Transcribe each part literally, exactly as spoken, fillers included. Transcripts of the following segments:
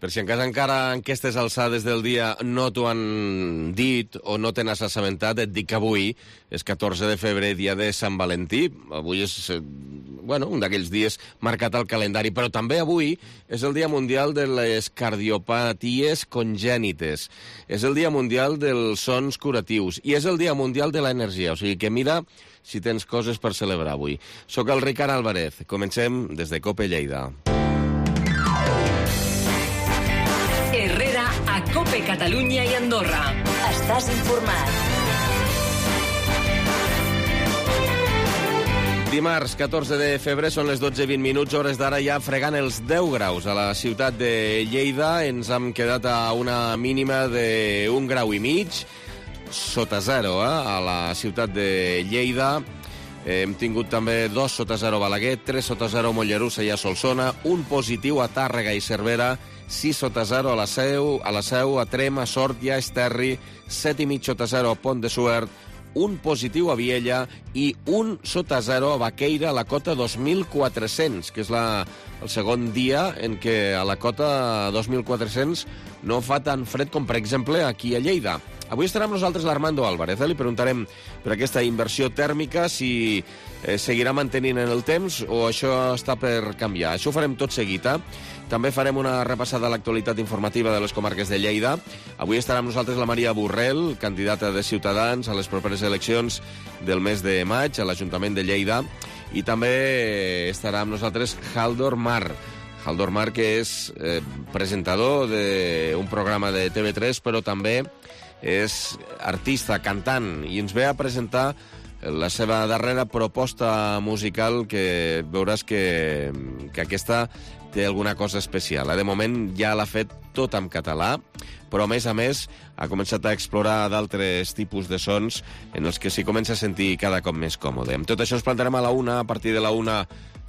Per si encara encara en aquestes alçades del dia no t'ho han dit o no te n'has assabentat, et dic que avui és catorze de febrer, dia de Sant Valentí. Avui és bueno, un d'aquells dies marcat al calendari, però també avui és el Dia Mundial de les Cardiopaties Congènites. És el Dia Mundial dels Sons Curatius i és el Dia Mundial de l'Energia. O sigui que mira si tens coses per celebrar avui. Soc el Ricard Álvarez. Comencem des de COPE Lleida. Herrera a COPE Catalunya i Andorra. Estàs informat. Dimarts, catorze de febrer, són les dotze i vint minuts, hores d'ara ja fregant els deu graus a la ciutat de Lleida. Ens hem quedat a una mínima d'un grau i mig, sota zero, eh? A la ciutat de Lleida. Hem tingut també dos sota zero a Balaguer, tres sota zero a Mollerussa i a Solsona, un positiu a Tàrrega i Cervera, sis sota zero a la Seu, a la Seu, a Trem, a Sort i a Esterri, set i mig sota zero a Pont de Suert, un positiu a Viella i un sota zero a Baqueira, a la cota dos mil quatre-cents, que és la, el segon dia en què a la cota dos mil quatre-cents no fa tan fred com, per exemple, aquí a Lleida. Avui estarà amb nosaltres l'Armando Álvarez, eh? Li preguntarem per aquesta inversió tèrmica si eh, seguirà mantenint en el temps o això està per canviar. Això ho farem tot seguit, eh? També farem una repassada a l'actualitat informativa de les comarques de Lleida. Avui estarà amb nosaltres la Maria Borrell, candidata de Ciutadans a les properes eleccions del mes de maig a l'Ajuntament de Lleida. I també estarà amb nosaltres Haldor Mar. Haldor Mar, que és eh, presentador d'un programa de T V tres, però també és artista, cantant, i ens ve a presentar la seva darrera proposta musical, que veuràs que, que aquesta té alguna cosa especial. De moment ja l'ha fet tot en català, però a més a més ha començat a explorar d'altres tipus de sons en els que s'hi comença a sentir cada cop més còmode. Amb tot això ens plantarem a la una, a partir de la una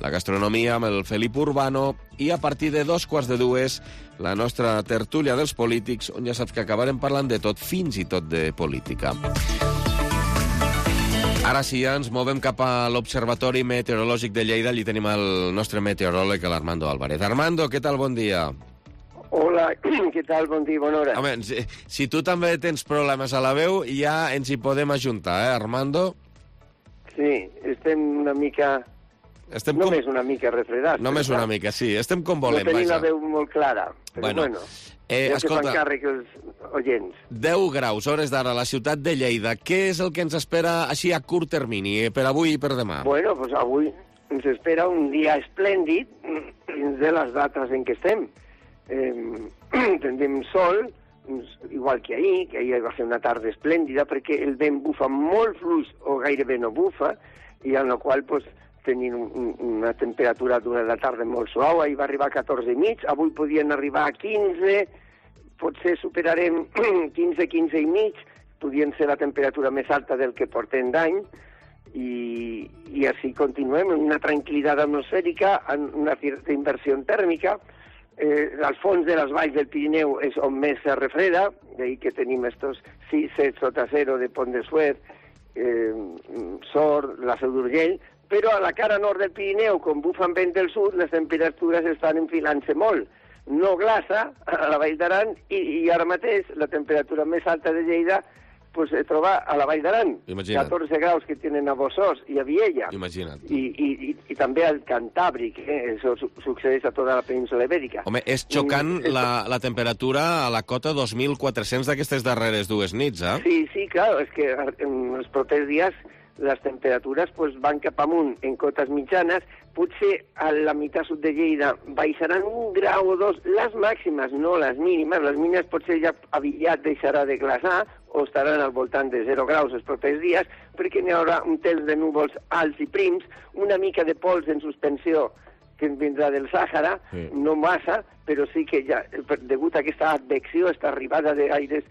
la gastronomia amb el Felip Urbano i a partir de dos quarts de dues la nostra tertúlia dels polítics, on ja saps que acabarem parlant de tot, fins i tot de política. Ara sí, ja ens movem cap a l'Observatori Meteorològic de Lleida. Allí tenim el nostre meteoròleg, l'Armando Álvarez. Armando, què tal? Bon dia. Hola, què tal? Bon dia, bona hora. Home, si, si tu també tens problemes a la veu, ja ens hi podem ajuntar, eh, Armando? Sí, estem una mica... Estem Només com... una mica refredats. Només una mica, sí. Estem com volem, vaja. No tenim vaja. la veu molt clara, però bueno. bueno. Eh, ja escolta, que fan càrrec els oients. deu graus, hores d'ara, a la ciutat de Lleida. Què és el que ens espera així a curt termini, eh, per avui i per demà? Bueno, pues avui ens espera un dia esplèndid dins de les dates en què estem. Eh, tindrem sol, igual que ahir, que ahir va ser una tarda esplèndida, perquè el vent bufa molt fluix o gairebé no bufa, i en la qual pues, tenim un, una temperatura durant la tarda molt suau. Ahir va arribar a catorze i mig, avui podien arribar a quinze, potser superarem quinze, quinze i mig, podien ser la temperatura més alta del que portem d'any, i, i així continuem en una tranquil·litat atmosfèrica, en una certa inversió tèrmica. Eh, al fons de les valls del Pirineu és on més se refreda, d'ahir que tenim estos sis, set sota zero de Pont de Suert, eh, Sort, la Seu d'Urgell, però a la cara nord del Pirineu, com bufen vent del sud, les temperatures estan enfilant-se molt. No glaça a la Vall d'Aran i, i ara mateix la temperatura més alta de Lleida pues, es troba a la Vall d'Aran. Imagina't. catorze graus que tenen a Bossòs i a Viella. Imagina't. I, i, i, i també al Cantàbric, eh? Això su succeeix a tota la península ibèrica. Home, és xocant Mm, la, la temperatura a la cota dos mil quatre-cents d'aquestes darreres dues nits, eh? Sí, sí, clar, és que en els propers dies les temperatures pues, van cap amunt en cotes mitjanes, potser a la meitat sud de Lleida baixaran un grau o dos les màximes, no les mínimes. Les mínimes potser ja aviat deixarà de glaçar o estaran al voltant de zero graus els propers dies, perquè n'hi haurà un temps de núvols alts i prims, una mica de pols en suspensió que vindrà del Sàhara, sí. No massa, però sí que ja, degut a aquesta advecció, aquesta arribada d'aires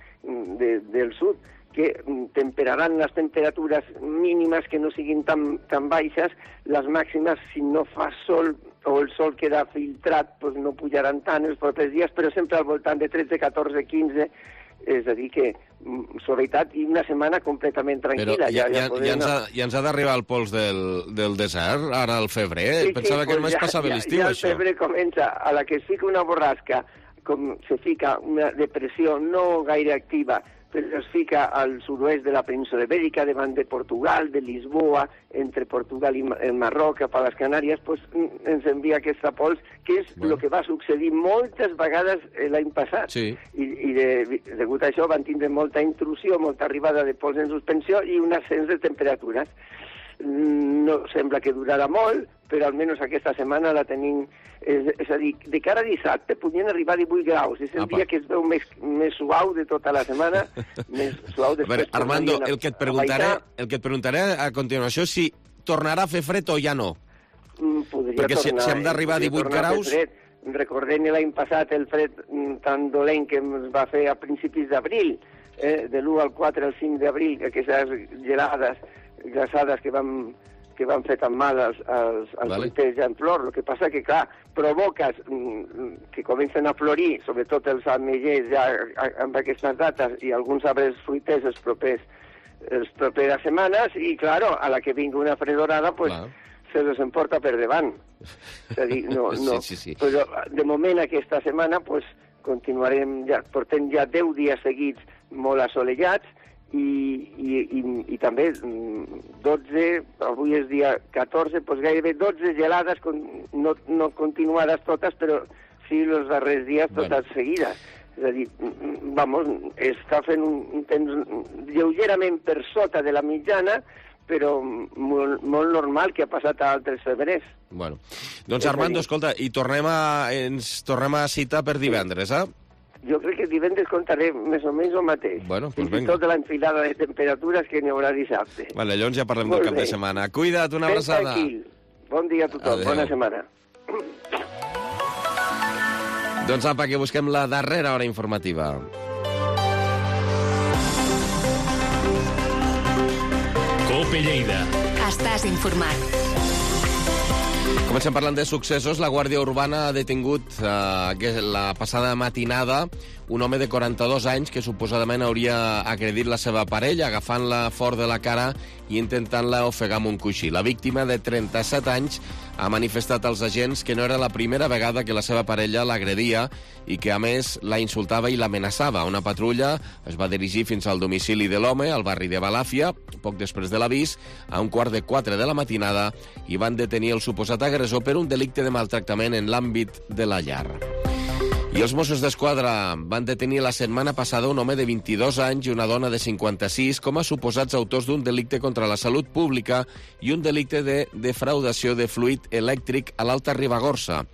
de, del sud, que temperaran les temperatures mínimes que no siguin tan, tan baixes, les màximes, si no fa sol o el sol queda filtrat, doncs no pujaran tant els propers dies, però sempre al voltant de tretze, catorze, quinze, és a dir que suavitat i una setmana completament tranquil·la. Però ja, ja, ja, ja, ens ha, ja ens ha d'arribar el pols del, del desert, ara al febrer. Sí, Pensava sí, que només ja, passava ja, l'estiu, ja això. Ja el febrer comença, a la que es fica una borrasca com se fica una depressió no gaire activa, però es fica al sud-oest de la península ibèrica, davant de Portugal, de Lisboa, entre Portugal i el Marroc, cap a les Canàries, pues, ens envia aquesta pols, que és el bueno. que va succeir moltes vegades l'any passat. Sí. I, i de, degut a això van tindre molta intrusió, molta arribada de pols en suspensió i un ascens de temperatures. No sembla que durarà molt, però almenys aquesta setmana la tenim... És, és a dir, de cara a dissabte podien arribar a divuit graus. És el Apa. dia que es veu més, més suau de tota la setmana, més suau després... A veure, Armando, el que, et preguntaré, el que et preguntaré a continuació és si tornarà a fer fred o ja no. Podria Perquè tornar, si, si hem d'arribar a divuit graus... Recordem l'any passat el fred tan dolent que ens va fer a principis d'abril, eh, de l'u al quatre al cinc d'abril, aquestes gelades, glaçades que vam... que van fer tan mal als, als, als vale. fruiters ja en flor. El que passa que, clar, provoques que comencen a florir, sobretot els ametllers ja amb aquestes dates i alguns arbres fruiters els propers, els properes setmanes, i, clar, a la que vingui una fredorada, pues, se les emporta per davant. És a dir, no, no. Sí, sí, sí. Però, de moment, aquesta setmana, pues, continuarem, ja, portem ja deu dies seguits molt assolellats, I, i, i, i també dotze, avui és dia catorze, doncs gairebé dotze gelades, no, no continuades totes, però sí els darrers dies totes bueno. seguides. És a dir, vamos, està fent un, un temps lleugerament per sota de la mitjana, però molt, molt normal que ha passat a altres febrers. Bueno, doncs Armando, escolta, i tornem a, ens tornem a citar per divendres, eh? Jo crec que divendres contaré més o menys el mateix. Bueno, pues Fins i tot l'enfilada de temperatures que n'hi haurà dissabte. Vale, llavors ja parlem Molt del cap bé. de setmana. Cuida't, una abraçada. tranquil. Bon dia a tothom, Adeu. Bona setmana. Doncs apa, que busquem la darrera hora informativa. COPE Lleida. Estàs informat. Comencem parlant de successos. La Guàrdia Urbana ha detingut eh, la passada matinada un home de quaranta-dos anys que suposadament hauria agredit la seva parella, agafant-la fort de la cara i intentant-la ofegar amb un coixí. La víctima, de trenta-set anys, ha manifestat als agents que no era la primera vegada que la seva parella l'agredia i que, a més, la insultava i l'amenaçava. Una patrulla es va dirigir fins al domicili de l'home, al barri de Balàfia, poc després de l'avís, a un quart de quatre de la matinada, i van detenir el suposat agressor per un delicte de maltractament en l'àmbit de la llar. I els Mossos d'Esquadra van detenir la setmana passada un home de vint-i-dos anys i una dona de cinquanta-sis com a suposats autors d'un delicte contra la salut pública i un delicte de defraudació de fluid elèctric a l'Alta Ribagorça.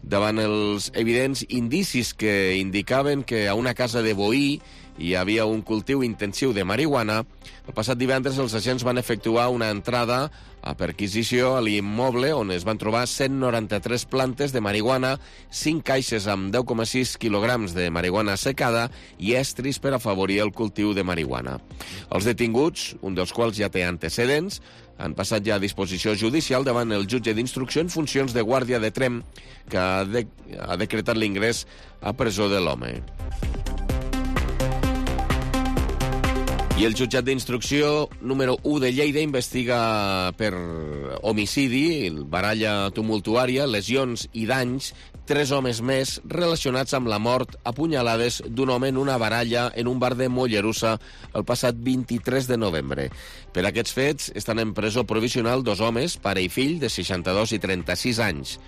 Davant els evidents indicis que indicaven que a una casa de Boí hi havia un cultiu intensiu de marihuana, el passat divendres els agents van efectuar una entrada a perquisició a l'immoble on es van trobar cent noranta-tres plantes de marihuana, cinc caixes amb deu coma sis quilograms de marihuana secada i estris per afavorir el cultiu de marihuana. Els detinguts, un dels quals ja té antecedents, han passat ja a disposició judicial davant el jutge d'instrucció en funcions de guàrdia de Tremp, que ha, de, ha decretat l'ingrés a presó de l'home. I el jutjat d'instrucció número u de Lleida investiga per homicidi, baralla tumultuària, lesions i danys, tres homes més relacionats amb la mort a punyalades d'un home en una baralla en un bar de Mollerussa el passat vint-i-tres de novembre. Per aquests fets estan en presó provisional dos homes, pare i fill, de seixanta-dos i trenta-sis anys.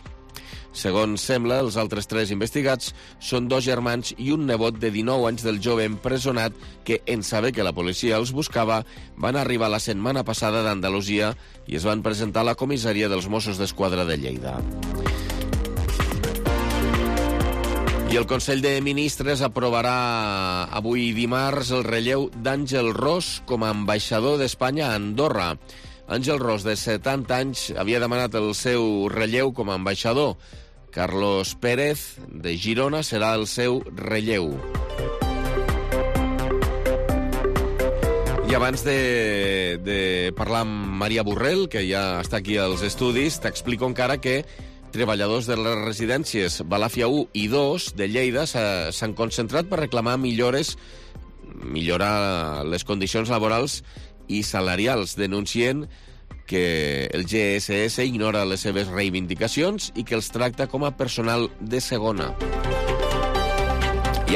Segons sembla, els altres tres investigats són dos germans i un nebot de dinou anys del jove empresonat que, en saber que la policia els buscava, van arribar la setmana passada d'Andalusia i es van presentar a la comissaria dels Mossos d'Esquadra de Lleida. I el Consell de Ministres aprovarà avui dimarts el relleu d'Àngel Ros com a ambaixador d'Espanya a Andorra. Àngel Ros, de setanta anys, havia demanat el seu relleu com a ambaixador. Carlos Pérez, de Girona, serà el seu relleu. I abans de, de parlar amb Maria Borrell, que ja està aquí als estudis, t'explico encara que treballadors de les residències Balàfia u i dos de Lleida s'han concentrat per reclamar millores, millorar les condicions laborals i salarials, denuncien que el G S S ignora les seves reivindicacions i que els tracta com a personal de segona.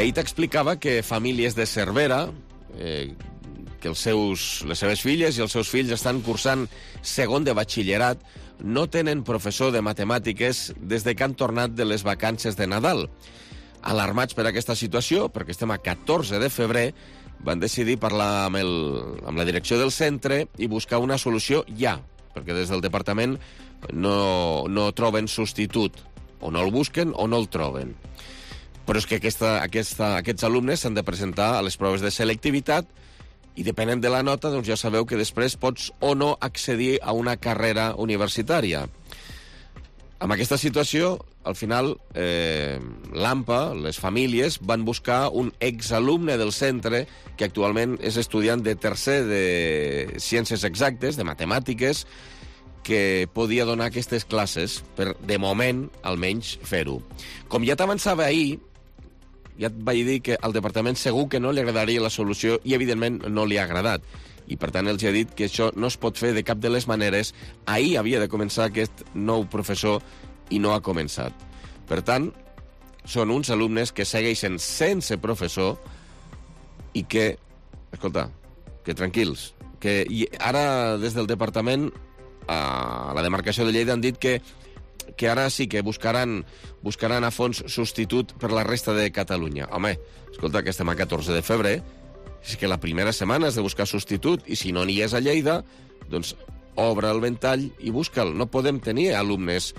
ahir t'explicava que famílies de Cervera, eh, que els seus, les seves filles i els seus fills estan cursant segon de batxillerat, no tenen professor de matemàtiques des de que han tornat de les vacances de Nadal. Alarmats per aquesta situació, perquè estem a catorze de febrer, van decidir parlar amb, el, amb la direcció del centre i buscar una solució ja, perquè des del departament no, no troben substitut. O no el busquen o no el troben. Però és que aquesta, aquesta, aquests alumnes s'han de presentar a les proves de selectivitat i depenent de la nota, doncs ja sabeu que després pots o no accedir a una carrera universitària. Amb aquesta situació, al final, eh, l'A M P A, les famílies, van buscar un exalumne del centre que actualment és estudiant de tercer de Ciències Exactes, de Matemàtiques, que podia donar aquestes classes per, de moment, almenys, fer-ho. Com ja t'avançava ahir, ja et vaig dir que al departament segur que no li agradaria la solució i, evidentment, no li ha agradat. I, per tant, els he dit que això no es pot fer de cap de les maneres. Ahir havia de començar aquest nou professor i no ha començat. Per tant, són uns alumnes que segueixen sense professor i que, escolta, que tranquils, que ara des del departament a la demarcació de Lleida han dit que, que ara sí que buscaran, buscaran a fons substitut per la resta de Catalunya. Home, escolta, que estem a catorze de febrer, és que la primera setmana és de buscar substitut, i si no n'hi és a Lleida, doncs obre el ventall i busca'l. No podem tenir alumnes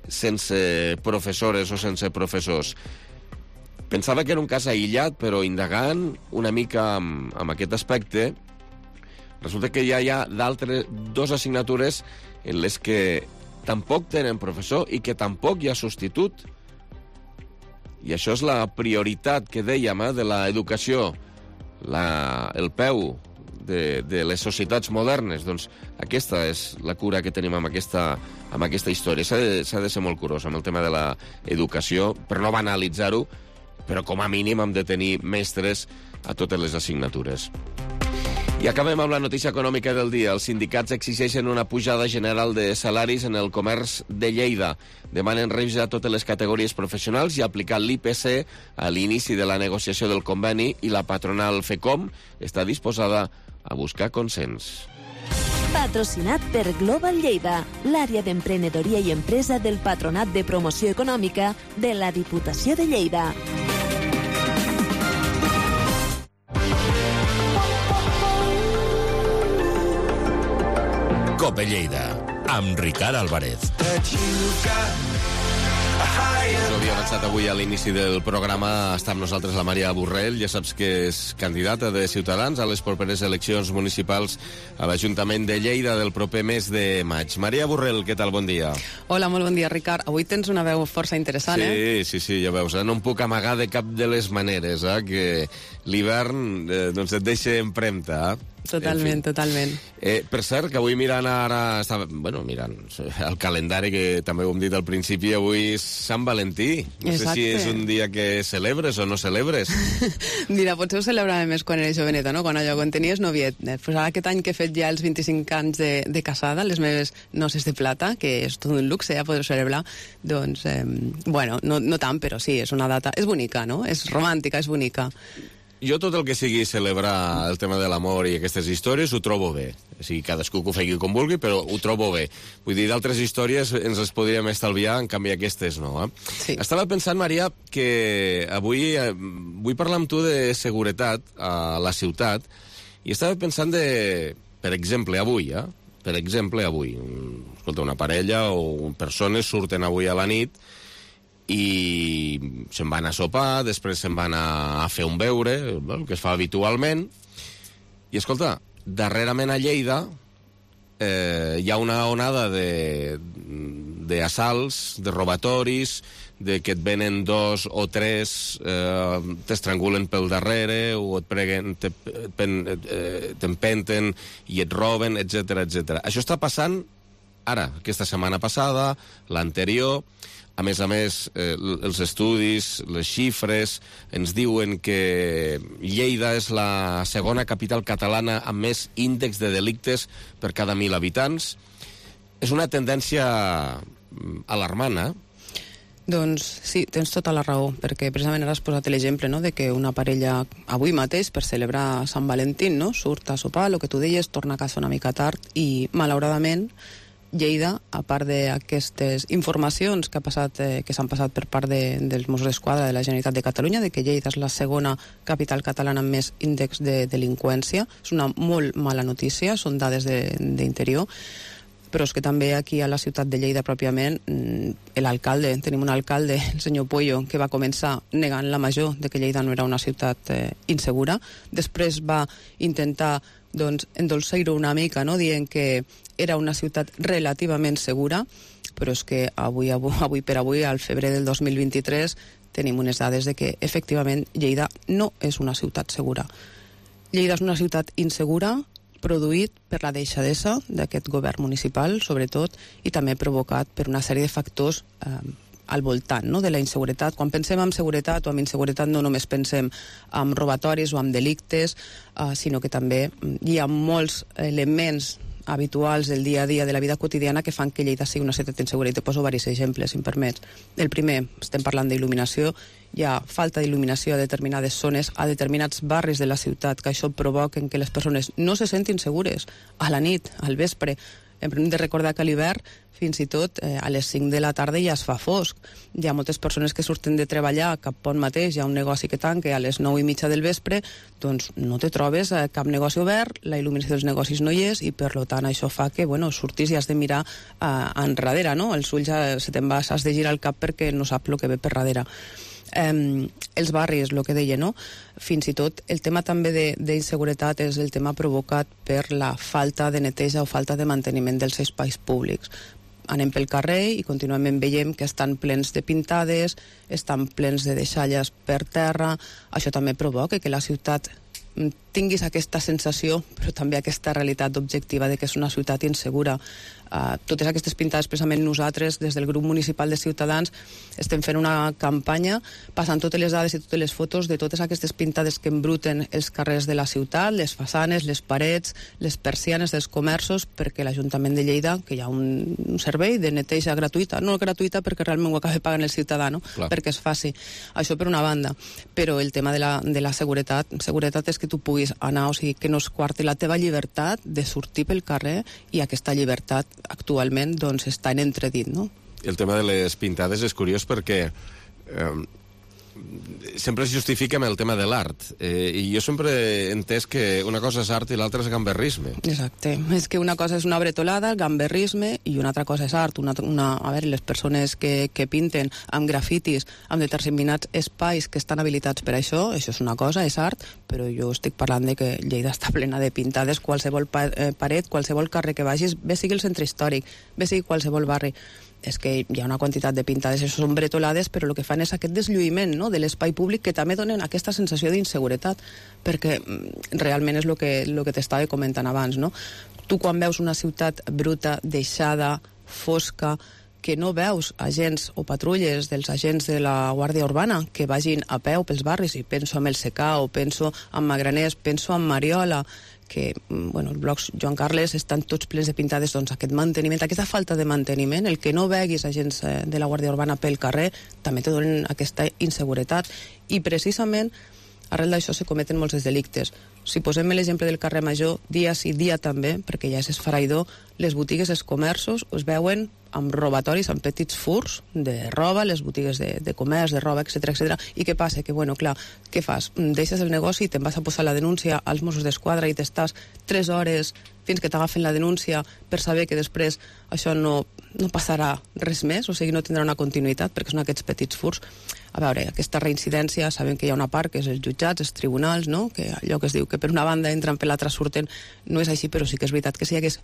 sense professores o sense professors. Pensava que era un cas aïllat, però indagant una mica amb, amb aquest aspecte, resulta que ja hi ha d'altres dues assignatures en les que tampoc tenen professor i que tampoc hi ha substitut. I això és la prioritat que dèiem, eh, de l'educació, la, el peu de, de les societats modernes. Doncs aquesta és la cura que tenim amb aquesta, amb aquesta història. S'ha de, s'ha de ser molt curós amb el tema de l'educació, per no banalitzar-ho, però com a mínim hem de tenir mestres a totes les assignatures. I acabem amb la notícia econòmica del dia. Els sindicats exigeixen una pujada general de salaris en el comerç de Lleida. Demanen revisar totes les categories professionals i aplicar l'I P C a l'inici de la negociació del conveni, i la patronal FECOM està disposada a buscar consens. Patrocinat per Global Lleida, l'àrea d'emprenedoria i empresa del Patronat de Promoció Econòmica de la Diputació de Lleida. Cope Lleida, amb Ricard Álvarez. Us ho havia avançat avui a l'inici del programa. Està amb nosaltres la Maria Borrell. Ja saps que és candidata de Ciutadans a les properes eleccions municipals a l'Ajuntament de Lleida del proper mes de maig. Maria Borrell, què tal? Bon dia. Hola, molt bon dia, Ricard. Avui tens una veu força interessant, sí, eh? Sí, sí, sí, ja veus. Eh? No em puc amagar de cap de les maneres, eh? Que l'hivern eh, doncs et deixa empremta, eh? Totalment, en fi. totalment. Eh, per cert, que avui mirant ara... Estava, bueno, mirant el calendari, que també ho hem dit al principi, avui és Sant Valentí. No Exacte. sé si és un dia que celebres o no celebres. Mira, potser ho celebrava més quan era joveneta, no? Quan allò, quan tenies noviet. Pues ara aquest any que he fet ja els vint-i-cinc anys de, de casada, les meves noces de plata, que és tot un luxe, ja poder celebrar, doncs, eh, bueno, no, no tant, però sí, és una data... És bonica, no? És romàntica, és bonica. Jo tot el que sigui celebrar el tema de l'amor i aquestes històries ho trobo bé. O sigui, cadascú que ho faci com vulgui, però ho trobo bé. Vull dir, d'altres històries ens les podríem estalviar, en canvi aquestes no. Eh? Sí. Estava pensant, Maria, que avui eh, vull parlar amb tu de seguretat a la ciutat, i estava pensant de, per exemple, avui, eh? Per exemple, avui. Escolta, una parella o persones surten avui a la nit i se'n van a sopar, després se'n van a, a fer un beure, el que es fa habitualment, i escolta, darrerament a Lleida eh, hi ha una onada de d'assalts, de robatoris, de que et venen dos o tres, eh, t'estrangulen pel darrere, o et preguen, t'empenten i et roben, etcètera, etcètera. Això està passant ara, aquesta setmana passada, l'anterior. A més a més, eh, els estudis, les xifres, ens diuen que Lleida és la segona capital catalana amb més índex de delictes per cada mil habitants. És una tendència alarmant, eh? Doncs sí, tens tota la raó, perquè precisament ara has posat l'exemple, no?, de que una parella avui mateix, per celebrar Sant Valentín, no?, surt a sopar, el que tu deies, torna a casa una mica tard, i malauradament Lleida, a part d'aquestes informacions que, ha passat, eh, que s'han passat per part de, dels Mossos d'Esquadra de la Generalitat de Catalunya, de que Lleida és la segona capital catalana amb més índex de delinqüència, és una molt mala notícia, són dades d'interior, però és que també aquí a la ciutat de Lleida pròpiament l'alcalde, tenim un alcalde, el senyor Pueyo, que va començar negant la major de que Lleida no era una ciutat eh, insegura, després va intentar doncs, endolçar-ho una mica, no?, dient que era una ciutat relativament segura, però és que avui, avui, avui per avui, al febrer del dos mil vint-i-tres, tenim unes dades de que efectivament Lleida no és una ciutat segura. Lleida és una ciutat insegura, produït per la deixadesa d'aquest govern municipal, sobretot, i també provocat per una sèrie de factors eh, al voltant, no?, de la inseguretat. Quan pensem en seguretat o en inseguretat no només pensem en robatoris o en delictes, eh, sinó que també hi ha molts elements habituals del dia a dia de la vida quotidiana que fan que Lleida sigui una ciutat insegura. I te poso diversos exemples, si em permets. El primer, estem parlant d'il·luminació, hi ha falta d'il·luminació a determinades zones, a determinats barris de la ciutat, que això provoca que les persones no se sentin segures a la nit, al vespre. Hem de recordar que a l'hivern, fins i tot eh, a les cinc de la tarda ja es fa fosc. Hi ha moltes persones que surten de treballar cap pont mateix, hi ha un negoci que tanca a les nou i mitja del vespre, doncs no te trobes eh, cap negoci obert, la il·luminació dels negocis no hi és, i per tant això fa que, bueno, surtis i has de mirar eh, enrere, no? Els ulls ja se te'n vas, has de girar el cap perquè no sap el que ve per darrere. Eh, els barris, el que deia, no? Fins i tot el tema també d'inseguretat és el tema provocat per la falta de neteja o falta de manteniment dels espais públics. Anem pel carrer i contínuament veiem que estan plens de pintades, estan plens de deixalles per terra. Això també provoca que la ciutat tinguis aquesta sensació, però també aquesta realitat objectiva de que és una ciutat insegura. Uh, totes aquestes pintades, precisament nosaltres, des del grup municipal de Ciutadans, estem fent una campanya passant totes les dades i totes les fotos de totes aquestes pintades que embruten els carrers de la ciutat, les façanes, les parets, les persianes dels comerços, perquè l'Ajuntament de Lleida, que hi ha un, un servei de neteja gratuïta, no gratuïta perquè realment ho acaba pagant el ciutadà, no? Perquè es faci. Això per una banda. Però el tema de la, de la seguretat, seguretat és que tu puguis anar, o sigui, que no es quarti la teva llibertat de sortir pel carrer, i aquesta llibertat actualment doncs està en entredit, no? El tema de les pintades és curiós perquè eh, sempre es justifica amb el tema de l'art, eh, i jo sempre he entès que una cosa és art i l'altra és gamberrisme. Exacte, és que una cosa és una bretolada, gamberrisme, i una altra cosa és art. Una, una, a veure, les persones que, que pinten amb grafitis, amb determinats espais que estan habilitats per això, això és una cosa, és art, però jo estic parlant de que Lleida està plena de pintades, qualsevol pa, eh, paret, qualsevol carrer que vagis, bé sigui el centre històric, bé sigui qualsevol barri, és que hi ha una quantitat de pintades, això són bretolades, però el que fan és aquest deslluïment, no?, de l'espai públic, que també donen aquesta sensació d'inseguretat, perquè realment és el que, el que t'estava comentant abans, no? Tu quan veus una ciutat bruta, deixada, fosca, que no veus agents o patrulles dels agents de la Guàrdia Urbana que vagin a peu pels barris, i penso en el Secà, o penso en Magraners, penso en Mariola, que, bueno, els blocs Joan Carles estan tots plens de pintades, doncs aquest manteniment, aquesta falta de manteniment, el que no veguis agents de la Guàrdia Urbana pel carrer, també te donen aquesta inseguretat, i precisament arrel d'això se cometen molts delictes. Si posem l'exemple del carrer Major, dia sí, dia també, perquè ja és esfereïdor, les botigues, els comerços es veuen amb robatoris, amb petits furs de roba, les botigues de, de comerç, de roba, etcètera, etcètera. I què passa? Que, bueno, clar, què fas? Deixes el negoci i te'n vas a posar la denúncia als Mossos d'Esquadra i t'estàs tres hores fins que t'agafen la denúncia per saber que després això no, no passarà res més, o sigui, no tindrà una continuïtat, perquè són aquests petits furs. A veure, aquesta reincidència, sabem que hi ha una part que és els jutjats, els tribunals, no?, que allò que es diu que per una banda entren, per l'altra surten, no és així, però sí que és veritat que si hi hagués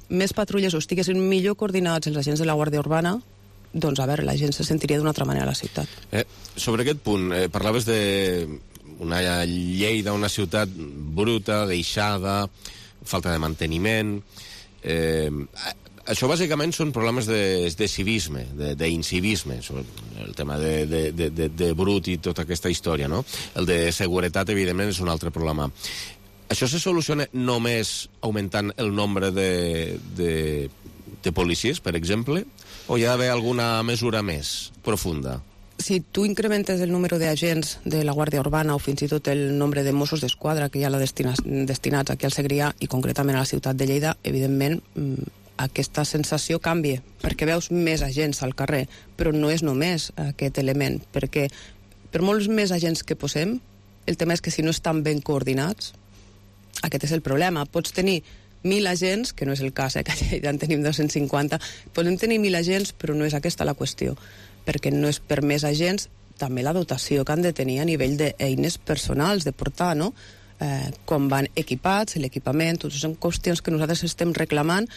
més patrulles o estiguessin millor coordinats els agents de la Guàrdia Urbana, doncs, a veure, la gent se sentiria d'una altra manera a la ciutat. Eh, sobre aquest punt, eh, parlaves d'una Lleida, una ciutat bruta, deixada, falta de manteniment. Eh, això bàsicament són problemes de, de civisme, d'incivisme, el tema de, de, de, de, de brut i tota aquesta història, no? El de seguretat, evidentment, és un altre problema. Això se soluciona només augmentant el nombre de, de, de policies, per exemple, O hi ha d'haver alguna mesura més profunda? Si tu incrementes el número d'agents de la Guàrdia Urbana o fins i tot el nombre de Mossos d'Esquadra que hi ha destinats aquí al Segrià i concretament a la ciutat de Lleida, evidentment aquesta sensació canvia, perquè veus més agents al carrer, però no és només aquest element, perquè per molts més agents que posem, el tema és que si no estan ben coordinats, aquest és el problema. Pots tenir mil agents, que no és el cas, eh, que ja en tenim dos-cents cinquanta, podem tenir mil agents, però no és aquesta la qüestió, perquè no és per més agents, també la dotació que han de tenir a nivell d'eines personals, de portar, no? Eh, com van equipats, l'equipament, totes són qüestions que nosaltres estem reclamant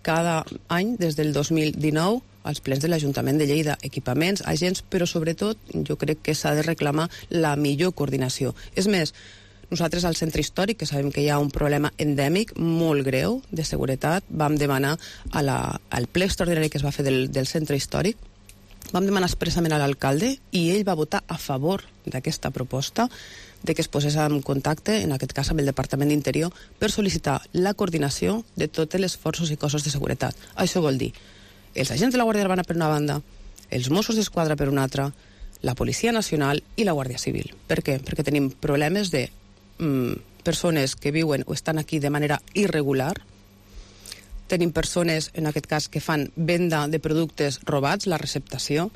cada any des del dos mil dinou als plens de l'Ajuntament de Lleida, equipaments, agents, però sobretot jo crec que s'ha de reclamar la millor coordinació. És més, nosaltres al centre històric, que sabem que hi ha un problema endèmic molt greu de seguretat, vam demanar a la, al ple extraordinari que es va fer del, del centre històric, vam demanar expressament a l'alcalde i ell va votar a favor d'aquesta proposta de que es posés en contacte, en aquest cas amb el Departament d'Interior, per sol·licitar la coordinació de totes les forces i cossos de seguretat. Això vol dir els agents de la Guàrdia Urbana per una banda, els Mossos d'Esquadra per una altra, la Policia Nacional i la Guàrdia Civil. Per què? Perquè tenim problemes de mm, persones que viuen o estan aquí de manera irregular. Tenim persones, en aquest cas, que fan venda de productes robats, la receptació.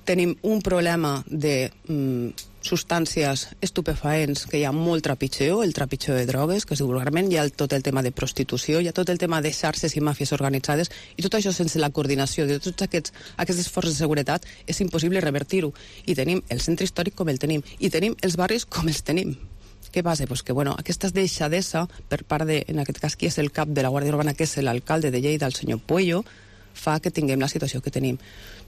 Tenim un problema de mm, substàncies estupefaents, que hi ha molt trepitjeo, el trepitjeo de drogues, que es diu vulgarment, hi ha tot el tema de prostitució, hi ha tot el tema de xarxes i màfies organitzades, i tot això sense la coordinació de tots aquests, aquestes forces de seguretat és impossible revertir-ho. I tenim el centre històric com el tenim, i tenim els barris com els tenim. Què passa? Pues que, bueno, aquesta deixadesa per part de, en aquest cas, qui és el cap de la Guàrdia Urbana, que és l'alcalde de Lleida, el senyor Puello, fa que tinguem la situació que tenim.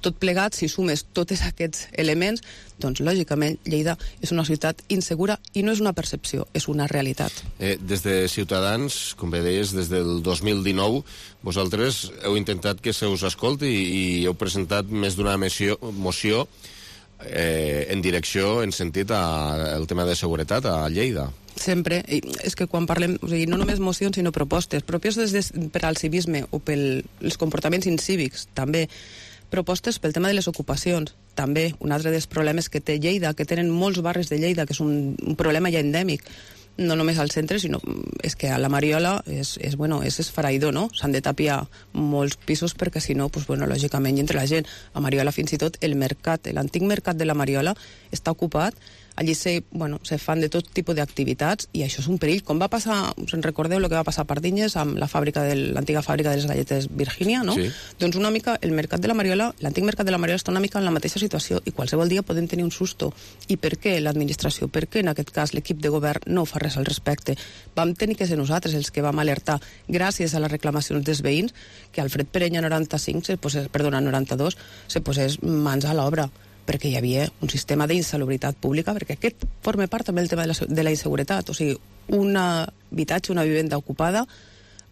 Tot plegat, si sumes tots aquests elements, doncs, lògicament, Lleida és una ciutat insegura i no és una percepció, és una realitat. Eh, des de Ciutadans, com bé deies, des del dos mil dinou, vosaltres heu intentat que se us escolti i, i heu presentat més d'una moció, moció eh, en direcció, en sentit al tema de seguretat a Lleida. Sempre, i és que quan parlem, o sigui, no només mocions sinó propostes, pròpies des de, per al civisme o pels comportaments incívics, també propostes pel tema de les ocupacions, també un altre dels problemes que té Lleida, que tenen molts barris de Lleida, que és un, un problema ja endèmic, no només al centre, sinó és que a la Mariola és, és, bueno, és esfereïdor, no? S'han de tapiar molts pisos perquè si no, pues, bueno, lògicament, i entre la gent, a Mariola fins i tot el mercat, l'antic mercat de la Mariola està ocupat. Allí se, bueno, se fan de tot tipus d'activitats i això és un perill. Com va passar, us en recordeu el que va passar a Pardinyes amb la fàbrica de l'antiga fàbrica de les galletes Virgínia, no? Sí. Doncs una mica el mercat de la Mariola, l'antic mercat de la Mariola està una mica en la mateixa situació i qualsevol dia podem tenir un susto. I per què l'administració, per què en aquest cas l'equip de govern no fa res al respecte? Vam tenir que ser nosaltres els que vam alertar gràcies a les reclamacions dels veïns que Alfred Perenya noranta-cinc, se posés, perdona, noranta-dos, se posés mans a l'obra, perquè hi havia un sistema d'insalubritat pública, perquè aquest forma part també del tema de la, de la inseguretat, o sigui, un habitatge, una vivenda ocupada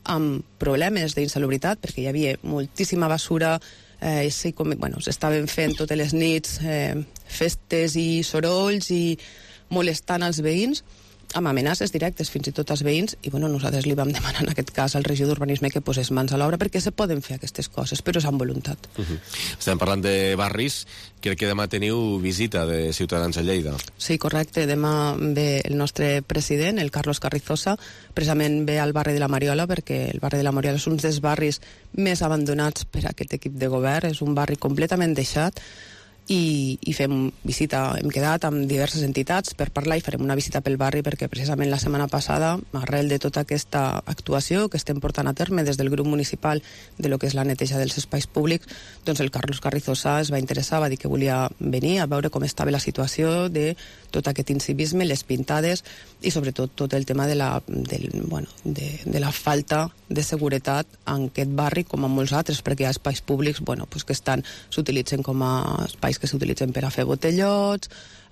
amb problemes d'insalubritat, perquè hi havia moltíssima basura, eh, sí, com, bueno, s'estaven fent totes les nits eh, festes i sorolls i molestant als veïns, amb amenaces directes fins i tot als veïns, i bueno, nosaltres li vam demanar en aquest cas al regidor d'Urbanisme que posés mans a l'obra perquè se poden fer aquestes coses, però és amb voluntat. Uh -huh. Estem parlant de barris, crec que demà teniu visita de Ciutadans a Lleida. Sí, correcte, demà ve el nostre president, el Carlos Carrizosa, precisament ve al barri de la Mariola, perquè el barri de la Mariola és un dels barris més abandonats per aquest equip de govern, és un barri completament deixat, i, i fem visita, hem quedat amb diverses entitats per parlar i farem una visita pel barri perquè precisament la setmana passada, arrel de tota aquesta actuació que estem portant a terme des del grup municipal de lo que és la neteja dels espais públics, doncs el Carlos Carrizosa es va interessar, va dir que volia venir a veure com estava la situació de tot aquest incivisme, les pintades i sobretot tot el tema de la, del, bueno, de, de la falta de seguretat en aquest barri com en molts altres, perquè hi ha espais públics bueno, pues que estan s'utilitzen com a espais que s'utilitzen per a fer botellots,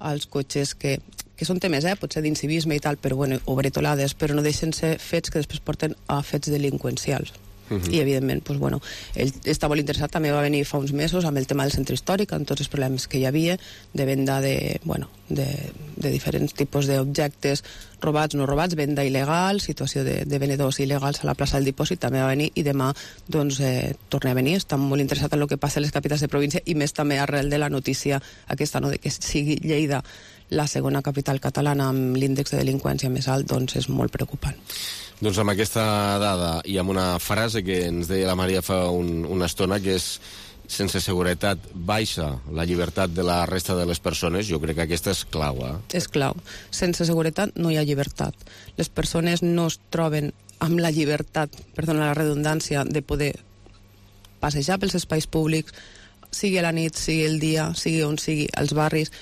els cotxes que, que són temes, eh, potser d'incivisme i tal, però bueno, o bretolades, però no deixen ser fets que després porten a fets delinqüencials. Uh-huh. I, evidentment, doncs, bueno, ell està molt interessat, també va venir fa uns mesos amb el tema del centre històric, amb tots els problemes que hi havia, de venda de, bueno, de, de diferents tipus d'objectes robats, no robats, venda il·legal, situació de, de venedors il·legals a la plaça del Dipòsit, també va venir, i demà, doncs, eh, torna a venir. Està molt interessat en el que passa a les capitals de província, i més també arrel de la notícia aquesta, no?, de que sigui Lleida la segona capital catalana amb l'índex de delinqüència més alt, doncs és molt preocupant. Doncs amb aquesta dada i amb una frase que ens deia la Maria fa un, una estona, que és: sense seguretat baixa la llibertat de la resta de les persones, jo crec que aquesta és clau. Eh? És clau. Sense seguretat no hi ha llibertat. Les persones no es troben amb la llibertat, perdona la redundància, de poder passejar pels espais públics, sigui a la nit, sigui el dia, sigui on sigui, als barris.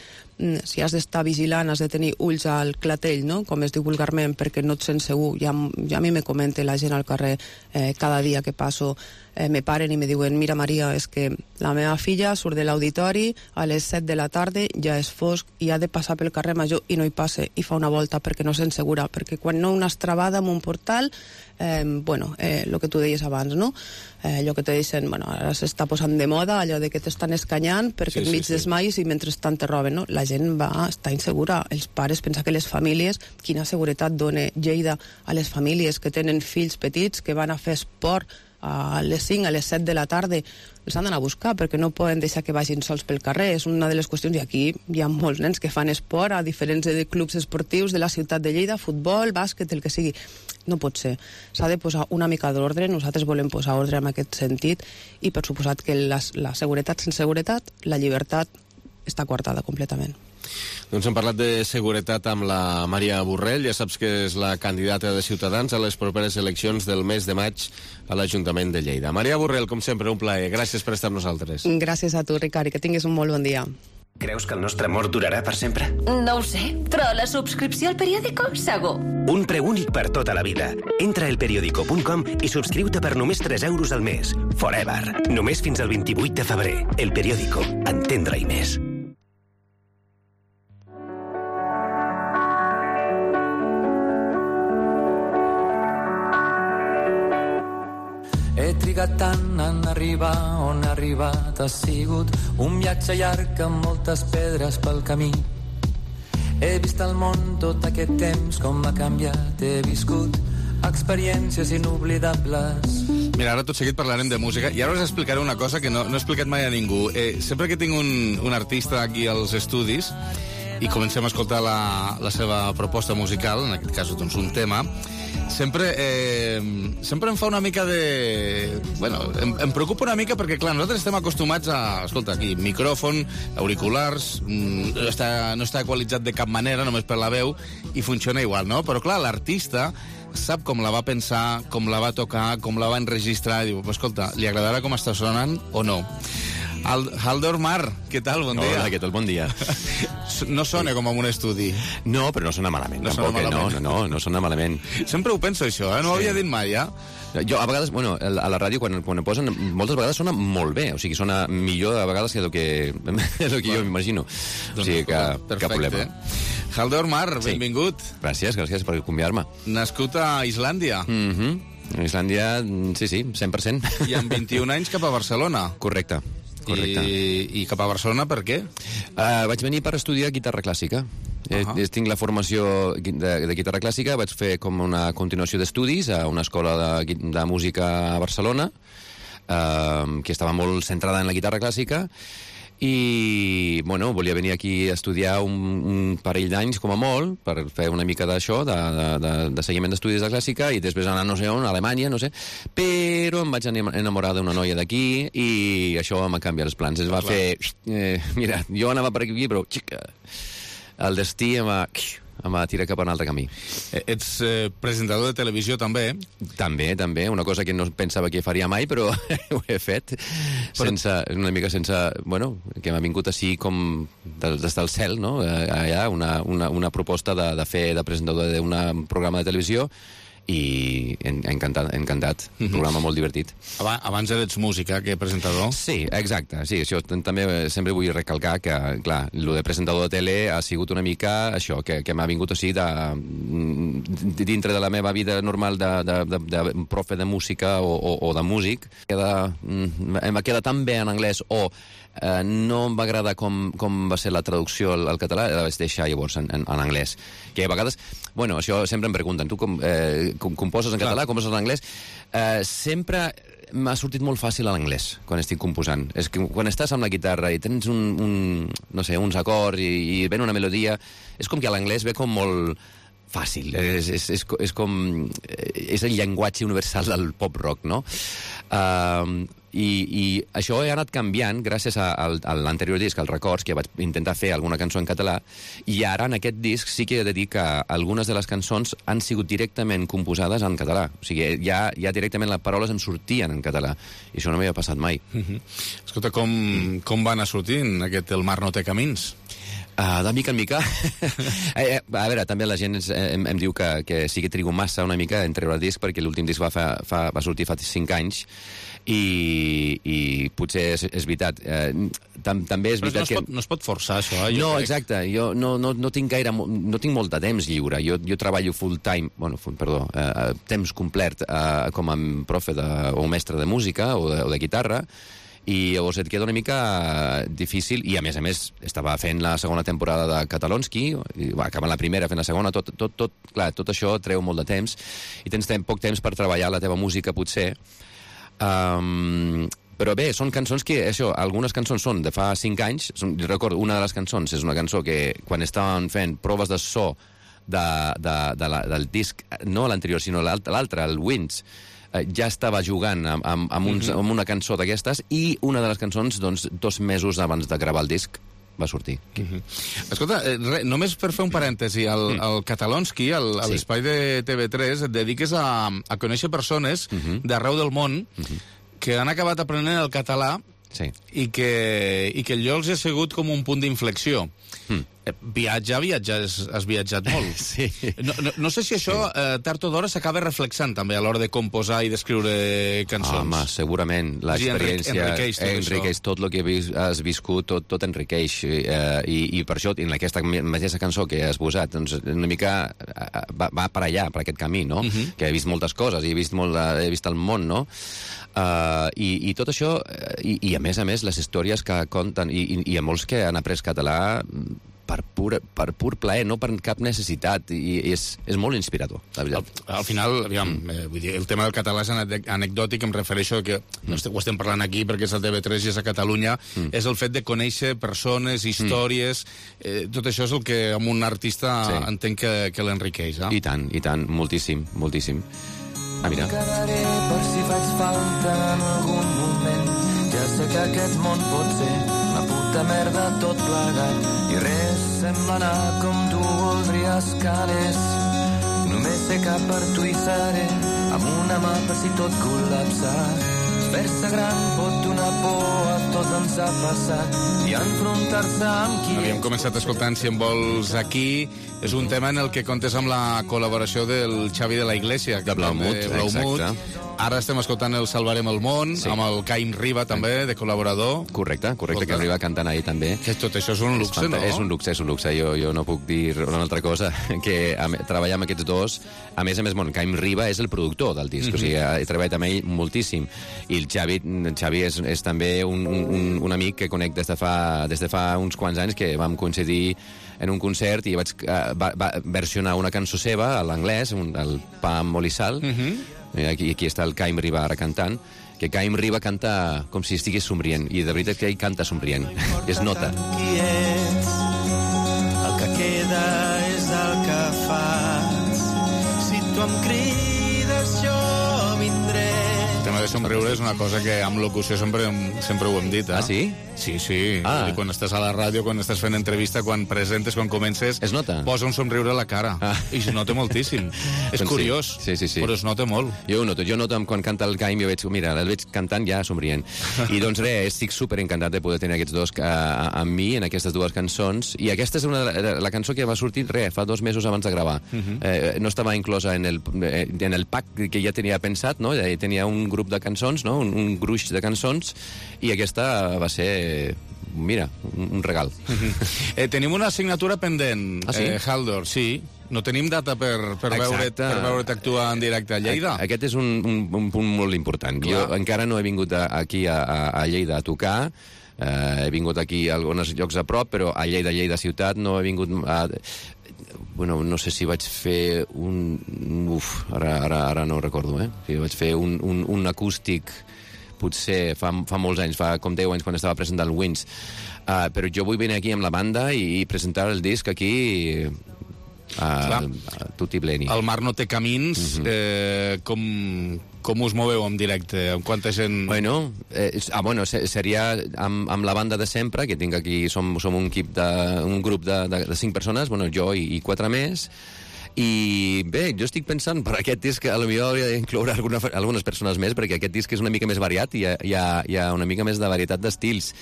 Si has d'estar vigilant, has de tenir ulls al clatell, no?, com es diu vulgarment, perquè no et sents segur. Ja, ja a mi me comenta la gent al carrer eh, cada dia que passo, eh, me paren i me diuen: mira, Maria, és que la meva filla surt de l'auditori a les set de la tarda, ja és fosc, i ha de passar pel carrer Major i no hi passa, i fa una volta perquè no sent segura, perquè quan no una estrabada amb un portal, eh, bueno, eh, el que tu deies abans, no?, eh, allò que te deixen, bueno, ara s'està posant de moda, allò de que t'estan escanyant perquè sí, enmig sí, sí. desmais i mentrestant te roben, no? La gent va estar insegura. Els pares, pensa que les famílies, quina seguretat dona Lleida a les famílies que tenen fills petits que van a fer esport a les cinc, a les set de la tarda, els han d'anar a buscar perquè no poden deixar que vagin sols pel carrer. És una de les qüestions, i aquí hi ha molts nens que fan esport a diferents clubs esportius de la ciutat de Lleida, futbol, bàsquet, el que sigui. No pot ser. S'ha de posar una mica d'ordre. Nosaltres volem posar ordre en aquest sentit, i per suposat que la, la seguretat sense seguretat, la llibertat està coartada completament. Doncs hem parlat de seguretat amb la Maria Borrell. Ja saps que és la candidata de Ciutadans a les properes eleccions del mes de maig a l'Ajuntament de Lleida. Maria Borrell, com sempre, un plaer. Gràcies per estar amb nosaltres. Gràcies a tu, Ricard, i que tinguis un molt bon dia. Creus que el nostre amor durarà per sempre? No ho sé, però la subscripció al periòdico, segur. Un preu únic per tota la vida. Entra a elperiodico punt com i subscriu-te per només tres euros al mes. Forever. Només fins al vint-i-vuit de febrer. El Periódico. Entendre-hi més. He trigat tant en arribar on he arribat. Ha sigut un viatge llarg amb moltes pedres pel camí. He vist el món tot aquest temps com ha canviat. He viscut experiències inoblidables. Mira, ara tot seguit parlarem de música i ara us explicaré una cosa que no, no he explicat mai a ningú. Eh, sempre que tinc un, un artista aquí als estudis i comencem a escoltar la, la seva proposta musical, en aquest cas doncs un tema, sempre, eh, sempre em fa una mica de... Bueno, em, em preocupa una mica perquè, clar, nosaltres estem acostumats a... Escolta, aquí, micròfon, auriculars, no està, no està equalitzat de cap manera, només per la veu, i funciona igual, no? Però, clar, l'artista sap com la va pensar, com la va tocar, com la va enregistrar, i diu, escolta, li agradarà com està sonant o no? Haldor Mar, què tal? Bon dia. Hola, què tal? Bon dia. No sona com en un estudi. No, però no sona malament. No tampoc, sona malament. No, no, no, no sona malament. Sempre ho penso, això, eh? No ho Sí. havia dit mai, ja. Jo, a vegades, bueno, a la ràdio, quan, quan ho posen, moltes vegades sona molt bé. O sigui, sona millor a vegades que el que, el que jo m'imagino. O sigui, que cap problema. Haldor Mar, Sí. benvingut. Gràcies, gràcies per convidar-me. Nascut a Islàndia. Mhm. A Islàndia, sí, sí, cent per cent. I amb vint-i-un anys cap a Barcelona. Correcte. Correcte. I, I cap a Barcelona per què? Uh, vaig venir per estudiar guitarra clàssica. Uh -huh. eh, tinc la formació de, de guitarra clàssica, vaig fer com una continuació d'estudis a una escola de, de música a Barcelona, uh, que estava molt centrada en la guitarra clàssica, i, bueno, volia venir aquí a estudiar un, un parell d'anys, com a molt, per fer una mica d'això, de, de, de, de seguiment d'estudis de clàssica, i després anar no sé on, a Alemanya, no sé, però em vaig enamorar d'una noia d'aquí, i això m'ha canviat els plans. Es va Clar. fer... Eh, mira, jo anava per aquí, però xica, el destí em va... em va tirar cap a un altre camí. Ets eh, presentador de televisió, també? També, també. Una cosa que no pensava que faria mai, però ho he fet. Però... Sense, una mica sense... Bueno, que m'ha vingut així com des del cel, no? Allà, una, una, una proposta de, de fer de presentador d'un programa de televisió, i encantat, encantat. Un programa molt divertit. Abans eres música que presentador? Sí, exacte. Sí, això també sempre vull recalcar que, clar, el de presentador de tele ha sigut una mica això, que, que m'ha vingut així de, dintre de la meva vida normal de, de, de, de profe de música o, o, o de músic, queda, em va quedar tan bé en anglès o eh, no em va agradar com, com va ser la traducció al, al català, la vaig deixar llavors en, en, en anglès. Que a vegades, bueno, això sempre em pregunten, tu com, eh, com, composes en català, composes en anglès? Eh, sempre m'ha sortit molt fàcil a l'anglès, quan estic composant. És que quan estàs amb la guitarra i tens un, un no sé, uns acords i, i ven una melodia, és com que a l'anglès ve com molt fàcil. És, és, és, és com... És el llenguatge universal del pop-rock, no? Uh, i, I això he anat canviant gràcies a, a, a l'anterior disc, al Records, que vaig intentar fer alguna cançó en català, i ara en aquest disc sí que he de dir que algunes de les cançons han sigut directament composades en català. O sigui, ja, ja directament les paraules em sortien en català, i això no m'havia passat mai. Uh-huh. Escolta, com, com va anar sortint aquest El mar no té camins? Uh, de mica en mica. eh, a veure, també la gent em, em diu que, que sí que trigo massa una mica en treure el disc, perquè l'últim disc va, fa, fa, va sortir fa cinc anys, i, i potser és, és veritat. Eh, tam, també és Però veritat no es, pot, que... no es pot forçar, això, eh? No, crec. exacte. Jo no, no, no tinc gaire... No tinc molt de temps lliure. Jo, jo treballo full time, bueno, full, perdó, eh, temps complet eh, com a profe de, o mestre de música o de, o de guitarra, i llavors et queda una mica difícil, i a més a més estava fent la segona temporada de Catalonski, i va acabar la primera fent la segona, tot, tot, tot, clar, tot això treu molt de temps, i tens tem, poc temps per treballar la teva música, potser. Um, però bé, són cançons que, això, algunes cançons són de fa cinc anys, són, recordo, una de les cançons és una cançó que quan estaven fent proves de so de, de, de la, del disc, no l'anterior, sinó l'altre, el Winds, ja estava jugant amb, amb, amb, uns, amb una cançó d'aquestes, i una de les cançons, doncs, dos mesos abans de gravar el disc, va sortir. Uh-huh. Escolta, eh, re, només per fer un parèntesi, al, al Catalonski, al, a l'espai de T V tres, et dediques a, a conèixer persones uh-huh. d'arreu del món uh-huh. que han acabat aprenent el català sí. i, que, i que allò els ha sigut com un punt d'inflexió. Mm. Viatjar, viatjar, has, has viatjat molt. Sí. No, no, no sé si això, sí. eh, tard o d'hora, s'acaba reflexant també a l'hora de composar i d'escriure cançons. Home, segurament. L'experiència enriqueix tot, enriqueix tot el que has viscut, tot, tot enriqueix. Eh, i, I per això, en aquesta mateixa cançó que has posat, doncs, una mica va, va per allà, per aquest camí, no? Uh-huh. Que he vist moltes coses, he vist, molt, he vist el món, no? Uh, i, i tot això, i, i a més a més, les històries que conten, i, i, i a molts que han après català per pur, per pur plaer, no per cap necessitat, i és, és molt inspirador, la veritat. Al, al final, aviam, mm. eh, vull dir, el tema del català és anecdòtic, em refereixo que no mm. ho estem parlant aquí perquè és el T V tres i és a Catalunya, mm. és el fet de conèixer persones, històries, mm. eh, tot això és el que amb un artista sí. entenc que, que l'enriqueix. Eh? I tant, i tant, moltíssim, moltíssim. Ah, mira. Quedaré per si faig falta en algun moment. Ja sé que aquest món pot ser una puta merda tot plegat i res sembla anar com tu voldries que anés. Només sé que per tu hi seré amb una mà per si tot col·lapsa. Fer-se gran pot donar por, a tots ens ha passat, i enfrontar-se amb qui... Havíem començat escoltant Si em vols aquí. És un tema en el que comptes amb la col·laboració del Xavi de la Iglesia. De Blaumut, exacte. Ara estem escoltant el Salvarem el món, sí. amb el Caim Riba també, de col·laborador. Correcte, correcte, que arriba cantant ahir també. Que tot això és un luxe, no? És un luxe, és un luxe. Jo, jo no puc dir una altra cosa que a, treballar amb aquests dos. A més a més, bon, Caim Riba és el productor del disc, mm-hmm. o sigui, he treballat amb ell moltíssim. I el Xavi, el Xavi és, és també un, un, un amic que conec des de, fa, des de fa uns quants anys, que vam coincidir en un concert i vaig uh, va, va versionar una cançó seva a l'anglès, el Pa amb oli i sal. Mm-hmm. Aquí, aquí està el Caim Riba ara cantant, que Caim Riba canta com si estigués somrient, i de veritat que ell canta somrient. Es nota. Qui ets, el que queda és el que fas. Si tu em crides, jo vindré. El tema de somriure és una cosa que amb locució sempre, sempre ho hem dit, eh? Ah, sí? Sí, sí. Ah. Quan estàs a la ràdio, quan estàs fent entrevista, quan presentes, quan comences... Es nota? Posa un somriure a la cara. Ah. I es nota moltíssim. És doncs curiós, sí. Sí, sí, sí. però es nota molt. Jo ho noto. Jo noto quan canta el Caim, jo veig, mira, el veig cantant ja somrient. I doncs res, estic super encantat de poder tenir aquests dos a, a, amb mi en aquestes dues cançons. I aquesta és una, la cançó que va sortir, res, fa dos mesos abans de gravar. Uh-huh. eh, no estava inclosa en el, en el pack que ja tenia pensat, no? Tenia un grup de cançons, no? Un, un gruix de cançons, i aquesta va ser... Mira, un, un regal. eh, tenim una assignatura pendent, ah, sí? eh, Haldor, sí. no tenim data per, per veure't per veure't actuar en directe a Lleida. Aquest és un, un, un punt molt important. Clar. Jo encara no he vingut a, aquí a, a Lleida a tocar, uh, he vingut aquí a alguns llocs a prop, però a Lleida, Lleida ciutat, no he vingut a... Bueno, no sé si vaig fer un... Uf, ara, ara, ara no ho recordo, eh? Si vaig fer un, un, un acústic, potser fa, fa molts anys, fa com deu anys, quan estava presentant el Wins. Uh, però jo vull venir aquí amb la banda i, i presentar el disc aquí... Uh, uh, tutti pleni. El mar no té camins. Uh-huh. eh, com, com us moveu en directe? Amb quanta gent... Bueno, eh, ah, bueno seria amb, amb la banda de sempre, que tinc aquí, som, som un equip de, un grup de, de, de cinc persones, bueno, jo i, i quatre més. I bé, jo estic pensant per aquest disc que potser hauria d'incloure alguna, algunes persones més, perquè aquest disc és una mica més variat i hi ha, hi ha, hi ha una mica més de varietat d'estils.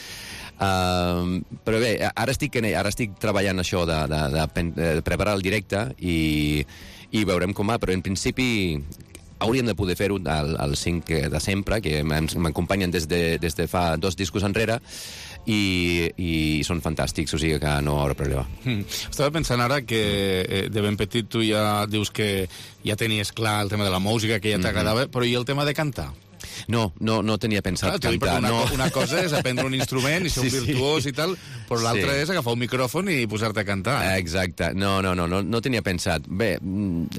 Uh, però bé, ara estic, ara estic treballant això de, de, de, de preparar el directe i, i veurem com va, però en principi hauríem de poder fer-ho al, al cinc de sempre, que m'acompanyen des, de, des de fa dos discos enrere, i, i són fantàstics, o sigui que no hi haurà problema. Mm. Estava pensant ara que eh, de ben petit tu ja dius que ja tenies clar el tema de la música, que ja t'agradava, mm-hmm. però i el tema de cantar? No, no, no tenia pensat Clar, cantar. Una, no. una cosa és aprendre un instrument i ser sí, un virtuós sí. i tal, però l'altra sí. és agafar un micròfon i posar-te a cantar. Exacte. No, no, no, no, no tenia pensat. Bé,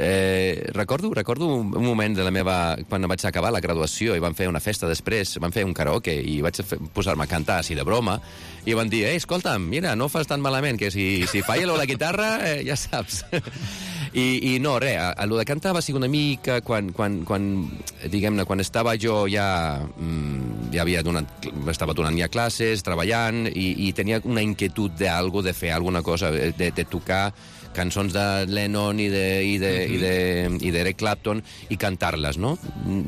eh, recordo, recordo un moment de la meva... quan vaig acabar la graduació i vam fer una festa després, vam fer un karaoke i vaig posar-me a cantar així de broma i van dir, eh, escolta'm, mira, no fas tan malament, que si, si falla la guitarra, eh, ja saps. I, i no, res, el de cantar va ser una mica quan, quan, quan diguem-ne, quan estava jo ja, mm, ja havia donat, estava donant ja classes, treballant, i, i tenia una inquietud d'algo, de fer alguna cosa, de, de tocar cançons de Lennon i de, i de, mm-hmm. i de, i d'Eric Clapton i cantar-les, no?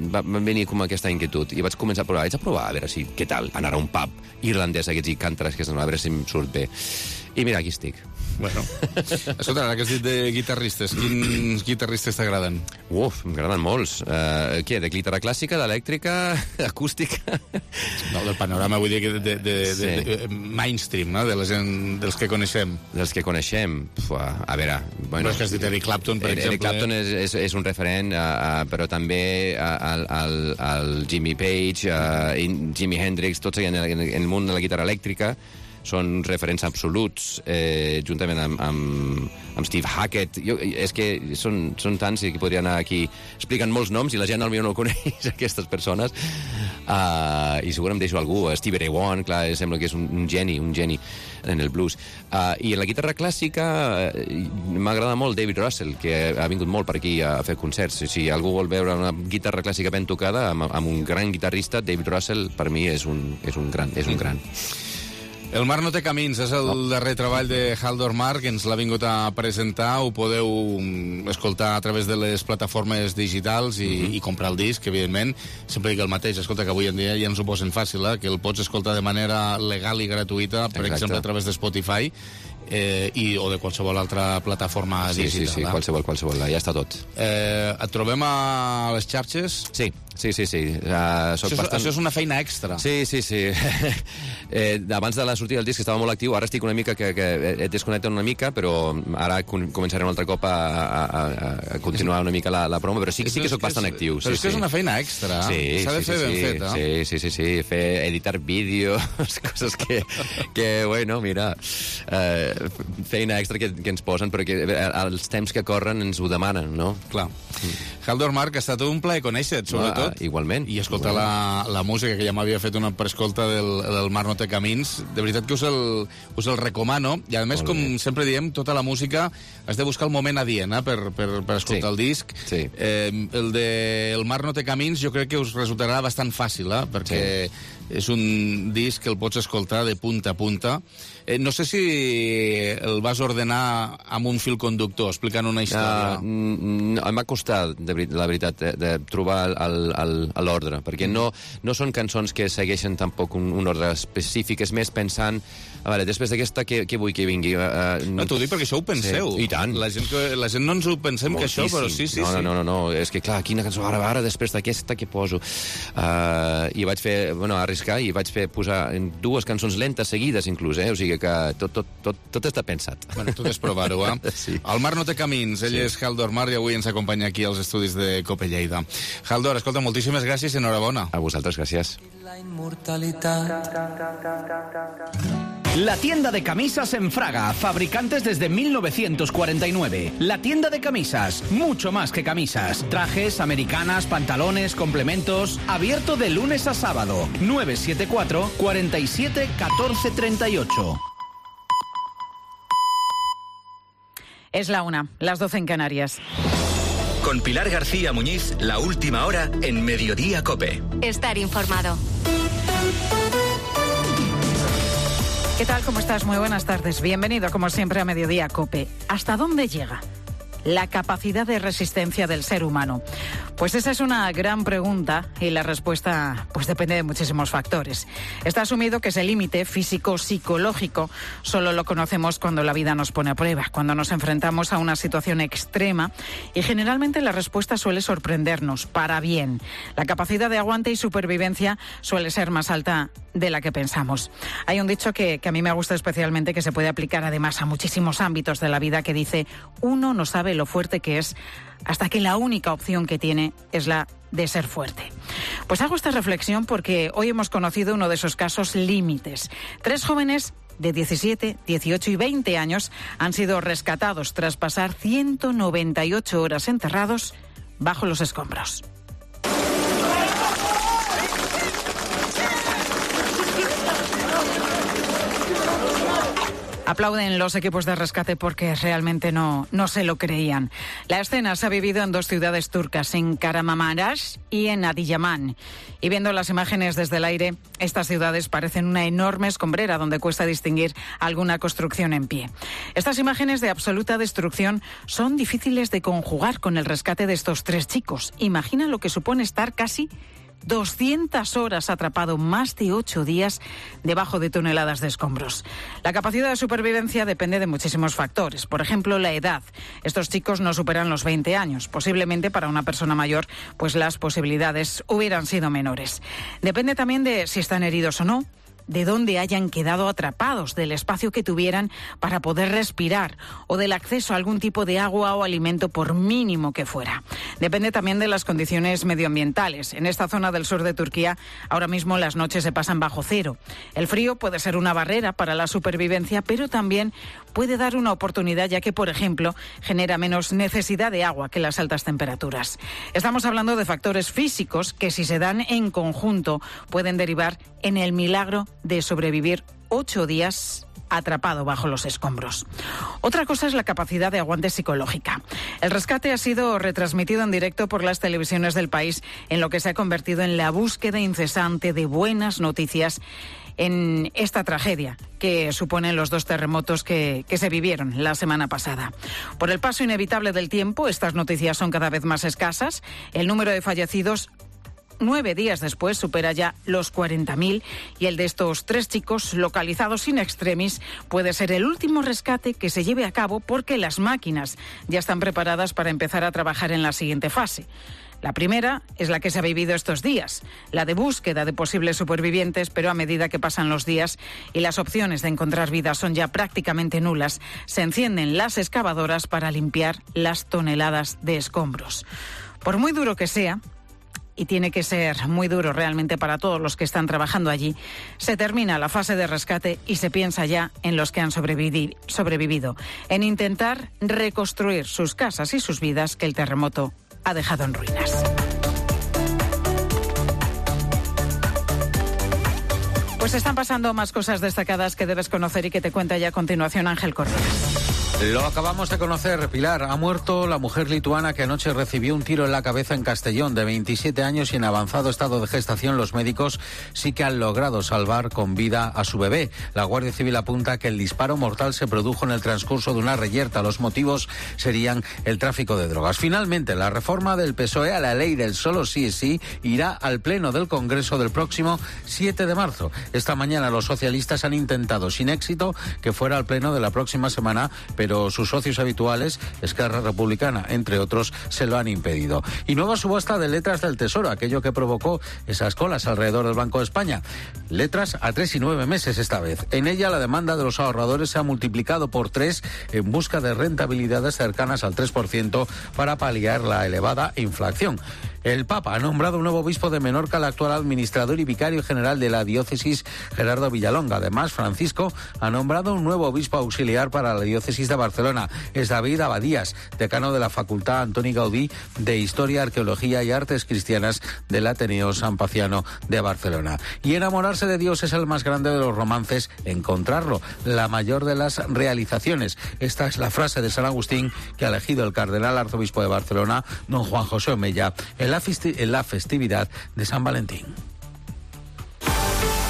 Va, va venir com aquesta inquietud i vaig començar a provar, vaig a provar, a veure si, què tal, anar a un pub irlandès aquests i cantar, que a veure si em surt bé. I mira, aquí estic. Bueno, escolta, ara que has dit de guitarristes, quins guitarristes t'agraden? Uf, m'agraden molts. Uh, què, de guitarra clàssica, d'elèctrica, acústica? No, del panorama, vull dir que de, de, de, sí. de, de mainstream, no?, de la gent, dels que coneixem. Dels que coneixem? Uf, a veure... Bueno, no és que has dit Eric Clapton, per exemple. Eric Clapton és, és, és un referent, uh, uh, però també el, el, el Jimmy Page, uh, Jimi Hendrix, tots en el, en el món de la guitarra elèctrica, són referents absoluts, eh, juntament amb, amb, amb Steve Hackett. Jo, és que són, són tants que podria anar aquí explicant molts noms i la gent potser no coneix aquestes persones. Uh, I segur em deixo algú. Stevie Ray Vaughan, clar, sembla que és un, un geni, un geni en el blues. Uh, I en la guitarra clàssica uh, m'agrada molt David Russell, que ha vingut molt per aquí a fer concerts. Si algú vol veure una guitarra clàssica ben tocada amb, amb un gran guitarrista, David Russell per mi és un, és un gran. És un gran. El mar no té camins, és el no. darrer treball de Haldor Mar, que ens l'ha vingut a presentar. Ho podeu escoltar a través de les plataformes digitals i, mm-hmm. i comprar el disc, evidentment. Sempre dic el mateix, escolta, que avui en dia ja ens ho posen fàcil, eh? Que el pots escoltar de manera legal i gratuïta, per Exacte. exemple, a través de Spotify, eh, i, o de qualsevol altra plataforma sí, digital. Sí, sí, sí, qualsevol, qualsevol, ja està tot. Eh, et trobem a les xarxes? Sí. Sí, sí, sí. Uh, això, bastant... això és una feina extra. Sí, sí, sí. eh, abans de la sortida del disc estava molt actiu, ara estic una mica que, que he desconnectat una mica, però ara començaré un altre cop a, a, a continuar una mica la, la promo, però sí, sí que sóc bastant actiu. Però sí, és que sí. és una feina extra. Sí, S'ha de sí, fer sí, ben sí, feta. Sí, sí, sí, sí. Fer, editar vídeos, coses que, que bueno, mira, eh, feina extra que, que ens posen, però que els temps que corren ens ho demanen, no? Clar. Mm. Haldor Marc, ha estat un plaer conèixer-te, sobretot. Ah, igualment. I escoltar la, la música, que ja m'havia fet una prescolta del, del Mar no té camins. De veritat que us el, us el recomano. I a més, com sempre diem, tota la música has de buscar el moment adient, eh, per, per, per escoltar sí. el disc. Sí. Eh, el de El Mar no té camins jo crec que us resultarà bastant fàcil, eh, perquè sí. és un disc que el pots escoltar de punta a punta. Eh, no sé si el vas ordenar amb un fil conductor, explicant una història. Uh, em va costar, de, la veritat, de, de trobar l'ordre, perquè no, no són cançons que segueixen tampoc un, un ordre específic, és més pensant A veure, després d'aquesta, què, què vull que vingui? Uh, no, t'ho dic perquè això ho penseu. Sí. I tant. La gent, que, la gent no ens ho pensem moltíssim. Que això, però sí, sí, no, sí. No, no, no, és que clar, quina cançó, ara, ara, després d'aquesta, què poso? Uh, I vaig fer, bueno, arriscar, i vaig fer posar dues cançons lentes seguides, inclús, eh? O sigui que tot, tot, tot, tot està pensat. Bueno, tot és provar-ho, eh? Sí. El mar no té camins, ell sí. És Haldor Mar i avui ens acompanya aquí als estudis de Cope Lleida. Haldor, escolta, moltíssimes gràcies i enhorabona. A vosaltres, gràcies. La inmortalitat. La tienda de camisas en Fraga, fabricantes desde mil novecientos cuarenta y nueve. La tienda de camisas, mucho más que camisas. Trajes, americanas, pantalones, complementos. Abierto de lunes a sábado. nueve siete cuatro, cuarenta y siete, catorce treinta y ocho. Es la una, las doce en Canarias. Con Pilar García Muñiz, la última hora en Mediodía Cope. Estar informado. ¿Qué tal? ¿Cómo estás? Muy buenas tardes. Bienvenido, como siempre, a Mediodía Cope. ¿Hasta dónde llega la capacidad de resistencia del ser humano? Pues esa es una gran pregunta y la respuesta pues depende de muchísimos factores. Está asumido que ese límite físico-psicológico solo lo conocemos cuando la vida nos pone a prueba, cuando nos enfrentamos a una situación extrema y generalmente la respuesta suele sorprendernos para bien. La capacidad de aguante y supervivencia suele ser más alta de la que pensamos. Hay un dicho que, que a mí me gusta especialmente, que se puede aplicar además a muchísimos ámbitos de la vida, que dice: uno no sabe lo fuerte que es hasta que la única opción que tiene es la de ser fuerte. Pues hago esta reflexión porque hoy hemos conocido uno de esos casos límites. Tres jóvenes de diecisiete, dieciocho y veinte años han sido rescatados tras pasar ciento noventa y ocho horas enterrados bajo los escombros. Aplauden los equipos de rescate porque realmente no, no se lo creían. La escena se ha vivido en dos ciudades turcas, en Kahramanmaraş y en Adiyaman. Y viendo las imágenes desde el aire, estas ciudades parecen una enorme escombrera donde cuesta distinguir alguna construcción en pie. Estas imágenes de absoluta destrucción son difíciles de conjugar con el rescate de estos tres chicos. Imagina lo que supone estar casi doscientas horas atrapado, más de ocho días debajo de toneladas de escombros. La capacidad de supervivencia depende de muchísimos factores. Por ejemplo, la edad. Estos chicos no superan los veinte años. Posiblemente para una persona mayor, pues las posibilidades hubieran sido menores. Depende también de si están heridos o no, de dónde hayan quedado atrapados, del espacio que tuvieran para poder respirar o del acceso a algún tipo de agua o alimento, por mínimo que fuera. Depende también de las condiciones medioambientales. En esta zona del sur de Turquía ahora mismo las noches se pasan bajo cero. El frío puede ser una barrera para la supervivencia, pero también puede dar una oportunidad, ya que, por ejemplo, genera menos necesidad de agua que las altas temperaturas. Estamos hablando de factores físicos que, si se dan en conjunto, pueden derivar en el milagro de sobrevivir ocho días atrapado bajo los escombros. Otra cosa es la capacidad de aguante psicológica. El rescate ha sido retransmitido en directo por las televisiones del país, en lo que se ha convertido en la búsqueda incesante de buenas noticias en esta tragedia que suponen los dos terremotos que, que se vivieron la semana pasada. Por el paso inevitable del tiempo, estas noticias son cada vez más escasas. El número de fallecidos nueve días después supera ya los cuarenta mil y el de estos tres chicos localizados in extremis puede ser el último rescate que se lleve a cabo, porque las máquinas ya están preparadas para empezar a trabajar en la siguiente fase. La primera es la que se ha vivido estos días, la de búsqueda de posibles supervivientes, pero a medida que pasan los días y las opciones de encontrar vida son ya prácticamente nulas, se encienden las excavadoras para limpiar las toneladas de escombros. Por muy duro que sea, y tiene que ser muy duro realmente para todos los que están trabajando allí, se termina la fase de rescate y se piensa ya en los que han sobrevivi- sobrevivido, en intentar reconstruir sus casas y sus vidas que el terremoto ha dejado en ruinas. Pues están pasando más cosas destacadas que debes conocer y que te cuenta ya a continuación Ángel Correas. Lo acabamos de conocer, Pilar. Ha muerto la mujer lituana que anoche recibió un tiro en la cabeza en Castellón, de veintisiete años y en avanzado estado de gestación. Los médicos sí que han logrado salvar con vida a su bebé. La Guardia Civil apunta que el disparo mortal se produjo en el transcurso de una reyerta. Los motivos serían el tráfico de drogas. Finalmente, la reforma del P S O E a la ley del solo sí es sí irá al Pleno del Congreso del próximo siete de marzo. Esta mañana los socialistas han intentado, sin éxito, que fuera al Pleno de la próxima semana, pero sus socios habituales, Esquerra Republicana, entre otros, se lo han impedido. Y nueva subasta de letras del Tesoro, aquello que provocó esas colas alrededor del Banco de España. Letras a tres y nueve meses esta vez. En ella la demanda de los ahorradores se ha multiplicado por tres en busca de rentabilidades cercanas al tres por ciento para paliar la elevada inflación. El Papa ha nombrado un nuevo obispo de Menorca, el actual administrador y vicario general de la diócesis, Gerardo Villalonga. Además, Francisco ha nombrado un nuevo obispo auxiliar para la diócesis de Barcelona. Es David Abadías, decano de la Facultad Antoni Gaudí de Historia, Arqueología y Artes Cristianas del Ateneo San Paciano de Barcelona. Y enamorarse de Dios es el más grande de los romances, encontrarlo, la mayor de las realizaciones. Esta es la frase de San Agustín que ha elegido el cardenal arzobispo de Barcelona, don Juan José Omella, en la, festi- en la festividad de San Valentín.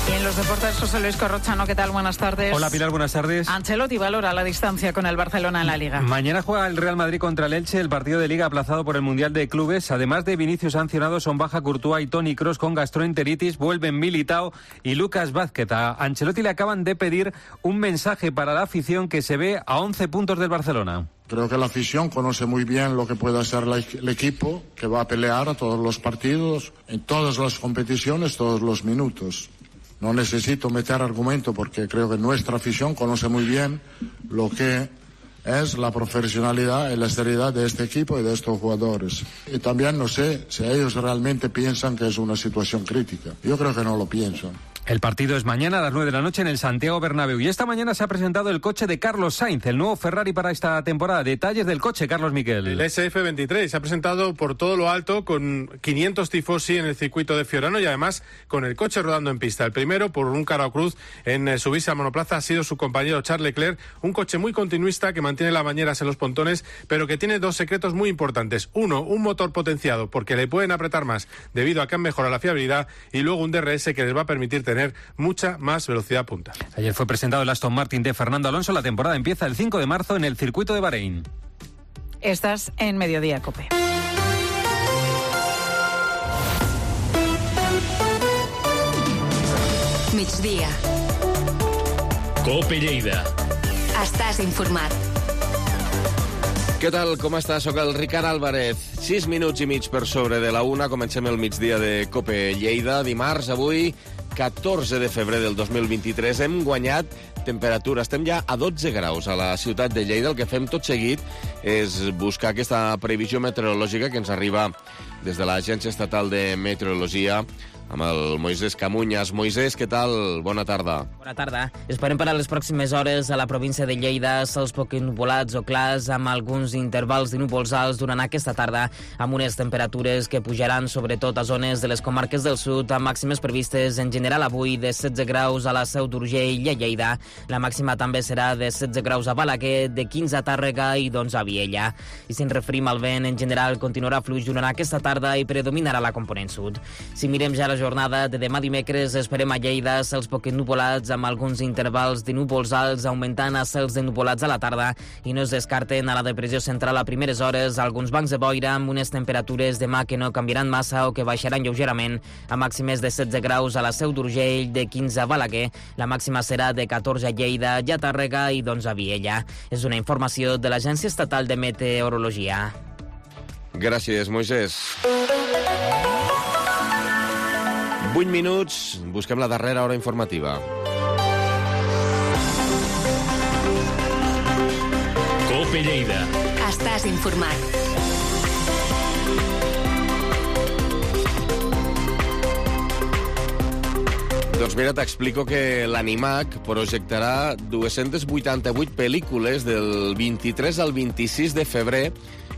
Y en los deportes, José Luis Corrochano, ¿qué tal? Buenas tardes. Hola Pilar, buenas tardes. Ancelotti valora la distancia con el Barcelona en la Liga. Mañana juega el Real Madrid contra el Elche, el partido de Liga aplazado por el Mundial de Clubes. Además de Vinicius sancionado, son baja Courtois y Toni Kroos con gastroenteritis, vuelven Militao y Lucas Vázquez. A Ancelotti le acaban de pedir un mensaje para la afición que se ve a once puntos del Barcelona. Creo que la afición conoce muy bien lo que puede hacer la, el equipo, que va a pelear a todos los partidos, en todas las competiciones, todos los minutos. No necesito meter argumento porque creo que nuestra afición conoce muy bien lo que es la profesionalidad y la seriedad de este equipo y de estos jugadores. Y también no sé si ellos realmente piensan que es una situación crítica. Yo creo que no lo piensan. El partido es mañana a las nueve de la noche en el Santiago Bernabéu. Y esta mañana se ha presentado el coche de Carlos Sainz, el nuevo Ferrari para esta temporada. Detalles del coche, Carlos Miquel. El S F veintitrés se ha presentado por todo lo alto con quinientos tifosi en el circuito de Fiorano y además con el coche rodando en pista. El primero, por un Carao Cruz en eh, subirse al monoplaza, ha sido su compañero Charles Leclerc. Un coche muy continuista que mantiene las bañeras en los pontones, pero que tiene dos secretos muy importantes. Uno, un motor potenciado porque le pueden apretar más debido a que han mejorado la fiabilidad, y luego un D R S que les va a permitir tener tener mucha más velocidad punta. Ayer fue presentado el Aston Martin de Fernando Alonso. La temporada empieza el cinco de marzo en el circuito de Bahrein. Estás en Mediodía Cope. Migdia. Cope Lleida. Estàs informat. Què tal, com està? Soc el Ricard Álvarez. Sis minuts i mig per sobre de la una. Comencem el migdia de Cope Lleida. Dimarts, avui, catorze de febrer del dos mil vint-i-tres. Hem guanyat temperatura. Estem ja a dotze graus a la ciutat de Lleida. El que fem tot seguit és buscar aquesta previsió meteorològica que ens arriba des de l'Agència Estatal de Meteorologia amb el Moisés Camuñas. Moisés, què tal? Bona tarda. Bona tarda. Esperem per a les pròximes hores a la província de Lleida cels poc nuvolats o clars amb alguns intervals de núvols alts durant aquesta tarda, amb unes temperatures que pujaran sobretot a zones de les comarques del sud, amb màximes previstes en general avui de setze graus a la Seu d'Urgell i a Lleida. La màxima també serà de setze graus a Balaguer, de quinze a Tàrrega i d'onze a Viella. I si ens referim al vent, en general continuarà fluix durant aquesta tarda i predominarà la component sud. Si mirem ja la jornada de demà dimecres, esperem a Lleida cels poc nuvolats amb alguns intervals de núvols alts augmentant a cels de nuvolats a la tarda, i no es descarten a la depressió central a primeres hores alguns bancs de boira amb unes temperatures demà que no canviaran massa o que baixaran lleugerament, a màximes de setze graus a la Seu d'Urgell, de quinze a Balaguer. La màxima serà de catorze a Lleida, ja a Tàrrega i d'onze a Viella. És una informació de l'Agència Estatal de Meteorologia. Gràcies, Moisés. vuit minuts, busquem la darrera hora informativa. Cope Lleida. Estàs informat. Doncs mira, t'explico que l'Animac projectarà dues-centes vuitanta-vuit pel·lícules del vint-i-tres al vint-i-sis de febrer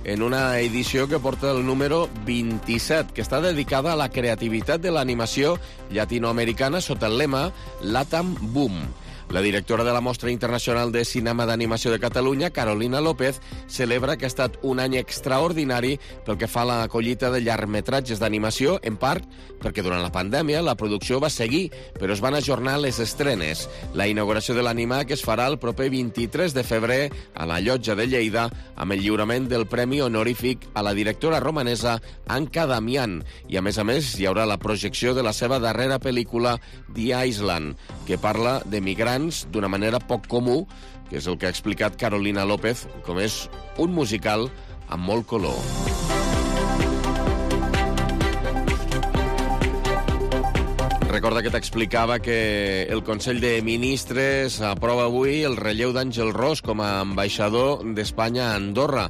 en una edició que porta el número vint-i-set, que està dedicada a la creativitat de l'animació llatinoamericana sota el lema LATAM Boom. La directora de la Mostra Internacional de Cinema d'Animació de Catalunya, Carolina López, celebra que ha estat un any extraordinari pel que fa a la collita de llargmetratges d'animació, en part perquè durant la pandèmia la producció va seguir, però es van ajornar les estrenes. La inauguració de l'Animac es farà el proper vint-i-tres de febrer a la Llotja de Lleida amb el lliurament del Premi Honorífic a la directora romanesa Anca Damián. I, a més a més, hi haurà la projecció de la seva darrera pel·lícula, The Island, que parla de migrants d'una manera poc comú, que és el que ha explicat Carolina López, com és un musical amb molt color. Recorda que t'explicava que el Consell de Ministres aprova avui el relleu d'Àngel Ros com a ambaixador d'Espanya a Andorra.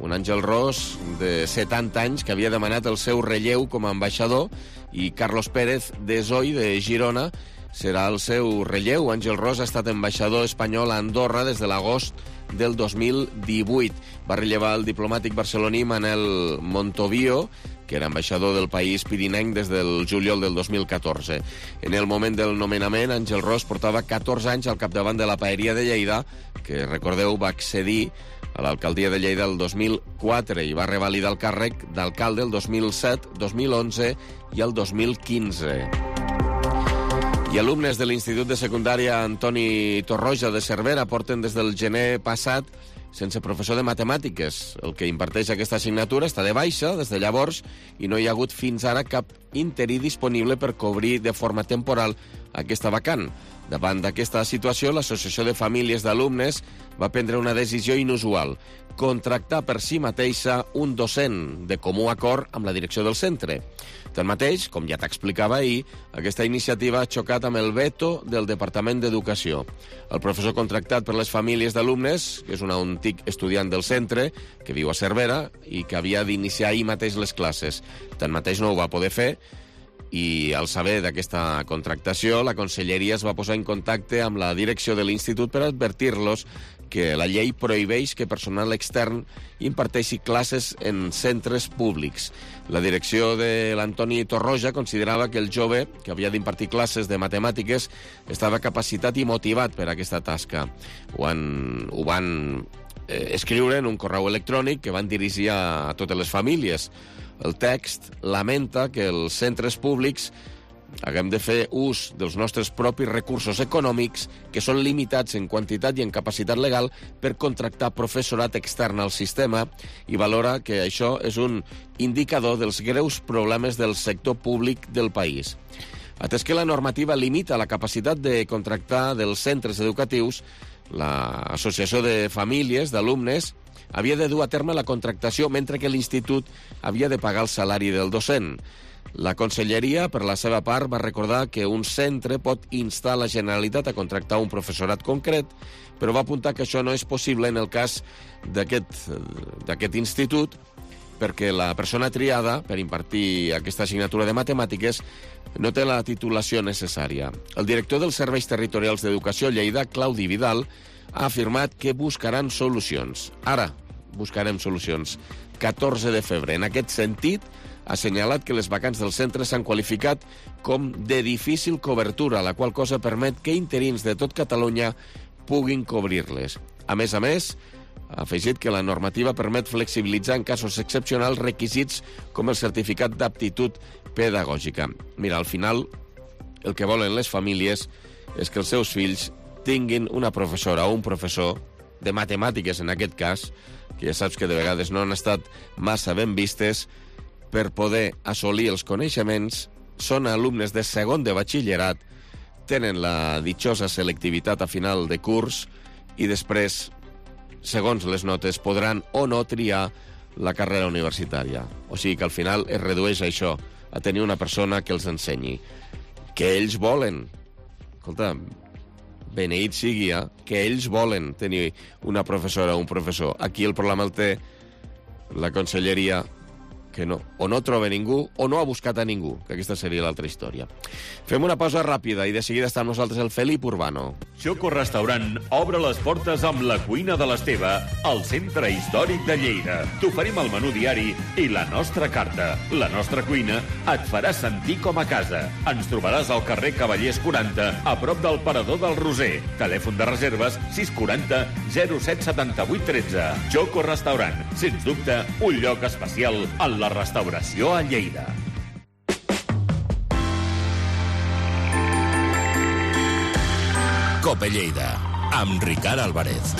Un Àngel Ros de setanta anys que havia demanat el seu relleu com a ambaixador, i Carlos Pérez Desoy de Girona serà el seu relleu. Àngel Ros ha estat ambaixador espanyol a Andorra des de l'agost del dos mil divuit. Va rellevar el diplomàtic barceloní Manel Montovio, que era ambaixador del país pirinenc des del juliol del dos mil catorze. En el moment del nomenament, Àngel Ros portava catorze anys al capdavant de la Paeria de Lleida, que, recordeu, va accedir a l'alcaldia de Lleida el dos mil quatre i va revalidar el càrrec d'alcalde el dos mil set, dos mil onze i el dos mil quinze. I alumnes de l'Institut de Secundària Antoni Torroja de Cervera porten des del gener passat sense professor de matemàtiques. El que imparteix aquesta assignatura està de baixa des de llavors i no hi ha hagut fins ara cap interí disponible per cobrir de forma temporal aquesta vacant. Davant d'aquesta situació, l'Associació de Famílies d'Alumnes va prendre una decisió inusual: contractar per si mateixa un docent de comú acord amb la direcció del centre. Tanmateix, com ja t'explicava ahir, aquesta iniciativa ha xocat amb el veto del Departament d'Educació. El professor contractat per les famílies d'alumnes, que és un antic estudiant del centre, que viu a Cervera i que havia d'iniciar ahir mateix les classes. Tanmateix no ho va poder fer, i al saber d'aquesta contractació, la Conselleria es va posar en contacte amb la direcció de l'institut per advertir-los que la llei prohibeix que personal extern imparteixi classes en centres públics. La direcció de l'Antoni Torroja considerava que el jove, que havia d'impartir classes de matemàtiques, estava capacitat i motivat per a aquesta tasca. Ho, han, ho van eh, escriure en un correu electrònic que van dirigir a, a totes les famílies. El text lamenta que els centres públics haguem de fer ús dels nostres propis recursos econòmics, que són limitats en quantitat i en capacitat legal, per contractar professorat extern al sistema, i valora que això és un indicador dels greus problemes del sector públic del país. Atès que la normativa limita la capacitat de contractar dels centres educatius, l'Associació de Famílies d'Alumnes havia de dur a terme la contractació, mentre que l'institut havia de pagar el salari del docent. La Conselleria, per la seva part, va recordar que un centre pot instar la Generalitat a contractar un professorat concret, però va apuntar que això no és possible en el cas d'aquest institut, perquè la persona triada per impartir aquesta assignatura de matemàtiques no té la titulació necessària. El director dels Serveis Territorials d'Educació a Lleida, Claudi Vidal, ha afirmat que buscaran solucions. Ara buscarem solucions. catorze de febrer. En aquest sentit, ha assenyalat que les vacants del centre s'han qualificat com de difícil cobertura, la qual cosa permet que interins de tot Catalunya puguin cobrir-les. A més a més, ha afegit que la normativa permet flexibilitzar en casos excepcionals requisits com el certificat d'aptitud pedagògica. Mira, al final, el que volen les famílies és que els seus fills tinguin una professora o un professor de matemàtiques, en aquest cas, que ja saps que de vegades no han estat massa ben vistes, per poder assolir els coneixements, són alumnes de segon de batxillerat, tenen la ditjosa selectivitat a final de curs i després, segons les notes, podran o no triar la carrera universitària. O sigui que al final es redueix a això, a tenir una persona que els ensenyi. Que ells volen. Escolta, beneït sigui, eh? Que ells volen tenir una professora o un professor. Aquí el problema el té la Conselleria que no, o no troba ningú o no ha buscat a ningú, que aquesta seria l'altra història. Fem una pausa ràpida i de seguida està amb nosaltres el Felip Urbano. Xoco Restaurant obre les portes amb la cuina de l'Esteve al Centre Històric de Lleida. T'oferim el menú diari i la nostra carta. La nostra cuina et farà sentir com a casa. Ens trobaràs al carrer Cavallers quaranta, a prop del Parador del Roser. Telèfon de reserves sis quaranta zero set setanta-vuit tretze. Xoco Restaurant, sens dubte, un lloc especial en la restauració a Lleida. Cope Lleida, amb Ricard Álvarez.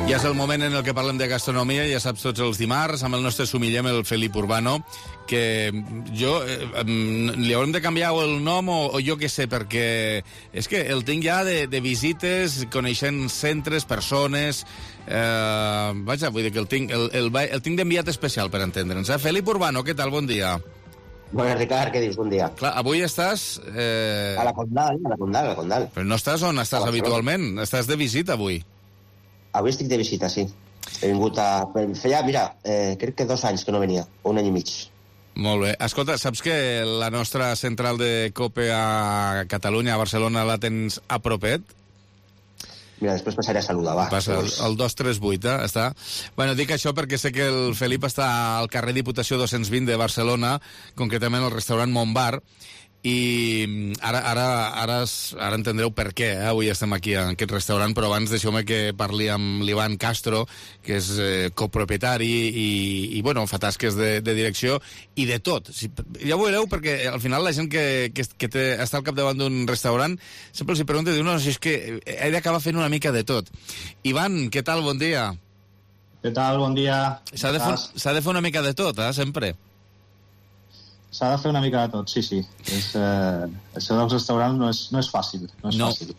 Ja és el moment en el que parlem de gastronomia, ja saps, tots els dimarts, amb el nostre sumillem, el Felip Urbano, que jo eh, li haurem de canviar el nom o, o jo què sé, perquè és que el tinc ja de, de visites, coneixent centres, persones... Eh, vaja, vull dir que el tinc, el, el, el tinc d'enviat especial, per entendre'ns. Eh? Felip Urbano, què tal? Bon dia. Bona, Ricard, què dius? Bon dia. Clar, avui estàs... Eh... A la Condal, a la Condal, a la Condal. Però no estàs on estàs habitualment, estàs de visita avui. Avui estic de visita, sí. He vingut a... Feia, mira, eh, crec que dos anys que no venia, un any i mig. Molt bé. Escolta, saps que la nostra central de Cope a Catalunya, a Barcelona, la tens a propet? Mira, després passaré a saludar, va. Passa, el, el dos tres vuit, eh? Està. Bueno, dic això perquè sé que el Felip està al carrer Diputació dos-cents vint de Barcelona, concretament al restaurant Montbar, i ara, ara, ara, ara entendreu per què, eh? Avui estem aquí en aquest restaurant, però abans deixeu-me que parli amb l'Ivan Castro, que és eh, copropietari i, i bueno, fa tasques de, de direcció i de tot. Si, ja ho veureu, perquè al final la gent que, que, que té, està al capdavant d'un restaurant sempre els pregunta, diu, no, si és que he d'acabar fent una mica de tot. Ivan, què tal? Bon dia. Què tal? Bon dia. S'ha de, de fer una mica de tot, eh? Sempre. S'ha de fer una mica de tot, sí, sí. És, eh, això dels restaurants no és, no és fàcil. No és no. fàcil.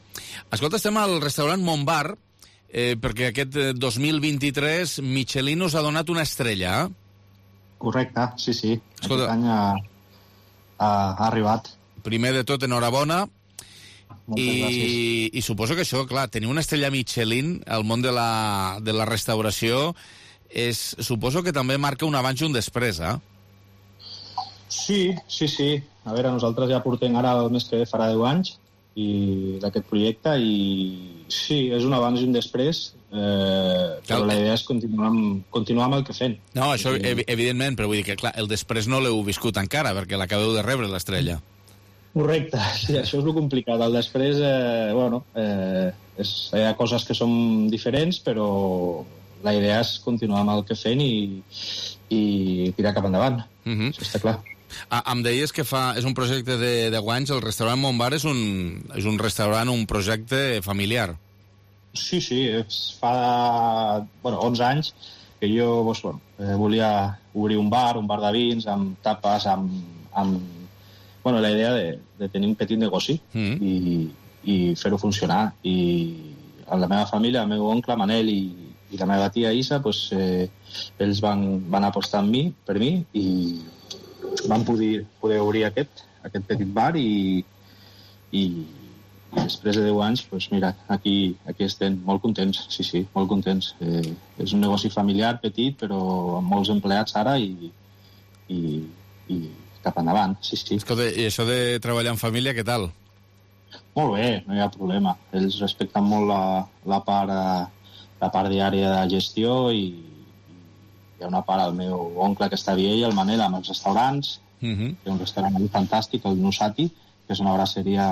Escolta, estem al restaurant Montbar, eh, perquè aquest dos mil vint-i-tres Michelin us ha donat una estrella, eh? Correcte, sí, sí. Escolta, aquest any ha, ha, ha arribat. Primer de tot, enhorabona. Moltes I, gràcies. I suposo que això, clar, tenir una estrella Michelin al món de la, de la restauració és, suposo que també marca un abans i un després, eh? Sí, sí, sí. A veure, nosaltres ja portem ara el mes que ve farà deu anys i d'aquest projecte i sí, és un abans i un després, eh, però la idea és continuar amb, continuar amb el que fem. No, això ev evidentment, però vull dir que clar, el després no l'heu viscut encara, perquè l'acabeu de rebre, l'estrella. Correcte, sí, això és el complicat. El després, eh, bueno, eh, és, hi ha coses que són diferents, però la idea és continuar amb el que fem i, i tirar cap endavant. Uh-huh. Això està clar. Ah, em deies que fa, és un projecte de deu anys, el restaurant Montbar és un, és un restaurant, un projecte familiar. Sí, sí, és fa bueno, onze anys que jo doncs, bueno, eh, volia obrir un bar, un bar de vins, amb tapes, amb... amb bueno, la idea de, de tenir un petit negoci mm. i, i fer-ho funcionar. I la meva família, el meu oncle Manel i, i la meva tia Isa, doncs, eh, ells van, van apostar en mi, per mi, i van poder, poder obrir aquest, aquest petit bar i, i, i després de deu anys, doncs mira, aquí, aquí estem molt contents, sí, sí, molt contents. Eh, és un negoci familiar, petit, però amb molts empleats ara i, i, i cap endavant, sí, sí. Escolta, i això de treballar en família, què tal? Molt bé, no hi ha problema. Ells respecten molt la, la, part, la part diària de gestió i hi ha una part, el meu oncle que està a Viella, el Manel, amb els restaurants. Uh-huh. Hi ha un restaurant fantàstic, el Nusati, que és una brasseria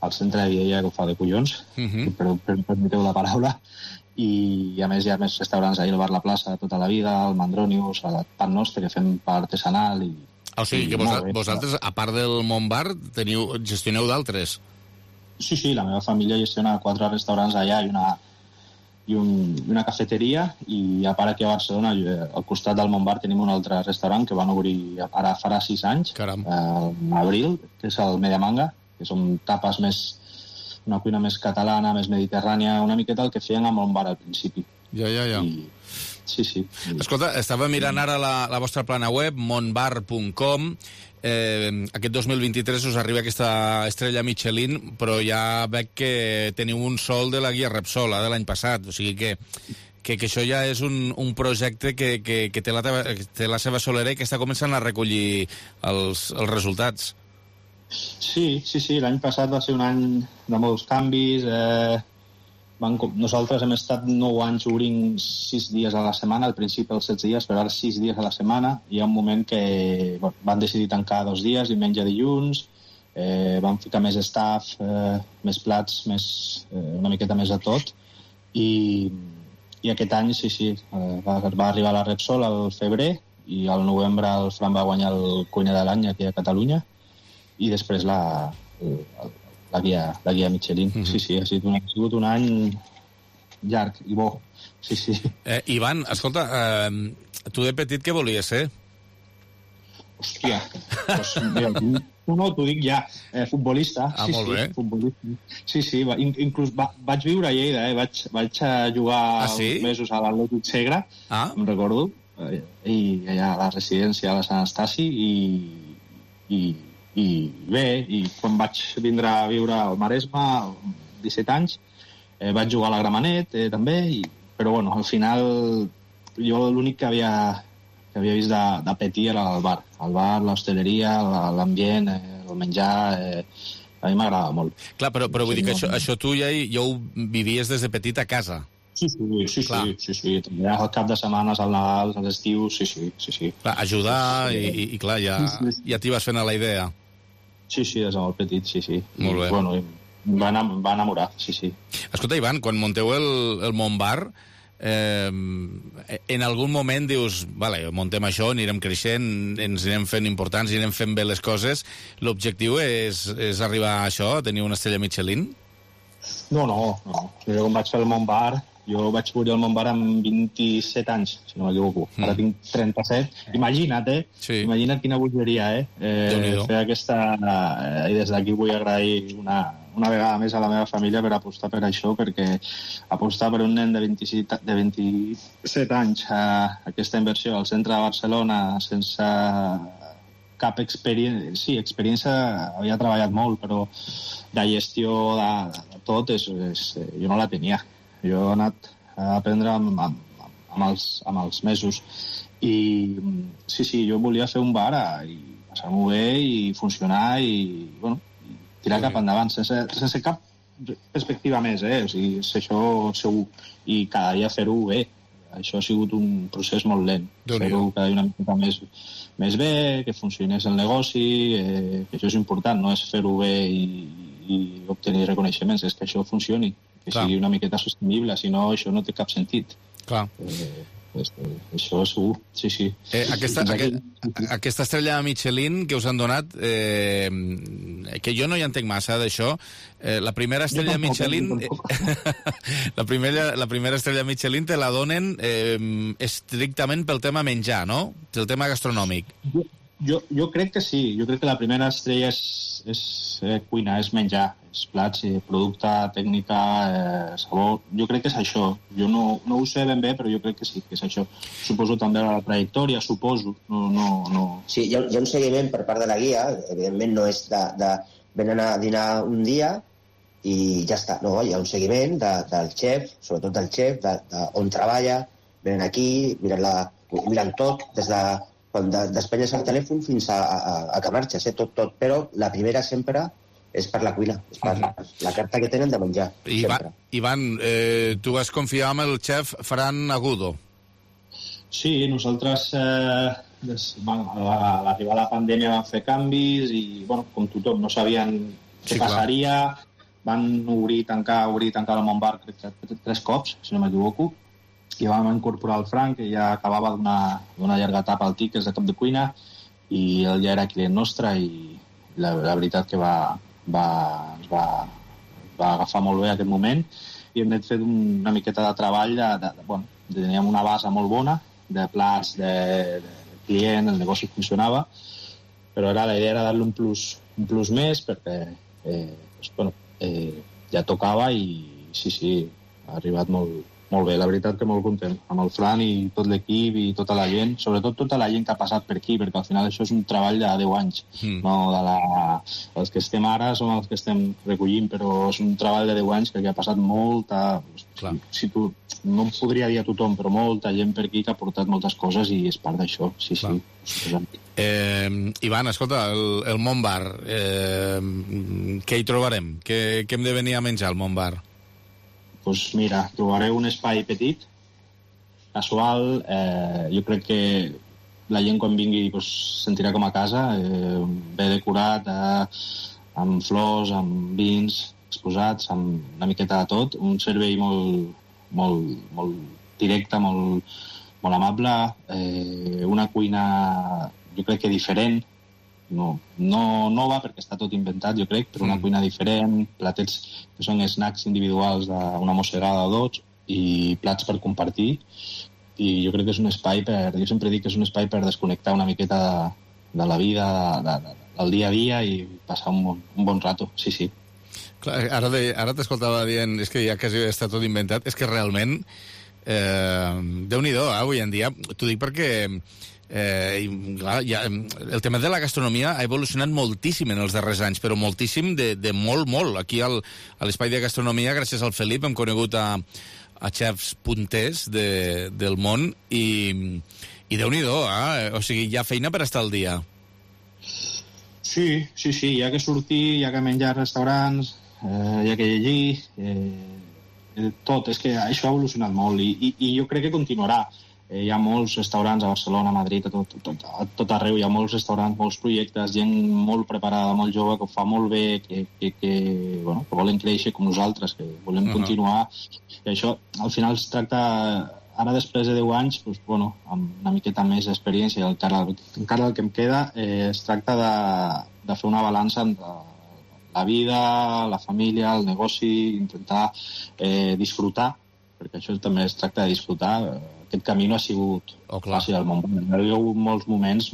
al centre de Viella que ho fa de collons, uh-huh. per, per, permeteu la paraula. I a més hi ha més restaurants ahir, el Bar La Plaça de tota la vida, el Mandronius, el Pan Nostre, que fem part artesanal. I, o sigui que vos, vosaltres, a part del Montbar, teniu, gestioneu d'altres? Sí, sí, la meva família gestiona quatre restaurants allà i una... i un, una cafeteria, i a part aquí a Barcelona, al costat del Montbar, tenim un altre restaurant que van obrir ara farà sis anys, eh, en abril, que és el Mediamanga, que són tapes més, una cuina més catalana, més mediterrània, una miqueta el que feien a Montbar al principi. Ja, ja, ja. I, sí, sí. Escolta, estava mirant ara la, la vostra plana web, montbar punt com. Eh, aquest dos mil vint-i-tres us arriba aquesta estrella Michelin, però ja veig que teniu un sol de la guia Repsol, eh, de l'any passat, o sigui que que, que això ja és un, un projecte que, que, que té, la teva, que té la seva solera i que està començant a recollir els, els resultats. Sí, sí, sí, l'any passat va ser un any de molts canvis. Eh, van, nosaltres hem estat nou anys obrint sis dies a la setmana, al principi els set dies, però ara sis dies a la setmana. Hi ha un moment que bueno, van decidir tancar dos dies, diumenge i dilluns, eh, van ficar més staff, eh, més plats, més, eh, una miqueta més de tot, i, i aquest any, sí, sí, eh, va, va arribar la Repsol al febrer, i al novembre el Fran va guanyar el cuiner de l'any aquí a Catalunya, i després la, la, guia, la guia Michelin. Mm-hmm. Sí, sí, ha sigut, un, ha sigut un any llarg i bo. Sí, sí. Eh, Ivan, escolta, eh, tu de petit què volies ser? Hòstia, doncs, mira, no, no, t'ho dic ja, eh, futbolista. Ah, sí, molt sí, bé. Futbolista. Sí, sí, va, inclús va, vaig viure a Lleida, eh, vaig, vaig a jugar ah, sí? uns mesos a l'Atlètic Segre, ah. em recordo, eh, i allà a la residència a la Sant Estasi, i, i i bé, i quan vaig vindre a viure al Maresme, disset anys, eh, vaig jugar a la Gramenet, eh, també, i, però bueno, al final jo l'únic que havia, que havia vist de, de petit era el bar, el bar, l'hostaleria, l'ambient, eh, el menjar, eh, a mi m'agradava molt. Clar, però, però vull dir que això, això tu ja, ja ho vivies des de petit a casa. Sí, sí, sí, sí, sí, sí. També al cap de setmanes, al Nadal, als estius, sí, sí, sí, sí. Clar, ajudar i, i, i clar, ja, ja t'hi vas fent a la idea. Sí, sí, des de molt petit, sí, sí. Molt bé. I, bueno, em va, em va enamorar, sí, sí. Escolta, Ivan, quan munteu el, el Montbar, eh, en algun moment dius, vale, muntem això, anirem creixent, ens anirem fent importants, anirem fent bé les coses. L'objectiu és, és arribar a això, a tenir una estrella Michelin? No, no, no. Jo quan vaig fer el Montbar, jo vaig obrir el Montbar amb vint-i-set anys, si no m'equivoco. Mm. Ara tinc trenta-set. Imagina't, eh? Sí. Imagina't quina bogeria, eh? eh fer aquesta... Eh, I des d'aquí vull agrair una, una vegada més a la meva família per apostar per això, perquè apostar per un nen de vint-i-set, de vint-i-set anys a aquesta inversió al centre de Barcelona sense cap experiència... Sí, experiència havia treballat molt, però de gestió de, de tot és, és, jo no la tenia. Jo he anat a aprendre amb, amb, amb, els, amb els mesos i sí, sí, jo volia fer un bar i passar-m'ho bé i funcionar i, bueno, i tirar sí. cap endavant sense, sense cap perspectiva més, eh? O sigui, és això segur, i cada dia fer-ho bé. Això ha sigut un procés molt lent, fer-ho cada dia una mica més, més bé, que funcionés el negoci, eh, que això és important, no és fer-ho bé i, i obtenir reconeixements, és que això funcioni, que Clar. sigui una miqueta sostenible, si no això no té cap sentit. Clar. Eh, pues, eh, això segur, sí, sí. Eh, aquesta, aquest, aquesta estrella Michelin que us han donat, eh, que jo no hi entenc massa d'això, eh, la primera estrella tampoc, Michelin la, primera, la primera estrella Michelin te la donen eh, estrictament pel tema menjar, no? Pel tema gastronòmic. Jo, jo, jo crec que sí, jo crec que la primera estrella és, és eh, cuina, és menjar, és plats, eh, producte, tècnica, eh, sabor. Jo crec que és això. Jo no, no ho sé ben bé, però jo crec que sí, que és això. Suposo també la trajectòria, suposo. No, no, no. Sí, hi ha, hi ha un seguiment per part de la guia, evidentment no és de, de venen a dinar un dia i ja està. No, hi ha un seguiment de, del xef, sobretot del xef, de, de on treballa, venen aquí, miren, la, miren tot, des de quan de, despenyes el telèfon fins a, a, a que marxes, eh? tot, tot. Però la primera sempre és per la cuina, és per la, la carta que tenen de menjar. Ivan, Ivan eh, tu vas confiar amb el xef Fran Agudo. Sí, nosaltres eh, des, bueno, a l'arribar a la pandèmia van fer canvis i, bueno, com tothom, no sabien què sí, passaria. Clar. Van obrir, tancar, obrir, tancar el Montbar crec que tres cops, si no m'equivoco. I vam incorporar el Frank, que ja acabava d'una llarga etapa al T I C, que és de cap de cuina, i ell ja era client nostre i la, la veritat que va, va, ens va, va agafar molt bé aquest moment i hem fet una miqueta de treball de, de, de, bueno, teníem una base molt bona de plats, de, de client, el negoci funcionava, però ara la idea era dar-li un plus, un plus més perquè eh, doncs, bueno, eh, ja tocava i sí, sí, ha arribat molt, molt bé, la veritat que molt content amb el Fran i tot l'equip i tota la gent, sobretot tota la gent que ha passat per aquí, perquè al final això és un treball de deu anys, mm. no de la... els que estem ara som els que estem recollint, però és un treball de deu anys que aquí ha passat molta... Clar. Si tu... no em podria dir a tothom, però molta gent per aquí que ha portat moltes coses i és part d'això, sí, Clar. sí. Eh, Ivan, escolta, el, el Mont Bar, eh, què hi trobarem? Què, què hem de venir a menjar al Mont Bar? Doncs mira, trobareu un espai petit, casual, eh, jo crec que la gent quan vingui pues, sentirà com a casa, eh, bé decorat, eh, amb flors, amb vins exposats, amb una miqueta de tot, un servei molt, molt, molt directe, molt, molt amable, eh, una cuina jo crec que diferent, no, no nova perquè està tot inventat jo crec, però una mm. cuina diferent, platets que són snacks individuals d'una mossegada o dos i plats per compartir, i jo crec que és un espai per, jo sempre dic que és un espai per desconnectar una miqueta de, de la vida, de, de, del dia a dia i passar un bon, un bon rato, sí, sí. Clar, ara de, ara t'escoltava dient, és que ja quasi està tot inventat, és que realment eh, Déu-n'hi-do, eh, avui en dia, t'ho dic perquè Eh, i, clar, ja, el tema de la gastronomia ha evolucionat moltíssim en els darrers anys, però moltíssim de, de molt, molt. Aquí al, a l'espai de gastronomia, gràcies al Felip, hem conegut a, a xefs punters de, del món i, i Déu-n'hi-do, eh? O sigui, hi ha feina per estar al dia. Sí, sí, sí, hi ha que sortir, hi ha que menjar a restaurants, eh, hi ha que llegir, eh, tot, és que això ha evolucionat molt i, i, i jo crec que continuarà. Eh, hi ha molts restaurants a Barcelona, a Madrid, a tot, tot, a tot arreu, hi ha molts restaurants, molts projectes, gent molt preparada, molt jove, que ho fa molt bé, que, que, que, bueno, que volen créixer com nosaltres, que volem uh-huh. continuar. I això, al final, es tracta, ara després de deu anys, doncs, bueno, amb una miqueta més d'experiència, encara, encara el que em queda, eh, es tracta de, de fer una balança entre la vida, la família, el negoci, intentar eh, disfrutar, perquè això també es tracta de disfrutar. Aquest camí no ha sigut oh, fàcil al món. Hi ha hagut molts moments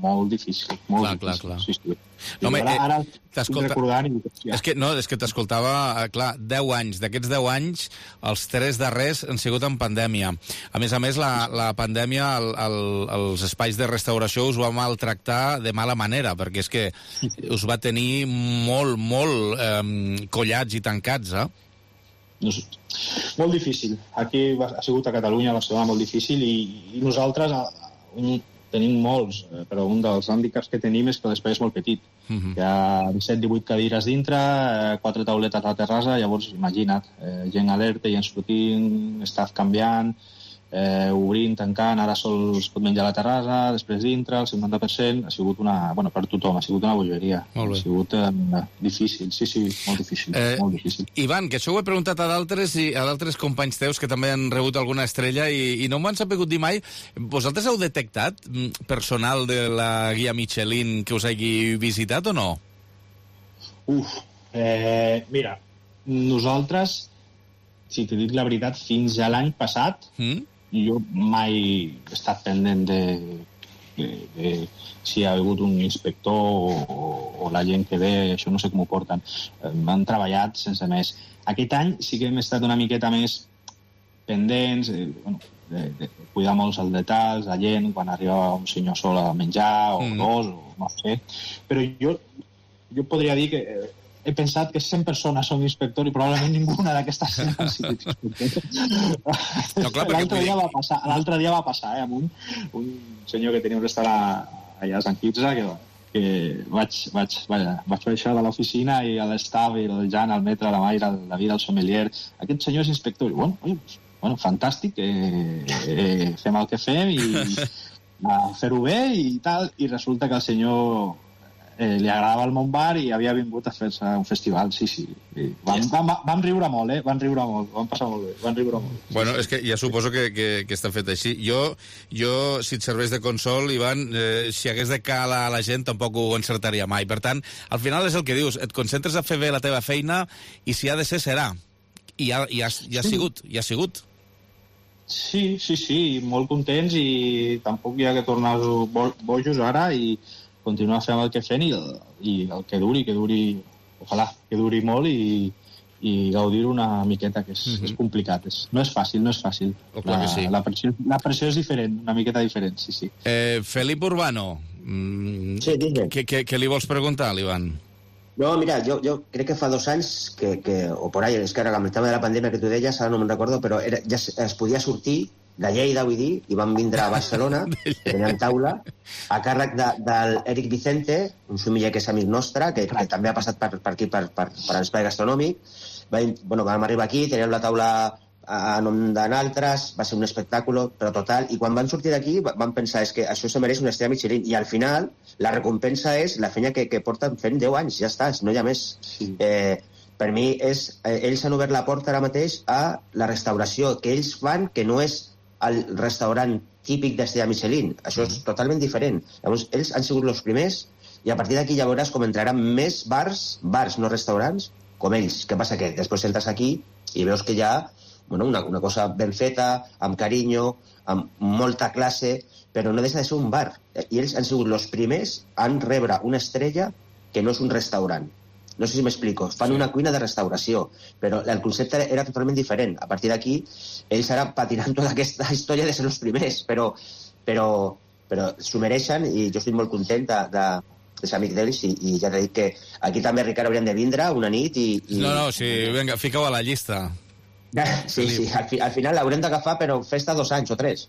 molt difícils. Molt clar, difícils. clar, clar. Sí, sí. No, home, ara, ara eh, t'escolta... recordant... I... Ja. És que, no, és que t'escoltava, clar, deu anys. D'aquests deu anys, els tres darrers han sigut en pandèmia. A més a més, la, la pandèmia, el, el, els espais de restauració us va maltractar de mala manera, perquè és que us va tenir molt, molt eh, collats i tancats, eh? Molt difícil. Aquí ha sigut a Catalunya, a Barcelona, molt difícil i, i nosaltres un, tenim molts, però un dels hàndicaps que tenim és que l'espai és molt petit. Uh-huh. Hi ha disset divuit cadires dintre, quatre tauletes a la terrassa, llavors imagina't, eh, gent alerta, gent sortint, staff canviant, eh, obrint, tancant, ara sol es pot menjar a la terrassa, després dintre, el cinquanta per cent, ha sigut una, bueno, per tothom, ha sigut una bogeria. Ha sigut eh, difícil, sí, sí, molt difícil, eh, molt difícil. Ivan, que això ho he preguntat a d'altres i a d'altres companys teus que també han rebut alguna estrella i, i no m'ho han sabut dir mai. Vosaltres heu detectat personal de la guia Michelin que us hagi visitat o no? Uf, eh, mira, nosaltres, si t'he dit la veritat, fins a l'any passat, mm? jo mai he estat pendent de, de, de si hi ha hagut un inspector o, o, o la gent que ve, això no sé com ho porten. Han treballat sense més. Aquest any sí que hem estat una miqueta més pendents, eh, bueno, de, de cuidar molts els detalls, la gent, quan arriba un senyor sol a menjar, o mm. dos, o no sé. Però jo, jo podria dir que eh, he pensat que cent persones són inspector i probablement ninguna d'aquestes han sigut inspector. No, l'altre dia va passar, l'altre dia va passar, eh, amb un, un senyor que tenia un restaurant allà a Sant Quirze, que, que vaig, vaig, vaja, vaig baixar de l'oficina i a l'estaf, i el Jan, el metre, la Mayra, el David, el sommelier, aquest senyor és inspector. I bueno, oi, bueno, fantàstic, eh, eh, fem el que fem i a fer-ho bé i tal, i resulta que el senyor eh, li agradava el Montbar i havia vingut a fer-se un festival, sí, sí. Vam, vam, vam riure molt, eh? Vam riure molt, vam passar molt bé, vam riure molt. Bueno, és que ja suposo que, que, que està fet així. Jo, jo, si et serveix de consol, Ivan, eh, si hagués de calar a la gent tampoc ho encertaria mai. Per tant, al final és el que dius, et concentres a fer bé la teva feina i si ha de ser, serà. I ja, ja, ja ha sigut, ja ha sigut. Sí, sí, sí, molt contents i tampoc hi ha que tornar bo bojos ara i continuar fent el que fem i el, i el que duri, que duri, ojalà, que duri molt i, i gaudir una miqueta, que és, Mhm. és complicat. És, no és fàcil, no és fàcil. Oh, clar La, que sí. la, pressió, la pressió és diferent, una miqueta diferent, sí, sí. Eh, Felip Urbano, mm, Sí, digue'm. què, què, què li vols preguntar, l'Ivan? No, mira, jo, jo crec que fa dos anys, que, que, o por ahí, és que ara amb el tema de la pandèmia que tu deies, ara no me'n recordo, però era, ja es, es podia sortir de Lleida, vull dir, i van vindre a Barcelona, tenien taula, a càrrec de, del Eric Vicente, un sumiller que és amic nostre, que, que també ha passat per, per aquí, per, per, per l'espai gastronòmic. Va, bueno, vam arribar aquí, teníem la taula a nom d'altres, va ser un espectacle, però total, i quan van sortir d'aquí van pensar és que això se mereix una estrella Michelin, i al final la recompensa és la feina que, que porten fent deu anys, ja està, no hi ha més. Sí. Eh, per mi, és, eh, ells han obert la porta ara mateix a la restauració que ells fan, que no és el restaurant típic d'estrella Michelin. Això és totalment diferent. Llavors, ells han sigut els primers i a partir d'aquí ja veuràs com entraran més bars, bars, no restaurants, com ells. Què passa? Que després entres aquí i veus que hi ha bueno, una, una cosa ben feta, amb carinyo, amb molta classe, però no deixa de ser un bar. I ells han sigut els primers en rebre una estrella que no és un restaurant. No sé si m'explico. Fan sí. una cuina de restauració, però el concepte era totalment diferent. A partir d'aquí, ells ara patiran tota aquesta història de ser els primers, però, però, però s'ho mereixen i jo estic molt content de, de, de ser amic d'ells i, i ja t'he dit que aquí també, Ricard, haurien de vindre una nit i... i... No, no, sí, vinga, fica-ho a la llista. Sí, sí, al, fi, al final l'haurem d'agafar, però festa dos anys o tres.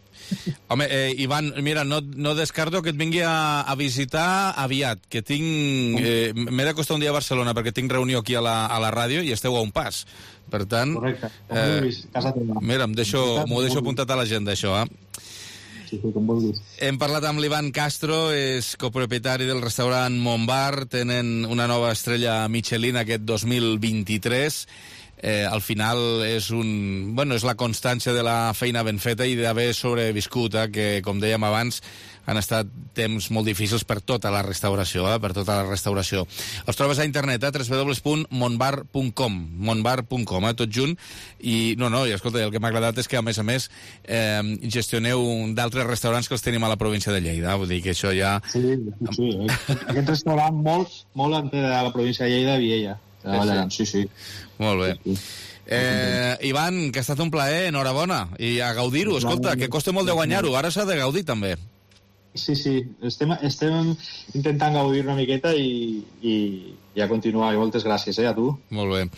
Home, eh, Ivan, mira, no, no descarto que et vingui a, a visitar aviat, que tinc... Eh, m'he d'acostar un dia a Barcelona perquè tinc reunió aquí a la, a la ràdio i esteu a un pas. Per tant... Correcte. Eh, mira, m'ho deixo, deixo apuntat a l'agenda, això, eh? Sí, sí, com vulguis. Hem parlat amb l'Ivan Castro, és copropietari del restaurant Montbar, tenen una nova estrella Michelin aquest dos mil vint-i-tres. Eh, al final és un, bueno, és la constància de la feina ben feta i d'haver sobreviscut, eh, que, com dèiem abans, han estat temps molt difícils per tota la restauració, eh, per tota la restauració. Els trobes a internet, eh, w w w punt montbar punt com, montbar punt com, eh, tot junt. I, no, no, i escolta, el que m'ha agradat és que, a més a més, eh, gestioneu d'altres restaurants que els tenim a la província de Lleida. Vull dir que això ja... Sí, sí, aquest restaurant molt, molt antes de la província de Lleida, Viella. Sí, sí. Molt bé. Eh, Ivan, que ha estat un plaer, enhorabona, i a gaudir-ho. Escolta, que costa molt de guanyar-ho, ara s'ha de gaudir també. Sí, sí, estem, estem intentant gaudir una miqueta i, i, i a continuar. I moltes gràcies, eh, a tu. Molt bé.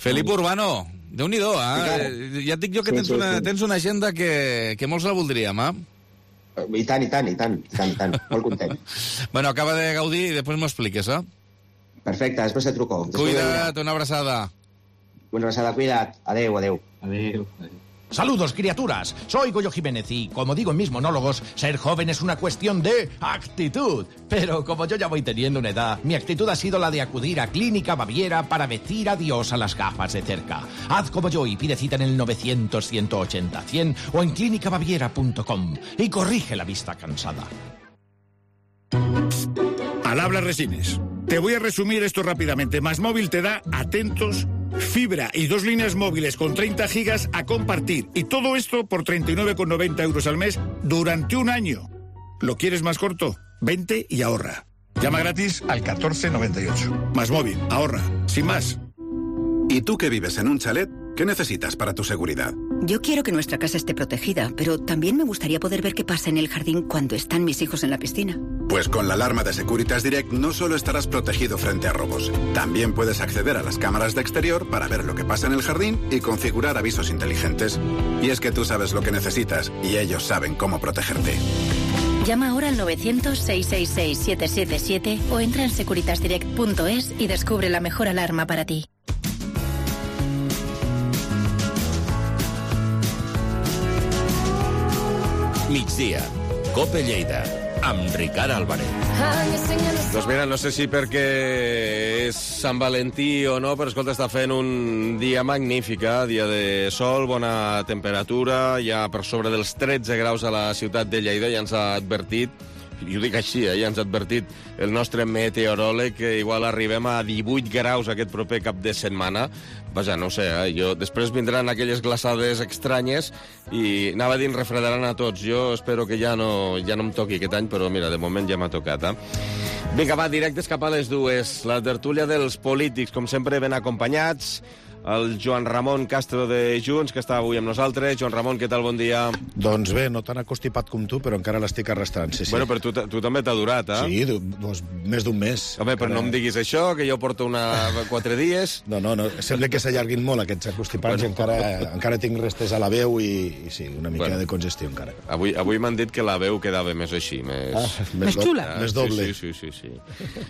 Felip Urbano, déu-n'hi-do, eh? Ja et dic jo que tens una, tens una agenda que, que molts la voldríem, eh? I tant, i tant, i tant, i tant, i tant. Molt content. Bueno, acaba de gaudir i després m'ho expliques, eh? Perfecte, després te truco. Cuida't, una abraçada. Una abraçada, cuida't. Adeu, adeu. Adeu. Saludos, criaturas. Soy Goyo Jiménez y, como digo en mis monólogos, ser joven es una cuestión de actitud. Pero como yo ya voy teniendo una edad, mi actitud ha sido la de acudir a Clínica Baviera para decir adiós a las gafas de cerca. Haz como yo y pide cita en el novecientos, ciento ochenta, cien o en clínica baviera punto com y corrige la vista cansada. Al habla Resines. Te voy a resumir esto rápidamente. Másmóvil te da, atentos, fibra y dos líneas móviles con treinta gigas a compartir. Y todo esto por treinta y nueve con noventa euros al mes durante un año. ¿Lo quieres más corto? Vente y ahorra. Llama gratis al catorce noventa y ocho. Másmóvil, ahorra. Sin más. ¿Y tú que vives en un chalet? ¿Qué necesitas para tu seguridad? Yo quiero que nuestra casa esté protegida, pero también me gustaría poder ver qué pasa en el jardín cuando están mis hijos en la piscina. Pues con la alarma de Securitas Direct no solo estarás protegido frente a robos, también puedes acceder a las cámaras de exterior para ver lo que pasa en el jardín y configurar avisos inteligentes. Y es que tú sabes lo que necesitas y ellos saben cómo protegerte. Llama ahora al novecientos, seiscientos sesenta y seis, siete siete siete o entra en securitas direct punto es y descubre la mejor alarma para ti. Migdia, Cope Lleida, amb Ricard Álvarez. Doncs mira, no sé si perquè és Sant Valentí o no, però escolta, està fent un dia magnífic, eh? Dia de sol, bona temperatura, ja per sobre dels tretze graus a la ciutat de Lleida, ja ens ha advertit, i ho dic així, eh? Ja ens ha advertit el nostre meteoròleg que igual arribem a divuit graus aquest proper cap de setmana. Vaja, no ho sé, eh? Jo, després vindran aquelles glaçades estranyes i anava dient refredaran a tots. Jo espero que ja no, ja no em toqui aquest any, però mira, de moment ja m'ha tocat, eh? Vinga, va, directes cap a les dues. La tertúlia dels polítics, com sempre, ben acompanyats. el Joan Ramon Castro de Junts, que està avui amb nosaltres. Joan Ramon, què tal? Bon dia. Doncs bé, no tan acostipat com tu, però encara l'estic arrastrant, sí, sí. Bueno, però tu, tu també t'ha durat, eh? Sí, doncs, més d'un mes. Home, però encara... no em diguis això, que jo porto una... quatre dies. No, no, no, sembla que s'allarguin molt aquests acostipats bueno. i encara, encara tinc restes a la veu i, i sí, una mica bueno. de congestió encara. Avui, avui m'han dit que la veu quedava més així, més... Ah, més, més xula. Ah, més doble. Sí, sí, sí, sí.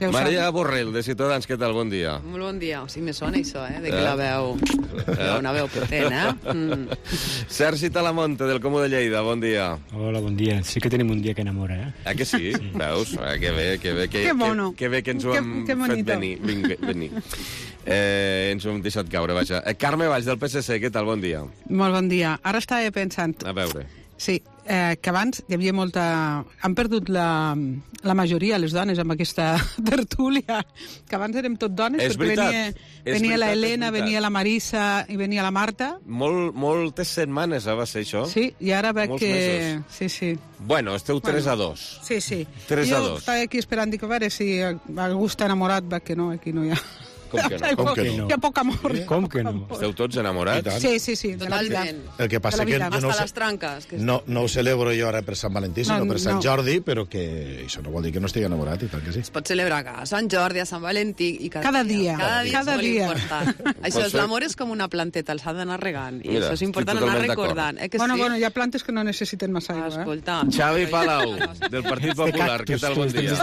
sí. Maria Borrell, de Ciutadans, què tal? Bon dia. Molt bon dia. O sigui, me sona això, eh? De que eh? la veu... Eh? Una veu potent, eh? Mm. Sergi Talamonte, del Comú de Lleida, bon dia. Hola, bon dia. Sí que tenim un dia que enamora, eh? Ah, que sí? sí. Veus? Ah, que bé, que bé. Que, que mono. Que, que bé que ens ho que, hem que fet venir. Vinga, venir. Eh, ens ho hem deixat caure, vaja. Eh, Carme Valls, del P S C, què tal? Bon dia. Molt bon dia. Ara estava pensant... A veure... Sí, eh, que abans hi havia molta... Han perdut la, la majoria, les dones, amb aquesta tertúlia, que abans érem tot dones, és perquè veritat, venia, és venia veritat, la Helena, venia la Marisa i venia la Marta. Molt, moltes setmanes eh, va ser això. Sí, i ara veig Molts que... Mesos. Sí, sí. Bueno, esteu tres bueno, a dos. Sí, sí. tres a dos. Jo estava aquí esperant, dic, a veure si algú està enamorat, veig que no, aquí no hi ha... Com que no? Com que no? Hi ha poc amor. Com que no? Esteu tots enamorats? Sí, sí, sí, de la vida. El que passa que jo no, Hasta les tranques. Que no, no ho celebro jo ara per Sant Valentí, sinó no, per Sant no. Jordi, però que això no vol dir que no estigui enamorat, i tant que sí. Es pot celebrar a Sant Jordi, a Sant Valentí... I cada, cada dia. Cada dia cada és dia. molt important. Això és, l'amor és com una planteta, els ha d'anar regant. I Mira, això és important anar recordant. Eh, que bueno, sí? bueno, hi ha plantes que no necessiten massa aigua, eh? Escolta. Xavi Palau, del Partit Popular, què tal? Bon dia.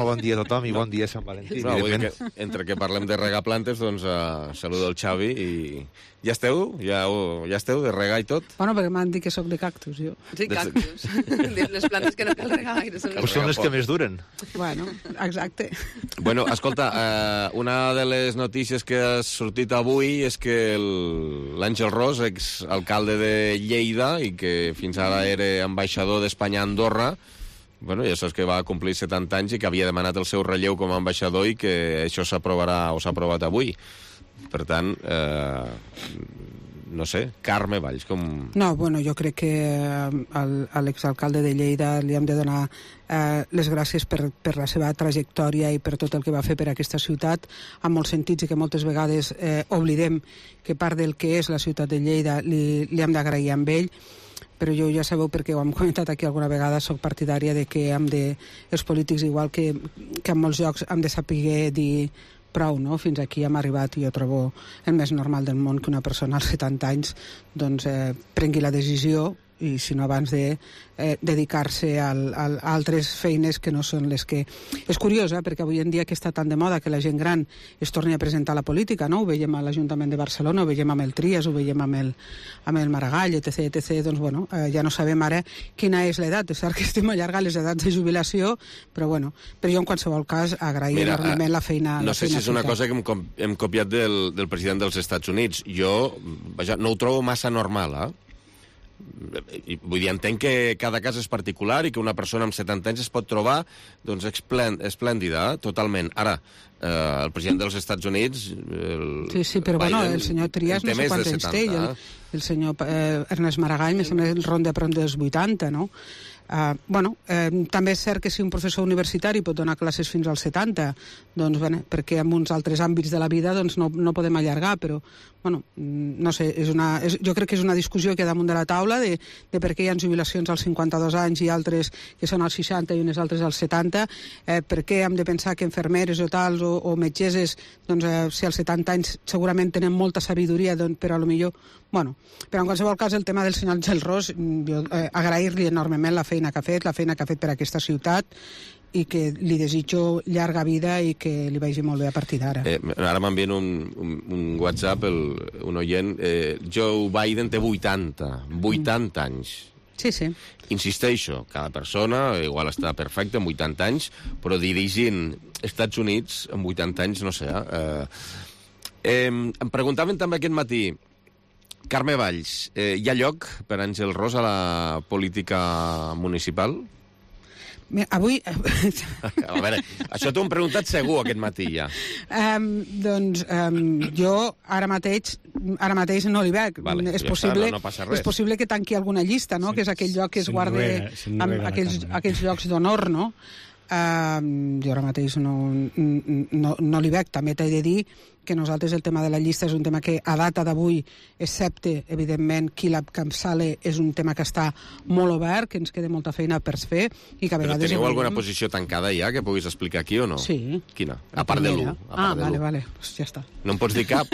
Bon dia a tothom i bon dia a Sant Valentí. No, vull dir que entre que parlem de regar plantes, doncs uh, saludo el Xavi i... Ja esteu? Ja, uh, ja esteu de regar i tot? Bueno, perquè m'han dit que sóc de cactus, jo. Sí, cactus. Les plantes que no cal regar gaire. Són les, són les que més duren. Bueno, exacte. Bueno, escolta, uh, una de les notícies que ha sortit avui és que l'Àngel Ros, exalcalde de Lleida i que fins ara era ambaixador d'Espanya a Andorra, bueno, ja saps que va complir setanta anys i que havia demanat el seu relleu com a ambaixador i que això s'aprovarà o s'ha aprovat avui. Per tant, eh, no sé, Carme Valls, com... No, bueno, jo crec que a l'exalcalde de Lleida li hem de donar eh, les gràcies per, per la seva trajectòria i per tot el que va fer per aquesta ciutat, en molts sentits, i que moltes vegades eh, oblidem que part del que és la ciutat de Lleida li, li hem d'agrair amb ell, però jo ja sabeu, perquè ho hem comentat aquí alguna vegada, soc partidària de que hem de, els polítics, igual que, que en molts llocs, hem de saber dir prou, no? Fins aquí hem arribat i jo trobo el més normal del món que una persona als setanta anys doncs, eh, prengui la decisió i si no abans de eh, dedicar-se al, al, a altres feines que no són les que... És curiós, eh, perquè avui en dia que està tan de moda que la gent gran es torni a presentar a la política, no? Ho veiem a l'Ajuntament de Barcelona, ho veiem amb el Trias, ho veiem amb el, amb el Maragall, etc, etcètera. Doncs, bueno, eh, ja no sabem ara quina és l'edat. És cert que estem allargant les edats de jubilació, però, bueno, però jo en qualsevol cas agraïm Mira, enormement la feina... No la sé feina si és una feta. cosa que hem, hem copiat del, del president dels Estats Units. Jo, vaja, no ho trobo massa normal, eh? Vull dir, entenc que cada cas és particular i que una persona amb setanta anys es pot trobar doncs, esplèndida, eh? Totalment. Ara, eh, el president dels Estats Units... El, sí, sí, però Biden, bueno, el senyor Trias no sé quants anys té, i el, el senyor eh, Ernest Maragall, més o menys, el ronda per dels vuitanta, no? Uh, bueno, eh, també és cert que si un professor universitari pot donar classes fins als setanta, doncs, bueno, perquè en uns altres àmbits de la vida doncs, no, no podem allargar, però, bueno, no sé, és una, és, jo crec que és una discussió que hi ha damunt de la taula de, de per què hi ha jubilacions als cinquanta-dos anys i altres que són als seixanta i unes altres als setanta, eh, per què hem de pensar que infermeres o tals o, o metgesses, doncs, eh, si als setanta anys segurament tenen molta sabidoria, doncs, però a lo millor, bueno, però en qualsevol cas el tema del senyor Àngel Ros, jo eh, agrair-li enormement la feina que ha fet, la feina que ha fet per aquesta ciutat i que li desitjo llarga vida i que li vagi molt bé a partir d'ara. Eh, ara m'envien un, un, un WhatsApp, el, un oient, eh, Joe Biden té vuitanta, vuitanta mm. anys. Sí, sí. Insisteixo, cada persona igual està perfecta amb vuitanta anys, però dirigint Estats Units amb vuitanta anys, no sé. Eh, eh, em preguntaven també aquest matí, Carme Valls, eh, hi ha lloc per Àngel Ros a la política municipal? Mira, avui... A veure, això t'ho hem preguntat segur aquest matí ja. Um, doncs um, jo ara mateix ara mateix no li veig. Vale, és, ja possible, està, no, no passa res. és possible que tanqui alguna llista, no? Sí, que és aquell lloc que es guarda amb aquells, aquells llocs d'honor, no? Uh, jo ara mateix no, no, no li veig. També t'he de dir que nosaltres el tema de la llista és un tema que a data d'avui, excepte, evidentment, qui la capçale, és un tema que està molt obert, que ens queda molta feina per fer, i que a vegades... Però teniu evident... alguna posició tancada ja que puguis explicar aquí o no? Sí. Quina? A part de l'u. Ah, vale, vale, pues ja està. No em pots dir cap?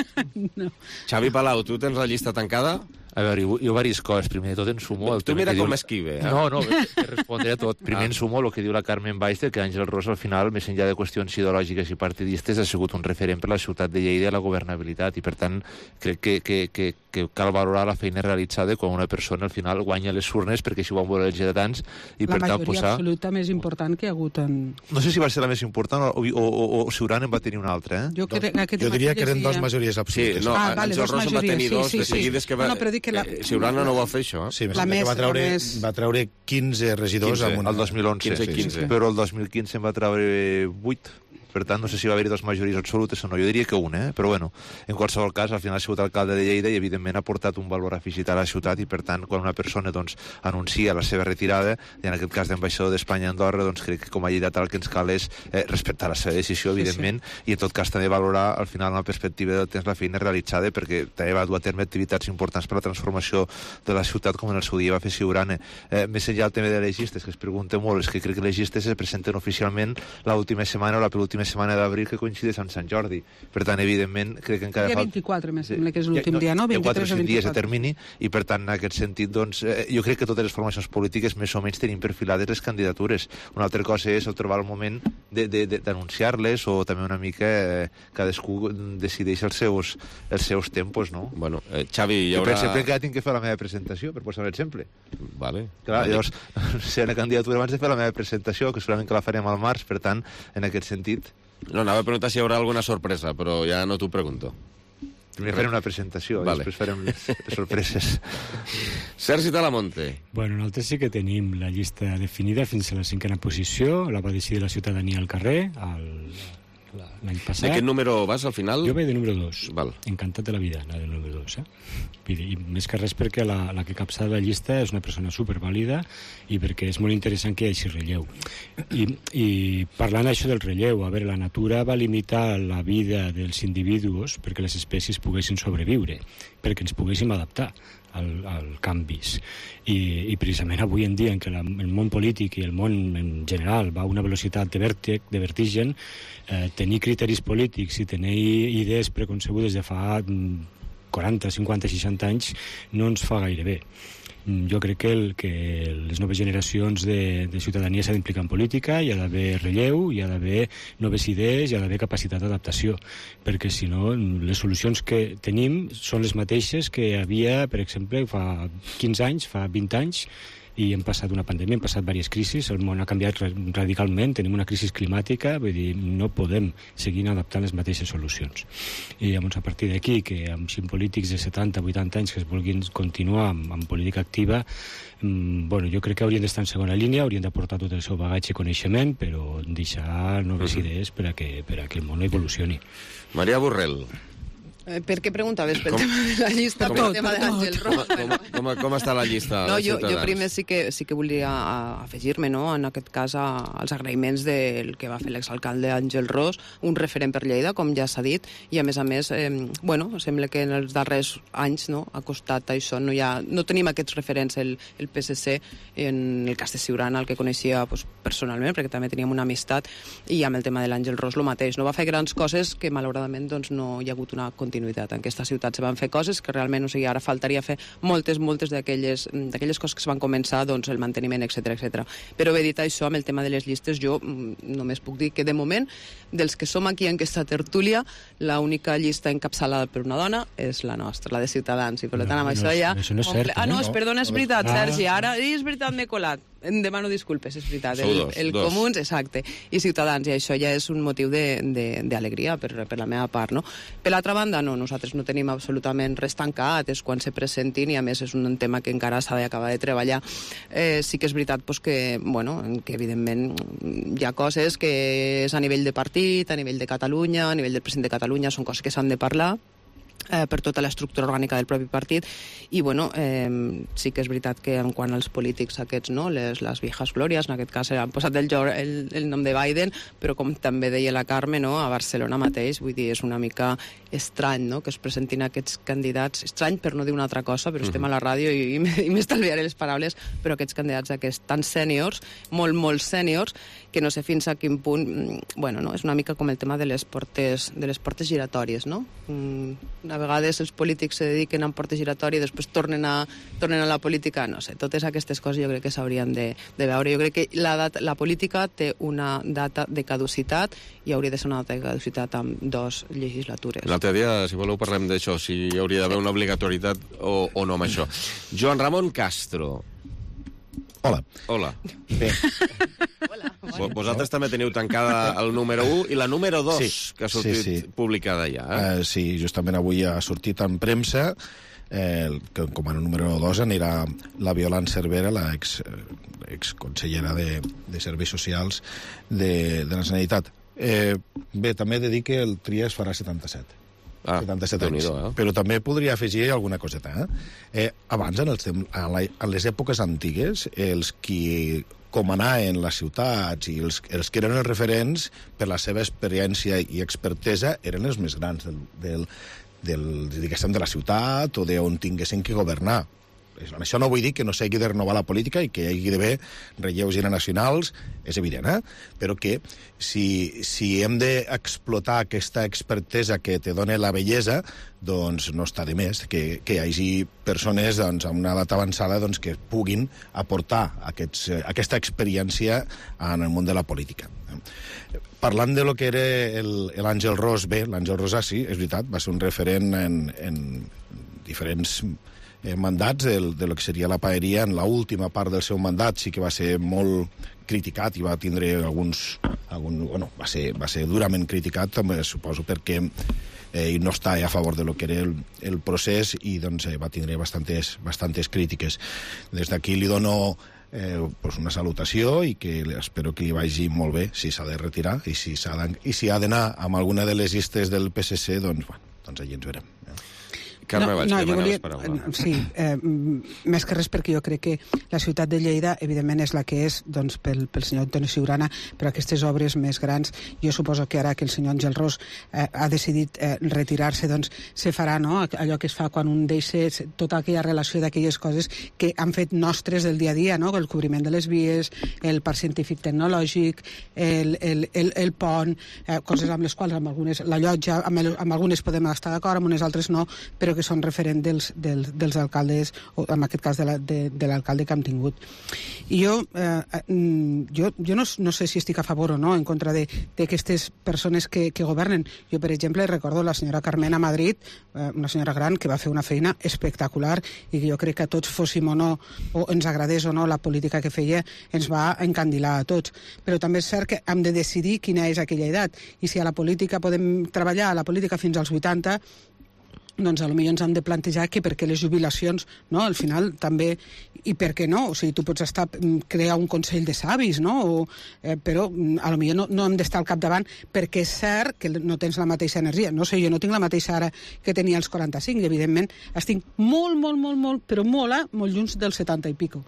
No. Xavi Palau, tu tens la llista tancada? A veure, jo, jo diverses coses. Primer de tot, ensumo... El tu tema mira que com diu... esquive, eh? No, no, te respondré a tot. Primer Ah. ensumo el que diu la Carmen Baix, que Àngel Ros, al final, més enllà de qüestions ideològiques i partidistes, ha sigut un referent per la ciutat de Lleida i la governabilitat, i per tant, crec que, que, que, que cal valorar la feina realitzada quan una persona al final guanya les urnes, perquè així ho van voler els lleidatans, i La per tant majoria posar... absoluta més important que hi ha hagut en... No sé si va ser la més important o, o, o, o Ciuran en va tenir una altra, eh? Jo, crec, jo diria que eren dos majories absolutes. Sí, no, Ah, vale, Àngel dos Ros en va majories, tenir sí, dos sí, de sí. seguides que va... No, no, però dic que la- Eh, Ciurana no va fer això, eh? Sí, em La sembla que més- va treure, la més- va treure quinze regidors quinze, amb una... el dos mil onze, quinze i quinze. però el dos mil quinze en va treure vuit. Per tant, no sé si va haver-hi dues majories absolutes o no. Jo diria que una, eh? Però bueno, en qualsevol cas, al final ha sigut alcalde de Lleida i, evidentment, ha portat un valor afegit a la ciutat i, per tant, quan una persona doncs, anuncia la seva retirada, i en aquest cas d'ambaixador d'Espanya a Andorra, doncs crec que com a lleidatà el que ens cal és eh, respectar la seva decisió, evidentment, sí, sí. i en tot cas també valorar, al final, una perspectiva del temps, la feina realitzada, perquè també va dur a terme activitats importants per a la transformació de la ciutat, com en el seu dia va fer Ciurana. Eh, més enllà del tema de les llistes, que es pregunta molt, és que crec que les llistes es presenten oficialment l'última setmana o la penúltima setmana d'abril, que coincideix amb Sant Jordi. Per tant, evidentment, crec que encara Dia falta... vint-i-quatre, me sembla que és l'últim dia, no? Hi ha quatre o vint-i-tres o cinc dies de vint-i-quatre. termini i, per tant, en aquest sentit, doncs, eh, jo crec que totes les formacions polítiques més o menys tenim perfilades les candidatures. Una altra cosa és el trobar el moment d'anunciar-les o també una mica eh, cadascú decideix els seus, els seus tempos, no? Bueno, eh, Xavi, hi Jo, haurà... per exemple, que tinc que fer la meva presentació, per posar un exemple. Vale. Clar, Vale. llavors, si una candidatura abans de fer la meva presentació, que segurament que la farem al març, per tant, en aquest sentit... No, anava a preguntar si hi haurà alguna sorpresa, però ja no t'ho pregunto. Primer farem una presentació, Vale. vale. Després farem les, les sorpreses. Sergi Talamonte. Bueno, nosaltres sí que tenim la llista definida fins a la cinquena posició, la va decidir la ciutadania al carrer el, l'any passat. De quin número vas al final? Jo vaig de número dos. Val. Encantat de la vida, la del número dos. Eh? I, I més que res perquè la, la que capçala la llista és una persona supervàlida i perquè és molt interessant que hi hagi relleu. I, i parlant això del relleu, a veure, la natura va limitar la vida dels individus perquè les espècies poguessin sobreviure, perquè ens poguéssim adaptar al, al canvis. I, I precisament avui en dia en què la, el món polític i el món en general va a una velocitat de vèrtec, de vertigen, eh, tenir criteris polítics i tenir idees preconcebudes de fa quaranta, cinquanta, seixanta anys no ens fa gaire bé. Jo crec que, el, que les noves generacions de, de ciutadania s'han d'implicar en política, hi ha d'haver relleu, hi ha d'haver noves idees, hi ha d'haver capacitat d'adaptació, perquè si no les solucions que tenim són les mateixes que hi havia, per exemple, fa quinze anys, fa vint anys, i hem passat una pandèmia, hem passat diverses crisis, el món ha canviat radicalment, tenim una crisi climàtica, vull dir, no podem seguir adaptant les mateixes solucions. I llavors, a partir d'aquí, que amb cinc polítics de setanta, vuitanta anys que es vulguin continuar amb, amb política activa, mmm, bueno, jo crec que haurien d'estar en segona línia, haurien d'aportar tot el seu bagatge i coneixement, però deixar noves Mhm. idees per a que, per a que el món evolucioni. Maria Borrell. Eh, per què preguntaves? Pel Com- tema de la llista, Com- pel tema de l'Àngel Ros? Com, com, com està la llista No, de jo, jo Ciutadans? primer sí que, sí que volia afegir-me, no?, en aquest cas, a, als agraïments del que va fer l'exalcalde Àngel Ros, un referent per Lleida, com ja s'ha dit, i a més a més, eh, bueno, sembla que en els darrers anys, no?, ha costat això, no, hi ha, no tenim aquests referents, el, el P S C, en el cas de Ciurana, el que coneixia pues, personalment, perquè també teníem una amistat, i amb el tema de l'Àngel Ros el mateix. No va fer grans coses que, malauradament, doncs, no hi ha hagut una continuïtat. En aquesta ciutat se van fer coses que realment, o sigui, ara faltaria fer moltes, moltes d'aquelles d'aquelles coses que es van començar, doncs, el manteniment, etcètera, etcètera. Però bé, dit això, amb el tema de les llistes, jo mm, només puc dir que, de moment, dels que som aquí en aquesta tertúlia, l'única llista encapçalada per una dona és la nostra, la de Ciutadans, i per tant, amb No, això no és- ja... això no és comple- cert, Ah, no, eh? és, No. perdona, és veritat, Ah. Sergi, ara és veritat, m'he colat. Em demano disculpes, és veritat. Sou El, dos, el dos. Comuns, exacte, i Ciutadans, i això ja és un motiu d'alegria per, per la meva part, no? Per l'altra banda, no, nosaltres no tenim absolutament res tancat, és quan se presentin, i a més és un tema que encara s'ha d'acabar de treballar. Eh, sí que és veritat pues, que, bueno, que evidentment hi ha coses que és a nivell de partit, a nivell de Catalunya, a nivell del president de Catalunya, són coses que s'han de parlar, eh, per tota l'estructura orgànica del propi partit, i bueno, eh, sí que és veritat que en quant als polítics aquests, no, les, les viejas glòries, en aquest cas han posat el, el, el nom de Biden, però com també deia la Carme, no, a Barcelona mateix, vull dir, és una mica estrany, no?, que es presentin aquests candidats, estrany per no dir una altra cosa, però uh-huh. estem a la ràdio i, i m'estalviaré les paraules, però aquests candidats aquests tan sèniors, molt, molt sèniors, que no sé fins a quin punt, bueno, no, és una mica com el tema de les portes, de les portes giratòries, no? A vegades els polítics se dediquen a portes giratòries i després tornen a, tornen a la política, no sé, totes aquestes coses jo crec que s'haurien de, de veure. Jo crec que la, data, la política té una data de caducitat i hauria de ser una data de caducitat amb dos legislatures. L'altre dia, si voleu, parlem d'això, si hi hauria d'haver una obligatorietat o, o no amb això. Joan Ramon Castro. Hola. Hola. Bé. Hola. Vosaltres també teniu tancada el número u i la número dos, sí, que ha sortit sí, sí. publicada ja. Eh? Uh, sí, justament avui ha sortit en premsa, eh, que com a número dos anirà la Violant Cervera, la ex, ex consellera de, de Serveis Socials de, de la Generalitat. Eh, bé, també he de dir que el Tria es farà setanta-set. Ah, setanta-set anys. Eh? Però també podria afegir alguna coseta. Eh? Eh, abans, en, els, en, la, en les èpoques antigues, els qui comanaven les ciutats i els, els que eren els referents per la seva experiència i expertesa eren els més grans del, del, del, diguéssim, de la ciutat o d'on tinguessin que governar. Això no vull dir que no s'hagi de renovar la política i que hi hagi d'haver relleus generacionals, és evident, eh? Però que si, si hem d'explotar aquesta expertesa que te dona la bellesa, doncs no està de més que, que hi hagi persones doncs, amb una edat avançada doncs, que puguin aportar aquests, aquesta experiència en el món de la política. Parlant de lo que era l'Àngel Ros, bé, l'Àngel Ros, ah, sí, és veritat, va ser un referent en, en diferents Eh, mandats de, de lo que seria la paeria. En l'última part del seu mandat sí que va ser molt criticat i va tindre alguns... Algun, bueno, va ser, va ser durament criticat, també suposo, perquè eh, no està a favor de lo que era el, el procés i doncs, eh, va tindre bastantes, bastantes crítiques. Des d'aquí li dono eh, pues una salutació i que espero que li vagi molt bé si s'ha de retirar i si, s'ha i si ha d'anar amb alguna de les llistes del P S C, doncs, bueno, doncs allí ens verem. Carme, no, vaig no, demanar volia, les paraules. Sí, eh, més que res perquè jo crec que la ciutat de Lleida, evidentment, és la que és doncs, pel, pel senyor Antoni Siurana, però aquestes obres més grans, jo suposo que ara que el senyor Àngel Ros eh, ha decidit eh, retirar-se, doncs se farà, no?, allò que es fa quan un deixa tota aquella relació d'aquelles coses que han fet nostres del dia a dia, no?, el cobriment de les vies, el parc científic tecnològic, el, el, el, el pont, eh, coses amb les quals amb algunes, la llotja, amb, el, amb algunes podem estar d'acord, amb unes altres no, però que són referent dels, dels, dels alcaldes, o en aquest cas de, la, de, de l'alcalde que hem tingut. I jo, eh, jo, jo no, no sé si estic a favor o no en contra d'aquestes persones que, que governen. Jo, per exemple, recordo la senyora Carmena a Madrid, eh, una senyora gran que va fer una feina espectacular i que jo crec que a tots fóssim o no, o ens agradés o no la política que feia, ens va encandilar a tots. Però també és cert que hem de decidir quina és aquella edat. I si a la política podem treballar a la política fins als vuitanta, doncs potser ens hem de plantejar que perquè les jubilacions, no, al final també, i per què no, o sigui, tu pots estar, crear un consell de savis, no, o, eh, però potser no, no hem d'estar al capdavant perquè és cert que no tens la mateixa energia. No sé, jo no tinc la mateixa ara que tenia als quaranta-cinc, i evidentment estic molt, molt, molt, molt, però molt, eh, molt lluny dels setanta i pico.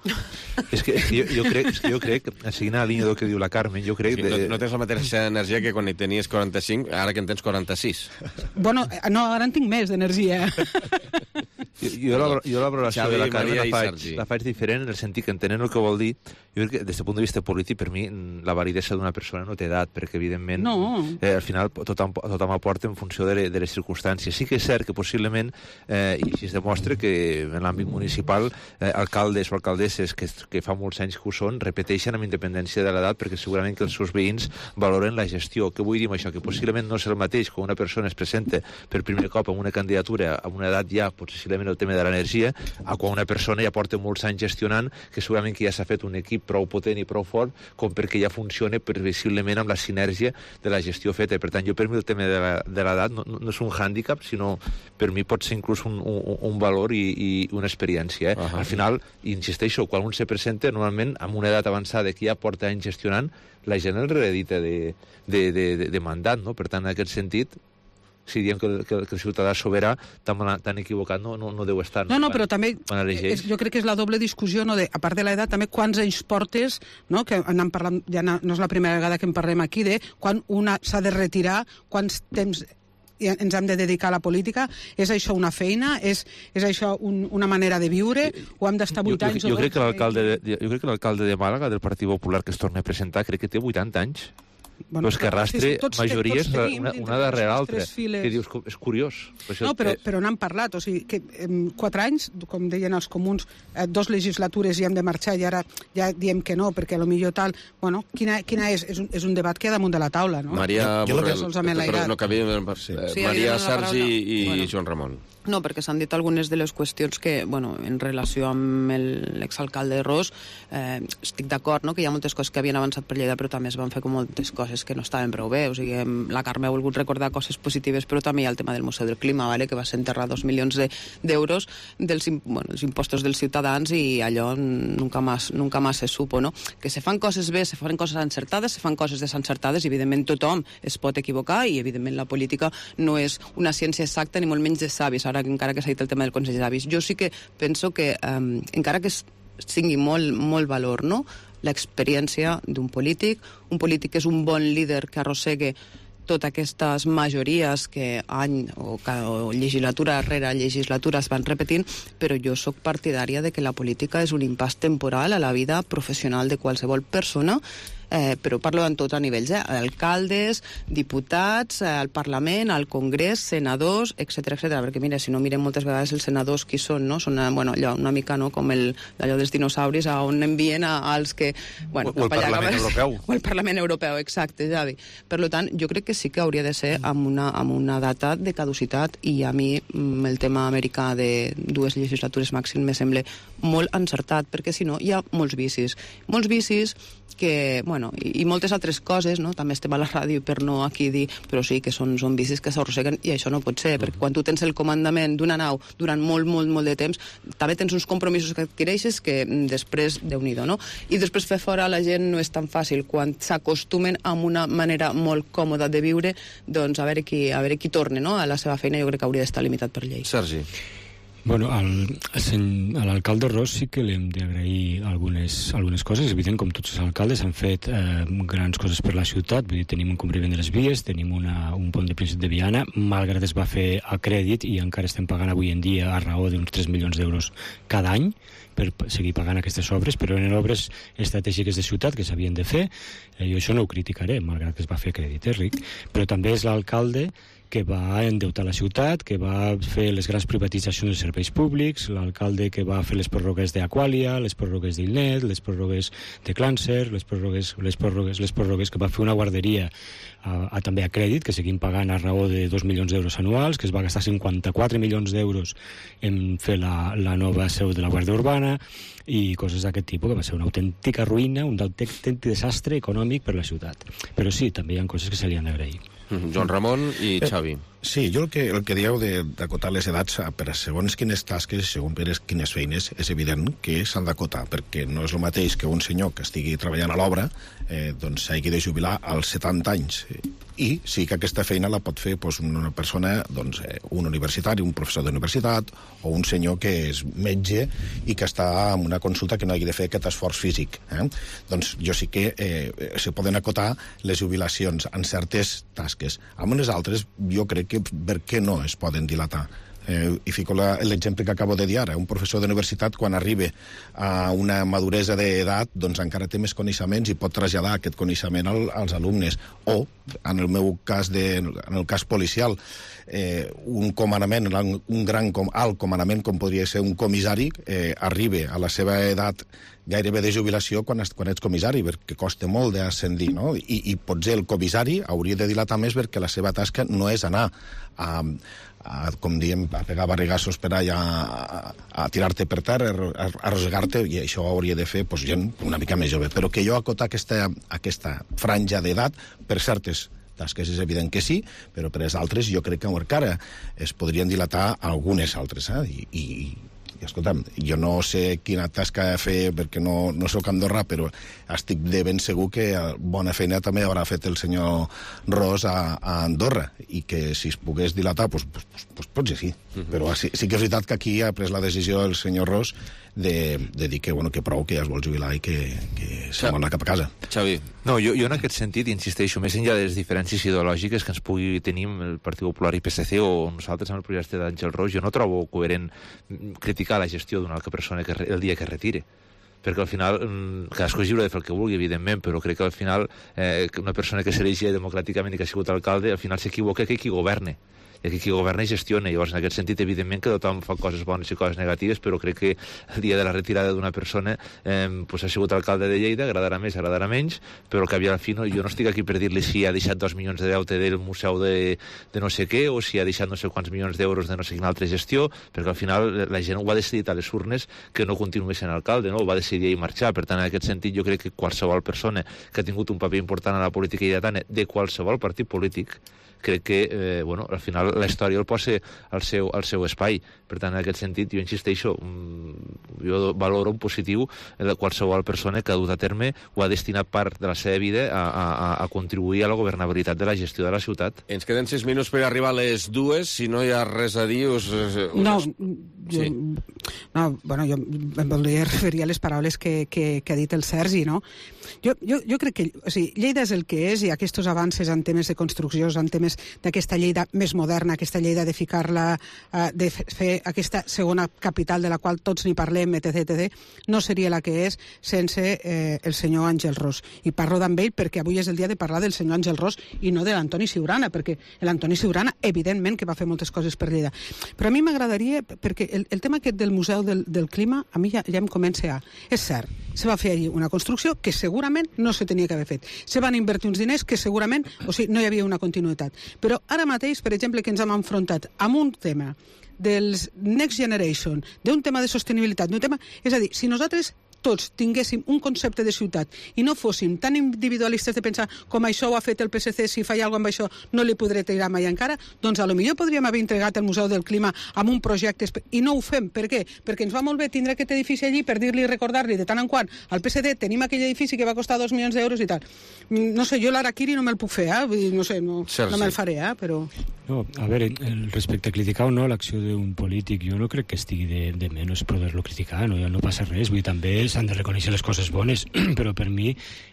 És que, és que jo, jo, crec, és que jo crec, seguint la línia del que diu la Carmen, jo crec... Sí, no, no tens la mateixa energia que quan hi tenies quaranta-cinc, ara que en tens quaranta-sis. Bueno, no, ara en tinc més d'energia. Jo, jo, la, jo la valoració Xavi, de la Carme la faig, Sergi. la faig diferent en el sentit que entenent el que vol dir, jo crec que des del punt de vista polític per mi la validesa d'una persona no té edat, perquè evidentment no. eh, al final tothom, tothom aporta en funció de, de les circumstàncies. Sí que és cert que possiblement eh, i així es demostra que en l'àmbit municipal eh, alcaldes o alcaldesses que, que fa molts anys que ho són repeteixen amb independència de l'edat perquè segurament que els seus veïns valoren la gestió. Què vull dir amb això? Que possiblement no és el mateix quan una persona es presenta per primer cop en una candidatura amb una edat ja, possiblement el tema de l'energia, a quan una persona ja porta molts anys gestionant, que segurament que ja s'ha fet un equip prou potent i prou fort com perquè ja funcione previsiblement amb la sinergia de la gestió feta. Per tant, jo per mi el tema de l'edat no, no és un hàndicap, sinó per mi pot ser inclús un, un, un valor i, i una experiència. Eh? Uh -huh. Al final, insisteixo, quan un se presenta, normalment amb una edat avançada que ja porta anys gestionant, la gent el reedita de, de, de, de, de mandat, no? Per tant, en aquest sentit, si diem que, que, que el ciutadà soberà, tan, tan equivocat no, no, no deu estar. No, no, però també és, jo crec que és la doble discussió, no, de, a part de l'edat, també quants anys portes, no, que anem parlant, ja no, no és la primera vegada que en parlem aquí, de quan una s'ha de retirar, quants temps ens hem de dedicar a la política, és això una feina, és, és això un, una manera de viure, o hem d'estar vuit anys jo, jo, o crec que l'alcalde de, jo crec que l'alcalde de Màlaga, del Partit Popular, que es torna a presentar, crec que té vuitanta anys. Bueno, però és que arrastre sí, sí, tots, majories tots tenim, una, una darrere l'altra. Que dius, és curiós. No, però, però n'hem parlat. O sigui, que en quatre anys, com deien els comuns, eh, dos legislatures i hem de marxar i ara ja diem que no, perquè potser tal... Bueno, quina, quina és? És un, és un debat que hi ha damunt de la taula, no? Maria, jo, jo Borrell, però no cabia... Sí. Sí, Maria, Sergi i bueno. Joan Ramon. No, perquè s'han dit algunes de les qüestions que, bueno, en relació amb l'exalcalde Ros, eh, estic d'acord, no?, que hi ha moltes coses que havien avançat per Lleida, però també es van fer com moltes coses que no estaven prou bé. O sigui, la Carme ha volgut recordar coses positives, però també hi ha el tema del Museu del Clima, vale?, que va ser enterrar dos milions d'euros de, dels, bueno, dels impostos dels ciutadans i allò nunca más, nunca más se supo, no? Que se fan coses bé, se fan coses encertades, se fan coses desencertades, i evidentment tothom es pot equivocar i evidentment la política no és una ciència exacta ni molt menys de savis, ara encara que s'ha dit el tema del Consell d'Avis. Jo sí que penso que, um, encara que tingui molt, molt valor, no?, l'experiència d'un polític, un polític que és un bon líder que arrossegue totes aquestes majories que any o, o legislatura rere legislatura es van repetint, però jo sóc partidària de que la política és un impàs temporal a la vida professional de qualsevol persona, eh, però parlo en tot a nivells, eh? Alcaldes, diputats, eh, al Parlament, al Congrés, senadors, etcètera, etcètera, perquè mira, si no mirem moltes vegades els senadors qui són, no? Són, bueno, allò, una mica, no?, com el, allò dels dinosauris, a on envien a, als que... Bueno, o, o el Parlament allà, Europeu. O el Parlament Europeu, exacte, Javi. Per tant, jo crec que sí que hauria de ser amb una, amb una data de caducitat, i a mi el tema americà de dues legislatures màxim me sembla molt encertat, perquè si no hi ha molts vicis. Molts vicis que, bueno, i, i moltes altres coses, no? També estem a la ràdio per no aquí dir, però sí que són, són vicis que s'arrosseguen, i això no pot ser, perquè quan tu tens el comandament d'una nau durant molt, molt, molt de temps, també tens uns compromisos que adquireixes que després, Déu-n'hi-do, no? I després fer fora la gent no és tan fàcil. Quan s'acostumen a una manera molt còmoda de viure, doncs a veure qui, a veure qui torna, no?, a la seva feina, jo crec que hauria d'estar limitat per llei. Sergi. Bueno, al, a l'alcalde Ros sí que li hem d'agrair algunes, algunes coses. És evident, com tots els alcaldes, han fet eh, grans coses per la ciutat. Vull dir, tenim un compliment de les vies, tenim una, un pont de Príncep de Viana, malgrat es va fer a crèdit i encara estem pagant avui en dia a raó d'uns tres milions d'euros cada any per seguir pagant aquestes obres, però eren obres estratègiques de ciutat que s'havien de fer. Eh, jo això no ho criticaré, malgrat que es va fer a crèdit, eh, Ric? Però també és l'alcalde que va endeutar la ciutat, que va fer les grans privatitzacions de serveis públics, l'alcalde que va fer les pròrrogues d'Aquàlia, les pròrrogues d'Ilnet, les pròrrogues de Clàncer, les pròrrogues, les pròrrogues, les pròrrogues que va fer una guarderia a, a, també a crèdit, que seguim pagant a raó de dos milions d'euros anuals, que es va gastar cinquanta-quatre milions d'euros en fer la, la nova seu de la Guàrdia Urbana, i coses d'aquest tipus, que va ser una autèntica ruïna, un autèntic desastre econòmic per la ciutat. Però sí, també hi ha coses que se li han d'agrair. Joan Ramon i Xavi. Eh, sí, jo el que, el que dieu d'acotar les edats per a segons quines tasques, segons quines feines, és evident que s'han d'acotar, perquè no és el mateix que un senyor que estigui treballant a l'obra eh, doncs s'hagi de jubilar als setanta anys. I sí que aquesta feina la pot fer doncs, una persona, doncs, eh, un universitari, un professor d'universitat, o un senyor que és metge i que està en una consulta que no hagi de fer aquest esforç físic. Eh? Doncs jo sí que eh, se poden acotar les jubilacions en certes tasques. Amb unes altres, jo crec que per què no es poden dilatar? Eh, i fico l'exemple que acabo de dir ara. Un professor d'universitat, quan arriba a una maduresa d'edat, doncs encara té més coneixements i pot traslladar aquest coneixement al, als alumnes. O, en el meu cas, de, en el cas policial, eh, un comandament, un gran com, alt comandament, com podria ser un comissari, eh, arriba a la seva edat gairebé de jubilació quan, quan ets comissari, perquè costa molt d'ascendir, no? I, i potser el comissari hauria de dilatar més perquè la seva tasca no és anar a, a com diem, a pegar barregassos per allà, a, a tirar-te per terra, a, a arrossegar-te, i això hauria de fer pues, gent una mica més jove. Però que jo acotar aquesta, aquesta franja d'edat per certes tasques és evident que sí, però per les altres jo crec que encara es podrien dilatar algunes altres, eh? I, i I, escolta'm, jo no sé quina tasca fer perquè no, no soc Andorra, però estic de ben segur que bona feina també haurà fet el senyor Ros a, a Andorra, i que si es pogués dilatar, doncs, pues, pues, pues, potser sí. Uh-huh. Però sí, sí que és veritat que aquí ha pres la decisió el senyor Ros de, de dir que, bueno, que prou, que ja es vol jubilar i que, que se'n vol anar cap a casa. Xavi. No, jo, jo en aquest sentit, insisteixo, més enllà de les diferències ideològiques que ens pugui tenir el Partit Popular i P S C o nosaltres amb el projecte d'Àngel Ros, jo no trobo coherent criticar la gestió d'una altra persona que el dia que es retire, perquè al final cadascú és lliure de fer el que vulgui, evidentment, però crec que al final eh, una persona que s'elegia democràticament i que ha sigut alcalde, al final s'equivoca que qui governe, i aquí qui governa i gestiona. Llavors, en aquest sentit, evidentment que tothom fa coses bones i coses negatives, però crec que el dia de la retirada d'una persona eh, pues ha sigut alcalde de Lleida, agradarà més, agradarà menys, però que al final jo no estic aquí per dir-li si ha deixat dos milions de deute del museu de, de no sé què, o si ha deixat no sé quants milions d'euros de no sé quina altra gestió, perquè al final la gent ho ha decidit a les urnes que no continuï sent alcalde, no? Ho va decidir ell marxar. Per tant, en aquest sentit, jo crec que qualsevol persona que ha tingut un paper important a la política lleidatana de qualsevol partit polític, crec que, eh, bueno, al final la història el posa al seu, al seu espai. Per tant, en aquest sentit, jo insisteixo, jo valoro en positiu qualsevol persona que ha dut a terme o ha destinat part de la seva vida a, a, a contribuir a la governabilitat de la gestió de la ciutat. Ens queden sis minuts per arribar a les dues. Si no hi ha res a dir... Us, us... No, jo, sí. no, bueno, jo em voldria referir a les paraules que, que, que ha dit el Sergi, no? Jo, jo, jo crec que o sigui, Lleida és el que és, i aquests avances en temes de construccions, en temes d'aquesta Lleida més moderna, aquesta Lleida de ficar-la, uh, de fer aquesta segona capital de la qual tots n'hi parlem, etc, etcètera, no seria la que és sense eh, el senyor Àngel Ros. I parlo d'amb ell perquè avui és el dia de parlar del senyor Àngel Ros i no de l'Antoni Siurana, perquè l'Antoni Siurana, evidentment, que va fer moltes coses per Lleida. Però a mi m'agradaria, perquè el, el tema aquest del Museu del, del Clima, a mi ja, ja em comença a... És cert, se va fer allí una construcció que segurament no se tenia que haver fet. Se van invertir uns diners que segurament, o sigui, no hi havia una continuïtat. Però ara mateix, per exemple, que ens hem enfrontat amb un tema dels Next Generation, d'un tema de sostenibilitat, d'un tema... És a dir, si nosaltres tots tinguéssim un concepte de ciutat i no fóssim tan individualistes de pensar com això ho ha fet el P S C, si fa alguna cosa amb això no li podré tirar mai encara, doncs a lo millor podríem haver entregat el Museu del Clima amb un projecte i no ho fem. Per què? Perquè ens va molt bé tindre aquest edifici allí per dir-li i recordar-li de tant en quant al P S D tenim aquell edifici que va costar dos milions d'euros i tal. No sé, jo l'Araquiri no me'l puc fer, eh? No sé, no, no me'l faré, eh? Però... No, a veure, respecte a criticar o no l'acció d'un polític, jo no crec que estigui de, de menys poder-lo criticar, no, ja no passa res, vull dir, també s'han de reconèixer les coses bones, però per mi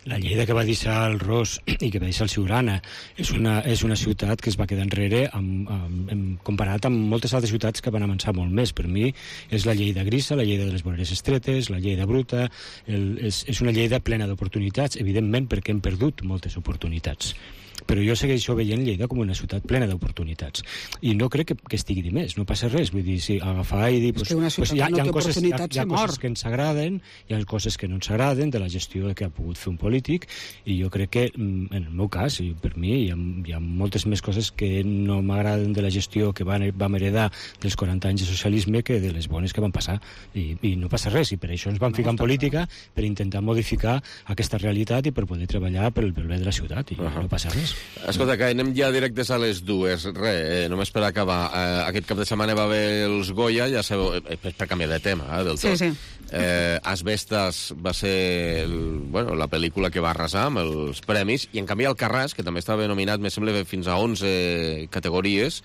la Lleida que va deixar el Ros i que va deixar el Siurana és una, és una ciutat que es va quedar enrere amb, amb, amb, comparat amb moltes altres ciutats que van avançar molt més. Per mi és la Lleida grisa, la Lleida de les voreres estretes, la Lleida bruta, el, és, és una Lleida plena d'oportunitats, evidentment perquè hem perdut moltes oportunitats. Però jo segueixo veient Lleida com una ciutat plena d'oportunitats. I no crec que, que estigui de més, no passa res. Vull dir, si agafar i dir... Pues, pues hi ha, hi ha, coses, hi ha, hi ha coses que ens agraden, hi ha coses que no ens agraden de la gestió que ha pogut fer un polític, i jo crec que, en el meu cas, i per mi, hi ha, hi ha moltes més coses que no m'agraden de la gestió que vam, vam heredar dels quaranta anys de socialisme que de les bones que van passar. I, i no passa res, i per això ens vam ficar en política, per intentar modificar aquesta realitat i per poder treballar per el bé de la ciutat, i uh -huh. no passa res. Escolta, que anem ja directes a les dues. Re, eh, només per acabar. Eh, aquest cap de setmana va haver els Goya, ja sabeu, eh, per canviar de tema, eh, del tot. Sí, sí. Eh, Asbestas va ser el, bueno, la pel·lícula que va arrasar amb els premis, i en canvi Alcarràs, que també estava nominat, me sembla, fins a onze categories,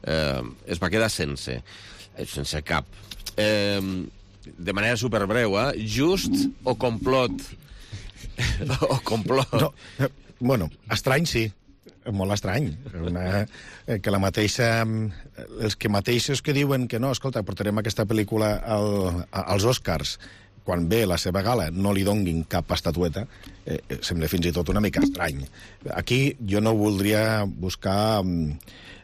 eh, es va quedar sense, sense cap. Eh, de manera superbreu, eh? Just o complot? o complot? No, eh, bueno, estrany sí, molt estrany. Una, eh, que la mateixa... Els que mateixos que diuen que no, escolta, portarem aquesta pel·lícula al, als Oscars, quan ve la seva gala no li donguin cap estatueta, eh, sembla fins i tot una mica estrany. Aquí jo no voldria buscar um,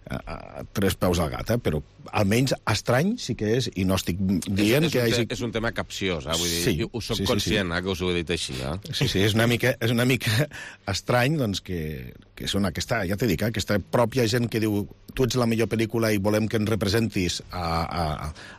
a, a, tres peus al gat, eh, però almenys estrany sí que és, i no estic dient és, és que... Un hagi... te, és un tema capciós, eh? Vull dir, sí, ho soc sí, sí, conscient, sí. Eh, que us ho he dit així. Eh? Sí, sí, és una mica, és una mica estrany, doncs, que, que és una, aquesta, ja t'he dit, eh, aquesta pròpia gent que diu tu ets la millor pel·lícula i volem que ens representis a, a,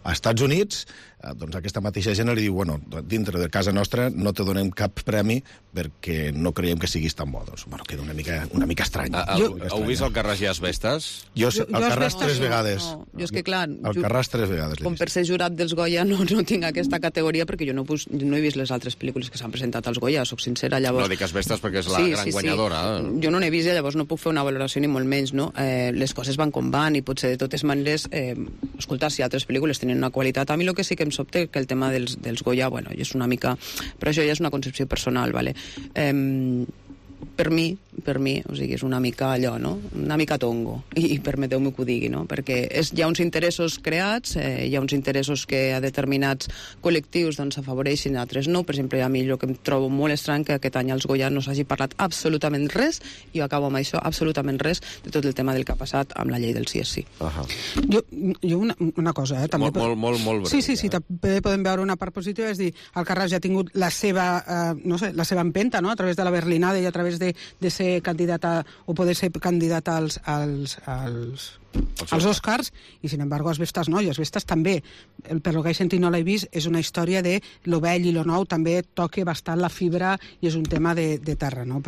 a Estats Units, eh, doncs aquesta mateixa gent li diu, bueno, dintre de casa nostra no te donem cap premi perquè no creiem que siguis tan bo. Doncs, bueno, queda una mica, una mica estrany. A, a, heu vist el Carràs i Asbestas? Jo, el Carràs tres vegades. No, jo és que que, clar... Alcarràs tres vegades. Com per ser jurat dels Goya no, no tinc aquesta categoria, perquè jo no, pues, no he vist les altres pel·lícules que s'han presentat als Goya, soc sincera, llavors... No dic Asbestas perquè és la sí, gran sí, guanyadora. Sí. Jo no n'he vist, llavors no puc fer una valoració ni molt menys, no? Eh, les coses van com van i potser de totes maneres, eh, escolta, si altres pel·lícules tenen una qualitat, a mi el que sí que em sobta que el tema dels, dels Goya, bueno, és una mica... Però això ja és una concepció personal, vale? Eh, per mi, per mi, o sigui, és una mica allò, no? Una mica tongo, i, i permeteu-me que ho digui, no? Perquè és, hi ha uns interessos creats, eh, hi ha uns interessos que a determinats col·lectius doncs afavoreixin, altres no. Per exemple, a mi el que em trobo molt estrany que aquest any als Goya no s'hagi parlat absolutament res, i jo acabo amb això, absolutament res, de tot el tema del que ha passat amb la llei del sí és sí. Uh -huh. Jo, jo una, una cosa, eh? També molt, molt, molt, molt breu. Sí, sí, sí, ja. També podem veure una part positiva, és dir, Alcarràs ja ha tingut la seva, eh, no sé, la seva empenta, no?, a través de la Berlinada i a través de, de ser candidat a, o poder ser candidat als, als, als, als Oscars, i sin embargo Asbestas no, i Asbestas també, el, per lo que he sentit no l'he vist, és una història de lo vell i lo nou, també toca bastant la fibra i és un tema de, de terra, no?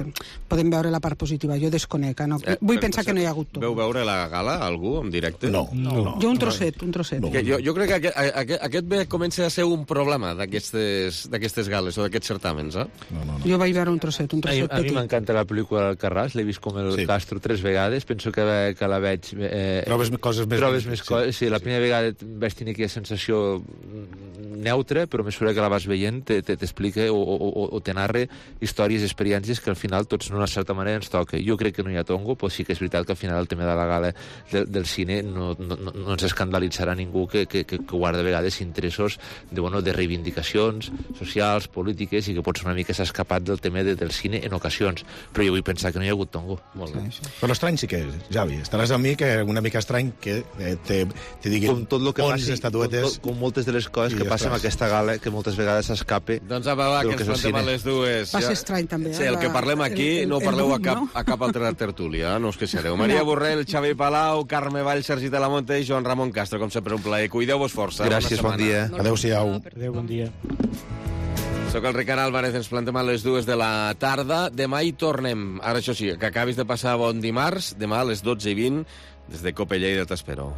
Podem veure la part positiva, jo desconec, no? Eh, vull pensar que no hi ha hagut tot. Veu veure la gala, algú, en directe? No. no, no. Jo un trosset, un trosset. No. Jo, jo crec que aquest, aquest, aquest bé comença a ser un problema d'aquestes gales o d'aquests certàmens, eh? No, no, no. Jo vaig veure un trosset, un trosset a, a mi m'encanta la pel·lícula d'Alcarràs, l'he vist com el sí. Castro tres vegades, penso que, que la veig... Eh, trobes coses més... Trobes més coses, sí. sí, la primera vegada vaig tenir aquella sensació neutra, però a mesura que la vas veient t'explica o, o, o te narra històries i experiències que al final tots d'una certa manera ens toca. Jo crec que no hi ha tongo, però sí que és veritat que al final el tema de la gala del, del cine no, no, no ens escandalitzarà ningú que, que, que guarda a vegades interessos de, bueno, de reivindicacions socials, polítiques, i que potser una mica s'ha escapat del tema de, del cine en ocasions. Però jo vull pensar que no hi ha hagut tongo. Molt bé. Sí, sí. Però estrany sí que és, Javi. Estaràs amb mi que una mica estrany que eh, te, te diguin com tot lo que onze passi, estatuetes... Com, com moltes de les coses que passen amb aquesta gala, que moltes vegades s'escape... Doncs apa, va, que ens plantem a les dues. Va ser estrany, també. Eh? Sí, el que parlem aquí el, el, no ho parleu a cap, no? a cap altra tertúlia, no us queixareu. Maria no. Borrell, Xavi Palau, Carme Vall, Sergi Talamonte i Joan Ramon Castro. Com sempre, un plaer. Cuideu-vos força. Gràcies, bon dia. Adéu-siau. Adéu, bon dia. Soc el Ricard Álvarez, ens plantem a les dues de la tarda. Demà hi tornem. Ara, això sí, que acabis de passar bon dimarts. Demà a les dotze i vint, des de Cope Lleida t'espero.